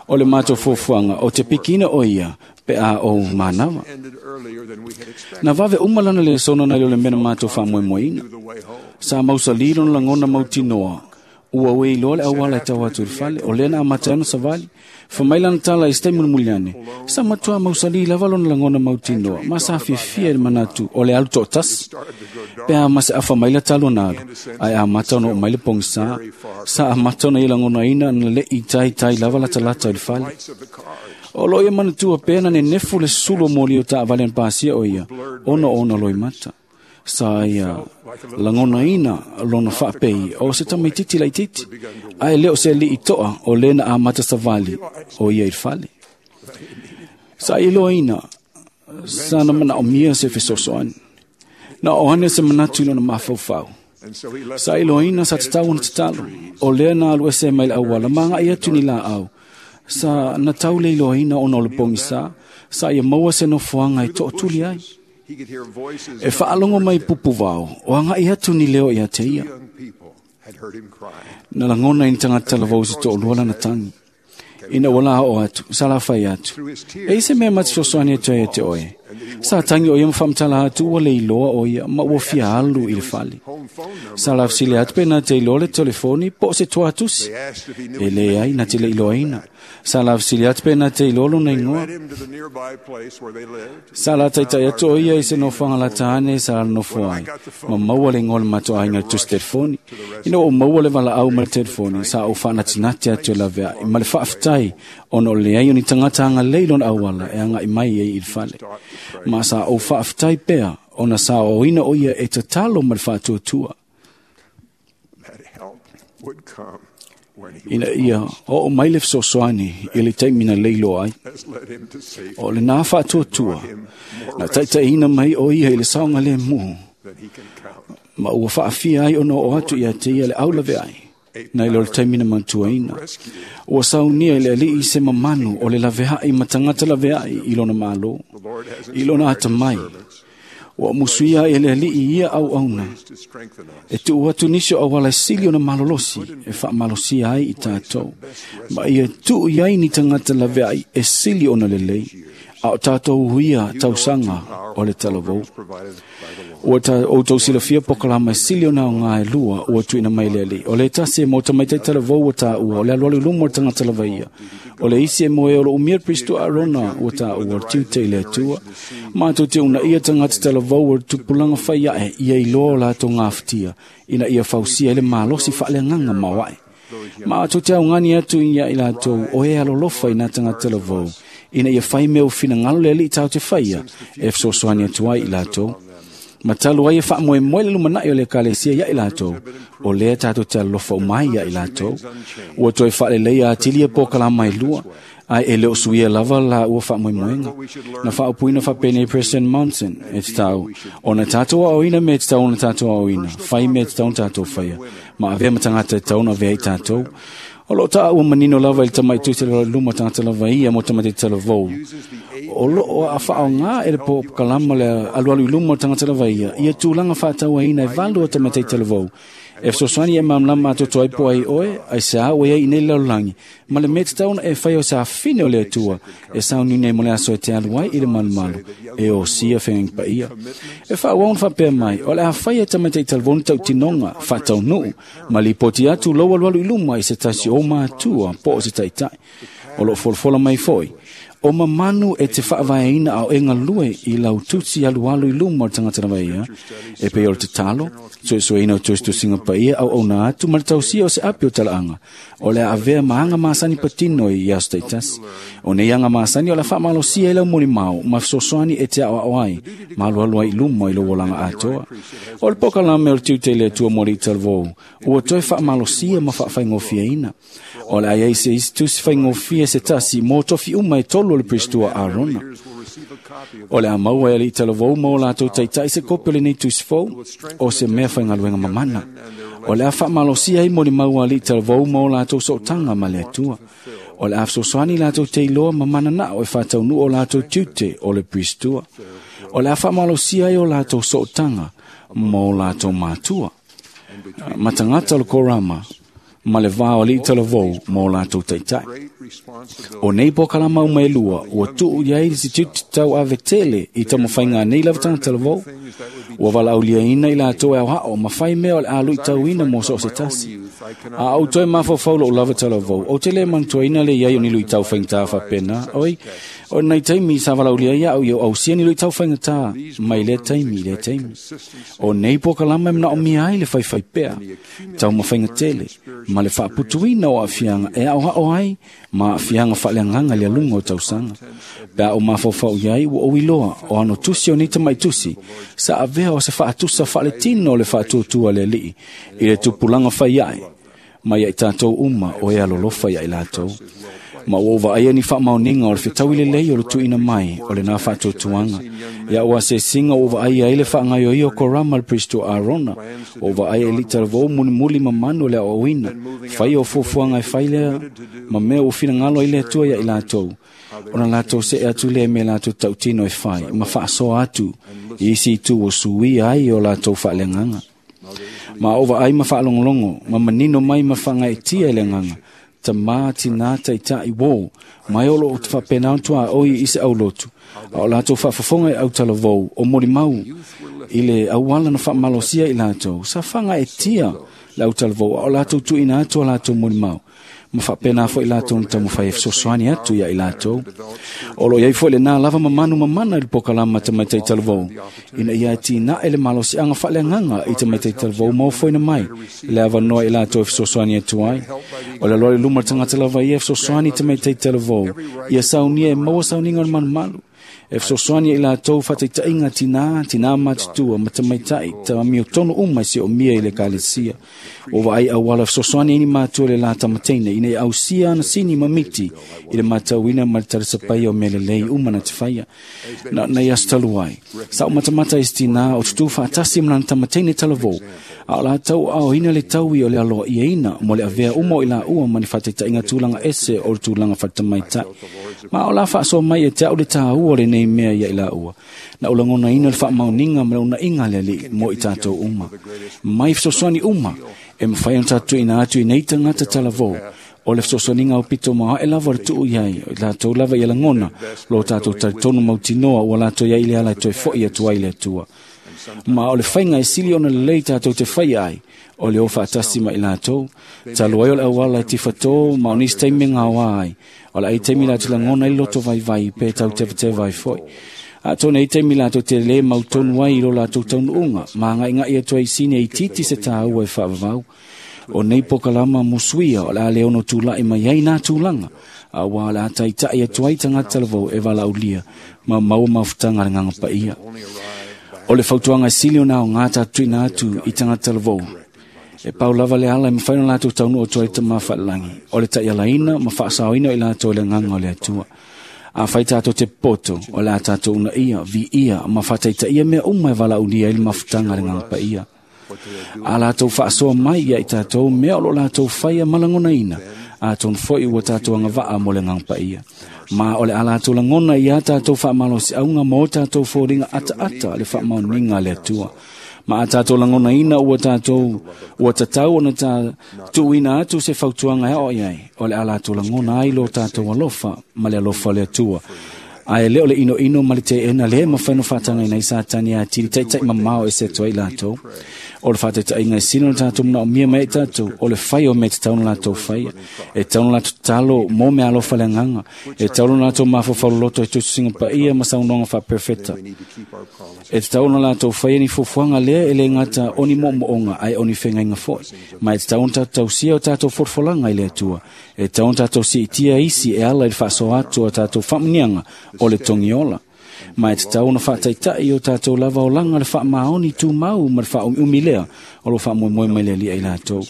O le matou fuafuaga o te pikina o ia pe a ou manava. Na vave uma lana lesona nai lo le mea na matou faamoemoeina. Sa mausalī lona lagona mautinoa, ua uē iloa le auala e tau atu i le fale, o lea na amata ai ona savali. Fa mai lana tala i se taimi mulimuli ane, sa matuā mausalī lava lona lagona mautinoa, ma sa fiafia i le manatu o le alu toʻatasi. Pe a ma se afa mai la talu ona alu, ae amata ona oo mai le pogisā. Sa amata ona ia lagonaina na leʻi taitai lava latalata i le fale. O loo ia manatua pea na nenefu le sulu o moli o taavale na pasia o ia, ona o ona loimata. Sa ia lagonaina lona faapei o se tamaititi laititi, ae le o se alii toa o lē na amata savali o ia i le fale. Sa iloaina sa na manaomia se fesoasoani. Na o ane se manatu i lona mafaufau. Sa iloaina sa tatau ona tatalo, o lea na alu ese mai le auala ma agai atu ni laau. Sa na tau le iloaina ona o le pogisa, sa ia maua se nofoaga e tootuli ai. E faalogo mai pupuvao, o agai atu ni leo ia te ia. Na lagona i ni tagata talavou se toalua lana tagi. Ina ua la oo atu, sa lafai atu. E i se mea ma te fesoasoani atu ai te oe. Sa tangi o ia ma faamatala atu ua le iloa o ia ma ua fia alu i le fale. Sa lafesili atu pe na te iloa le telefoni po o se tuatusi. E leai na te le iloaina. Sa lafesili atu pe na te iloa lona igoa. Sa la taitai atu o ia i se nofoaga lata ane sa la nofo ai. Ma maua le igoa o le matou aiga i le tusi telefoni. Ina ua ou maua le valaau ma le telefoni, sa ou faanatinati atu e laveai ma le faafetai ona o le leai o ni tagata agalelei lona auala e agai mai ai i le fale. Ma sa ou faafetai pea ona sa oina o ia e tatalo ma le faatuatua. Ina ia oo mai le fesoasoani i le taimi na leiloa ai. O lenā faatuatua, na taitaiina mai o ia i le saogalemu, ma ua faafia ai ona oo atu ia te ia le aulaveai, nai lo le taimi na mantuaina. Ua saunia i le alii se mamanu o le laveai ma tagata laveai i lona malo, i lona atamai. Ua musuia ai e le alii ia auauna, e tuu atu nisi o auala e sili ona malolosi e faamalosia ai i tatou, ma ia tuu i ai ni tagata laveai e sili ona lelei, a o tatou huia tausaga o le talavou. Ua outou silafia pokalama e sili ona aoga e lua ua tuuina mai le alii. O le tasi e mo tamaitai talavou ua taua, o le alualu i luma o le tagata lava ia. O le isi e mo e o lo umia le Pristo Arona ua taua, o le tiute i le Atua. Matou te uunaia tagata talavou o le tupulaga fai ae ia iloa o latou gafatia, ina ia fausia ai le malosi faaleagaga maoae. Matou te augani atu ia i latou o e alolofa i nā tagata talavou, ina ia fai mea o finagalo le alii tatou te faia e fesoasoani atu ai i latou. Ma talu ai e faamoemoe le lumanai o le ekalesia ia i latou, o lea tatou te alolofa uma ai ia i latou. Ua toe faaleleia atili e pokalama e lua, ae e le o suia lava la ua faamoemoega. Na faaupuina faapenei President Monson, e tatau ona tatou aoina mea e tatau ona tatou aoina, fai mea e tatau ona tatou faia, ma avea ma tagata e tatau ona avea i tatou. O loo taua manino lava i le tamaitusi le luma tagata lava ia mo tamaitai talavou. O loo faaoga e le pokalama le alualu i luma o le tagata lava ia, ia tulaga faatauaina e valu o tamaitai talavou. E fesoasoani e malamalama atoatoa ai po ai oe, ai se a ua iai i nei lalolagi, ma le mea tatau ona e faia o se afine o le Atua, e sauniuni ai mo le aso e te alu ai i le malumalu, e osia feagaiga paia. E faaauau ona faapea mai, o le a faia e tamaitai talavou ni tautinoga faataunuu, ma lipoti atu lou alualu i luma i se tasi o matua po o se taitai. O loo folafola mai foi, o mamanu e te faavaeina ao e galue i lau tusi alualu i luma o le tagata lava ia, e pei o le tatalo, suesueina o tusitusiga paia auauna atu ma le tausia o se api o talaaga, o le a avea ma aga masani patino i aso taitasi. O nei aga masani o le a faamalosia i lau molimau ma fesoasoani e te aoao ai, ma alualu ai i luma i lou olaga atoa. O le pokalame o le tiute i le Atua mo alii talavou, ua toe faamalosia ma faafaigofieina. O le a iai se isi tusi faigofie se tasi mo tofi uma e tolu o le Pristua Arona. O le a maua e alii talavou ma o latou taitai se kopi o lenei tusi fou, o se mea faigaluega mamana. O le a faamalosia ai molimau a alii talavou ma o latou sootaga ma le Atua. O le a fesoasoani latou te iloa ma mananao e faataunuu o latou tiute o le Pristua. O le a faamalosia ai o latou sootaga ma o latou matua, ma tagata o le korama, ma le va o alii talavou ma o latou taitai. O nei pokalama uma e lua, ua tuu i ai le tiute tauave tele i taumafaiga a nei lava tagata talavou. Ua valaauliaina i latou e aoao ma fai mea o le a luitauina mo so o se tasi. A ou toe mafaufau lo'u lava talavou, ou te lē manatuaina le iai o ni luʻitau faigata faapena. Oi, o nai taimi sa valaaulia ai a'u ia ou ausia ni luʻitau faigata mai lea taimi i lea taimi. O nei pokalama e manaʻomia ai le faifai pea, taumafaiga tele, ma le faaputuina o aafiaga e aʻoaʻo ai ma aafiaga faaleagaga i le aluga o tausaga. Pe a ou mafaufau i ai ua ou iloa o ano tusi o nei tamaʻi tusi sa avea o se faatusa faaletino o le faatuatua le Alii i le tupulaga fai aʻe mai ai tatou uma o e alolofa iā i latou. Ma ua ou vaaia ni faamaoniga o le fetaui lelei o le tuuina mai o lenā faatuatuaga. Ia ua asēsiga ua vaaia ai le faagaioia o Korama le Pristo Arona, ua vaaia i litalavou mulimuli mamanu o le aoaoina, faia o fuafuaga e fai lea ma mea ua finagalo ai le Atua iā i latou, ona latou seʻe atu lea i mea latou tautino e fai, ma faasoa atu i isi itu ua suia ai o latou faaleagaga. Ma ou vaai ma faalogologo, ma manino mai ma faagaeetia i le agaga, tamā tinā taitaʻi uō, mai o loo faapena ona tuaoi i se aulotu, a o latou faafofoga i autalavou o molimau i le auala na faamalosia i latou, sa fagaetia le autalavou a o latou tuuina atu a latou molimau, ma faapena foʻi latou na taumafai e fesoasoani atu iā i latou. O loo iai foʻi lenā lava mamanu mamana i le pokalama tamaitai talavou, ina ia atinae le malosiaga faaleagaga i tamaitai talavou ma ofoina mai le avanoa i latou e fesoasoani atu ai. O le aloa i luma le tagata lava ia e fesoasoani i tamaitai talavou, ia saunia e maua sauniga o le malumalu, e fesoasoani i latou faataitaiga tinā, tinā matutua ma tamaitai tamiotonu uma e siomia i le ekalesia. Ua vaai auala fesoasoani ai ni matua le la tamateina ina ia ausia ana sini ma miti i le matauina ma le talisapaia o mea lelei uma na te faia. Na nei aso talu ai, sa ou matamata i se tinā o tutū faatasi ma lana tamateina talavou, a o latou aoina le taui o le aloaʻiaina mo le avea uma o i laua ma ni faataitaiga tulaga ese o le tulaga faletamaitai. Ma o la faasoa mai e te au le tāua o lenei mea ia i laua. Na ou lagonaina le faamaoniga ma le uunaʻiga a le Alii mo i tatou uma. Mai fesoasoani uma e mafai ona tatou tuuina atu i nei tagata talavou, o le fesoasoaniga aupito maoaʻe lava o le tuu i ai, o i latou lava ia lagona lo tatou talitonu mautinoa ua latou iai le ala e toe foʻi atu ai le Atua. Ma o le faiga e sili ona lelei tatou te faia ai, o le o faatasi ma i latou, talu ai o le auala e tifatō ma o nisi taimi e gaoā ai, o le ai taimi latou lagona ai le loto vaivai pe tau tevateva ai foʻi. Atonu e i ai taimi latou te lē mautonu ai i lo latou taunuuga, ma agaigai atu ai i sini e itiiti se tāua e faavavau. O nei pokalama musuia o le a le ono tulaʻi mai ai nā tulaga, auā o le a taitaʻi atu ai tagata talavou e valaaulia ma maua mafutaga a le Agaga Paia. O le fautuaga e sili ona aogā tatou tuuina atu i tagata talavou, e pau lava le ala e mafai ona latou taunuu atu ai le Tamā Faalelagi, o le taialaina ma faasaoina o i latou e le Agaga o le Atua. Afai tatou te poto, o le a tatou uunaia, viia ma faataitaia mea uma e valaaulia ai le mafutaga a le Agaga Paia. A latou faasoa mai ia i tatou mea o lo latou faia ma lagonaina, atonu foi ua tatou agavaa mo le Agaga Paia. Ma o le a latou lagona ia tatou faamalosiauga ma o tatou foliga ataata le faamaoniga a le Atua. Ma a tatou lagonaina ua tatou ua tatau ona ta tuuina atu se fautuaga e aoai ai, o le a latou lagona ai lo tatou alofa ma le alofa o le Atua. Ae le o le inoino ma le teena lea e mafai ona faatagaina ai Satani e atili taitaʻi mamao ese atu ai i latou. O le faataitaiga e sili ona tatou manaomia mai ai tatou, o le fai o mea e tatau ona latou faia. E tatau ona latou tatalo mo meaalofa le agaga. E tatau ona latou mafaufau loloto i tusitusiga paia ma saunoaga faaperefeta. E tatau ona latou faia ni fuafuaga lea e le gata o ni moomooga ae o ni fegaiga foi. Ma e tatau ona tatou tausia o tatou folafolaga i le Atua. E tatau ona tatou siitia isi e ala i le faasoa atu o tatou faamuniaga o le togiola. Ma e tatau ona faataitai o tatou lava olaga le faamaoni tumau ma le faaumiumi lea o lo faamoemoe mai le Alii i latou.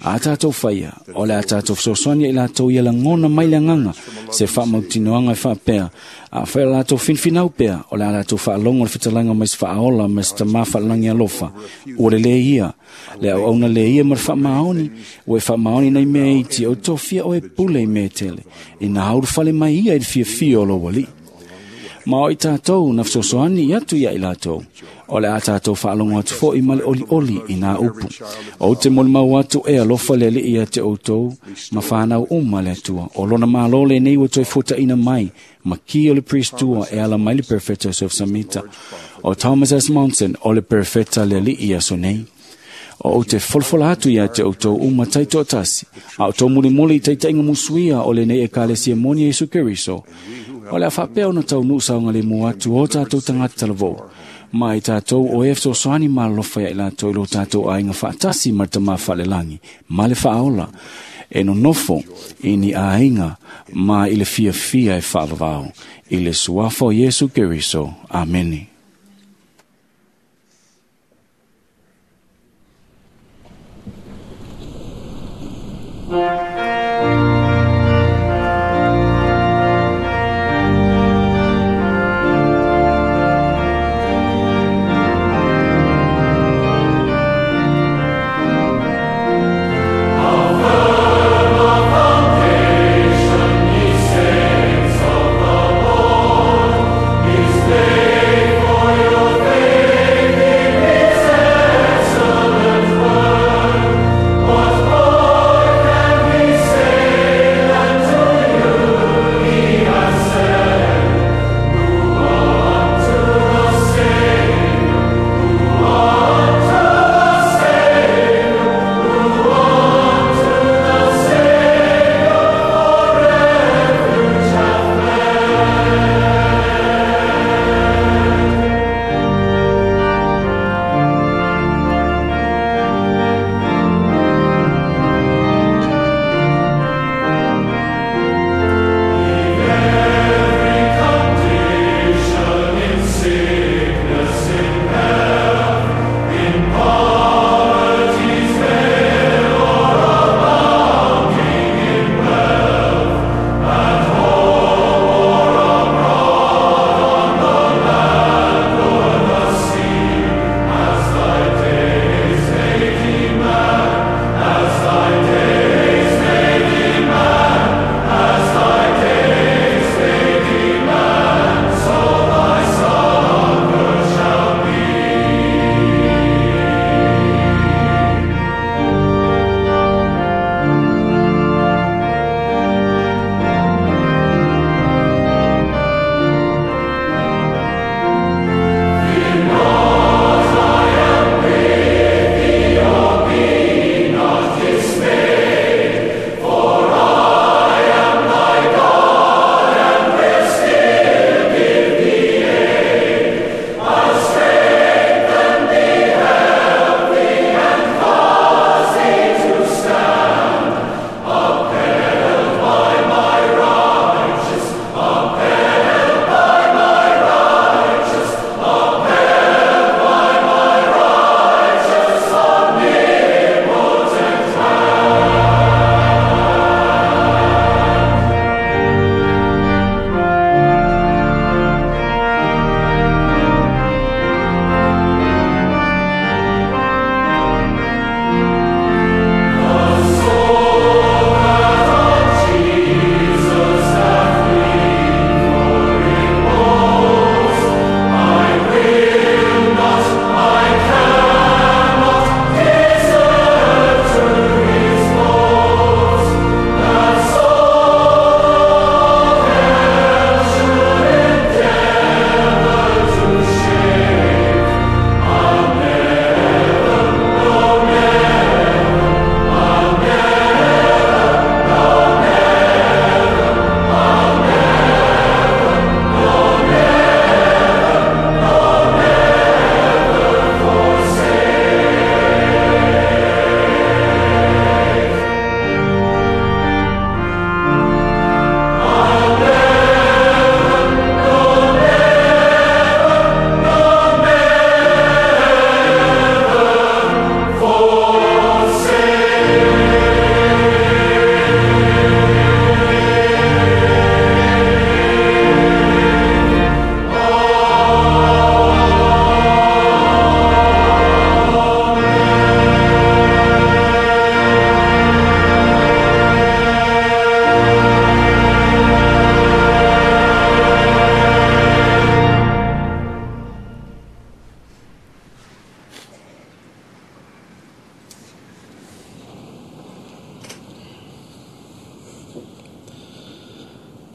A tatou faia, o le a tatou fesoasoani i latou ia lagona mai le agaga se faamautinoaga e faapea, afai o latou finfinau pea, o le a latou faalogo le fetalaiga mai se faaola ma se tamā faalelagi alofa, ua lelei ia. Le auauna le ia ma le faamaoni, ua e faamaoni nei mea iti, o tofia oe pule i mea tele, ina haulufale mai ia i le fiafia o lou Alii. Ma o i tatou na fesoasoani atu ia i latou, o le a tatou faalogo atu foʻi ma le olioli i nā upu. Ou te molimau atu e alofa le Alii ia te outou ma whanau uma le Atua. O lona malo lenei ua toe fuataʻina mai, ma ki o le priestua e ala mai le perfeta Joseph Samita. O Thomas S. Monson o le perfeta le Alii i aso nei. O ou te folafola atu ia te outou uma taitoatasi, a o tou mulimuli i taitaiga musuia o lenei Ekalesia moni Iesu Keriso. O le a faapea ona taunuu saogalemu atu o tatou tagata talavou, ma i tatou o e fesoasoani ma alofa ia i latou i lo tatou aiga faatasi ma le Tamā Faalelagi ma le Faaola, e nonofo i ni aiga ma i le fiafia e faavavao. I le suafa o Iesu Keriso. Amene.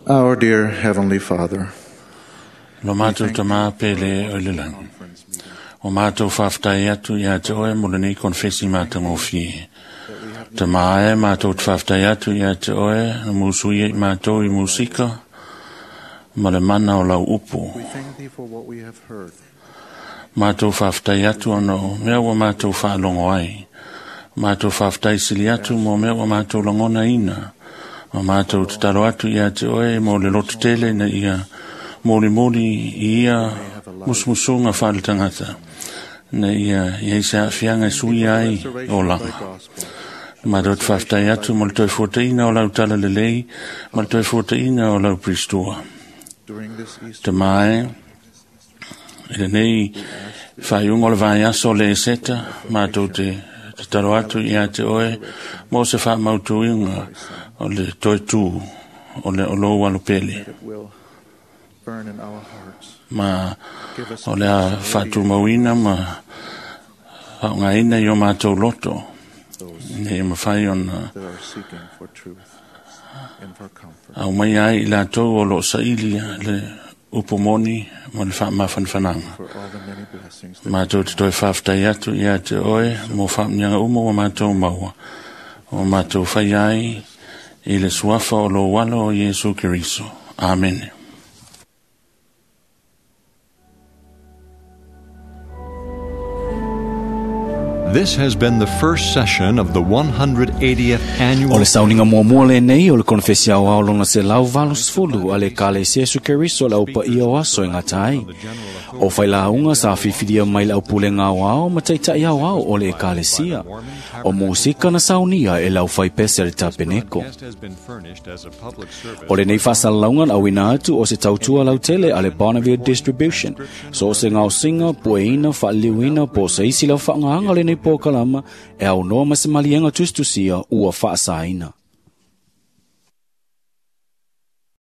Our dear Heavenly Father, Lo matou tamā pele o le lagi. O mātou whaftai atu ia te oe mo lenei konfesi mātangofie. Te mae mātou te whaftai atu ia te oe na mūsui i mātou i musika ma le mana o lau upu. Mātou whaftai atu ono mea ua mātou whaalongo ai. Mātou whaftai sili atu mo mea ua mātou langona ina. Ma mātou te taro atu ia te oe mo le loto tele na ia moli moli i ia musmusunga whaale tangata. Na ia ia se afianga sui ai o langa. Mātou te whaftai atu mo le toi fuataina o lau tala lelei, ma le toi fuataina o lau pristua. Te mae, i lenei whaiunga o le vai aso le eseta, mātou te taro atu ia te oe, mo se whamautuinga o le toi tū, o le olou alupele. Ma o le a whātumauina ma whaongaina i o mātou loto, nei mawhai ona au mai ai i lātou o lo saili le upomoni ma le whaamafanfananga. Mātou te toi whaftai atu ia te oe mo whaamnianga umo wa mātou maua. O mātou whai ai i le suafa o lo walo o Yesu Keriso. Amen. This has been the first session of the 180th annual O le sauninga muamua lenei o le konfesi au ao lona se lau valo sefulu a le Ekalesia Iesu Keriso le au paia o aso e gata ai. O failauga sa filifilia mai le aupulega aoao ma taita'i aoao o le Ekalesia. O musika na saunia e le aufaipese a le tapeneko. O lenei faasalalauga na auina atu o se tautua lautele a le Bonneville Distribution. So o se gaosiga, pueina, faaliliuina po o se isi lau faaaogāga o lenei polokalama e aunoa ma se maliega tusitusia ua faasaina.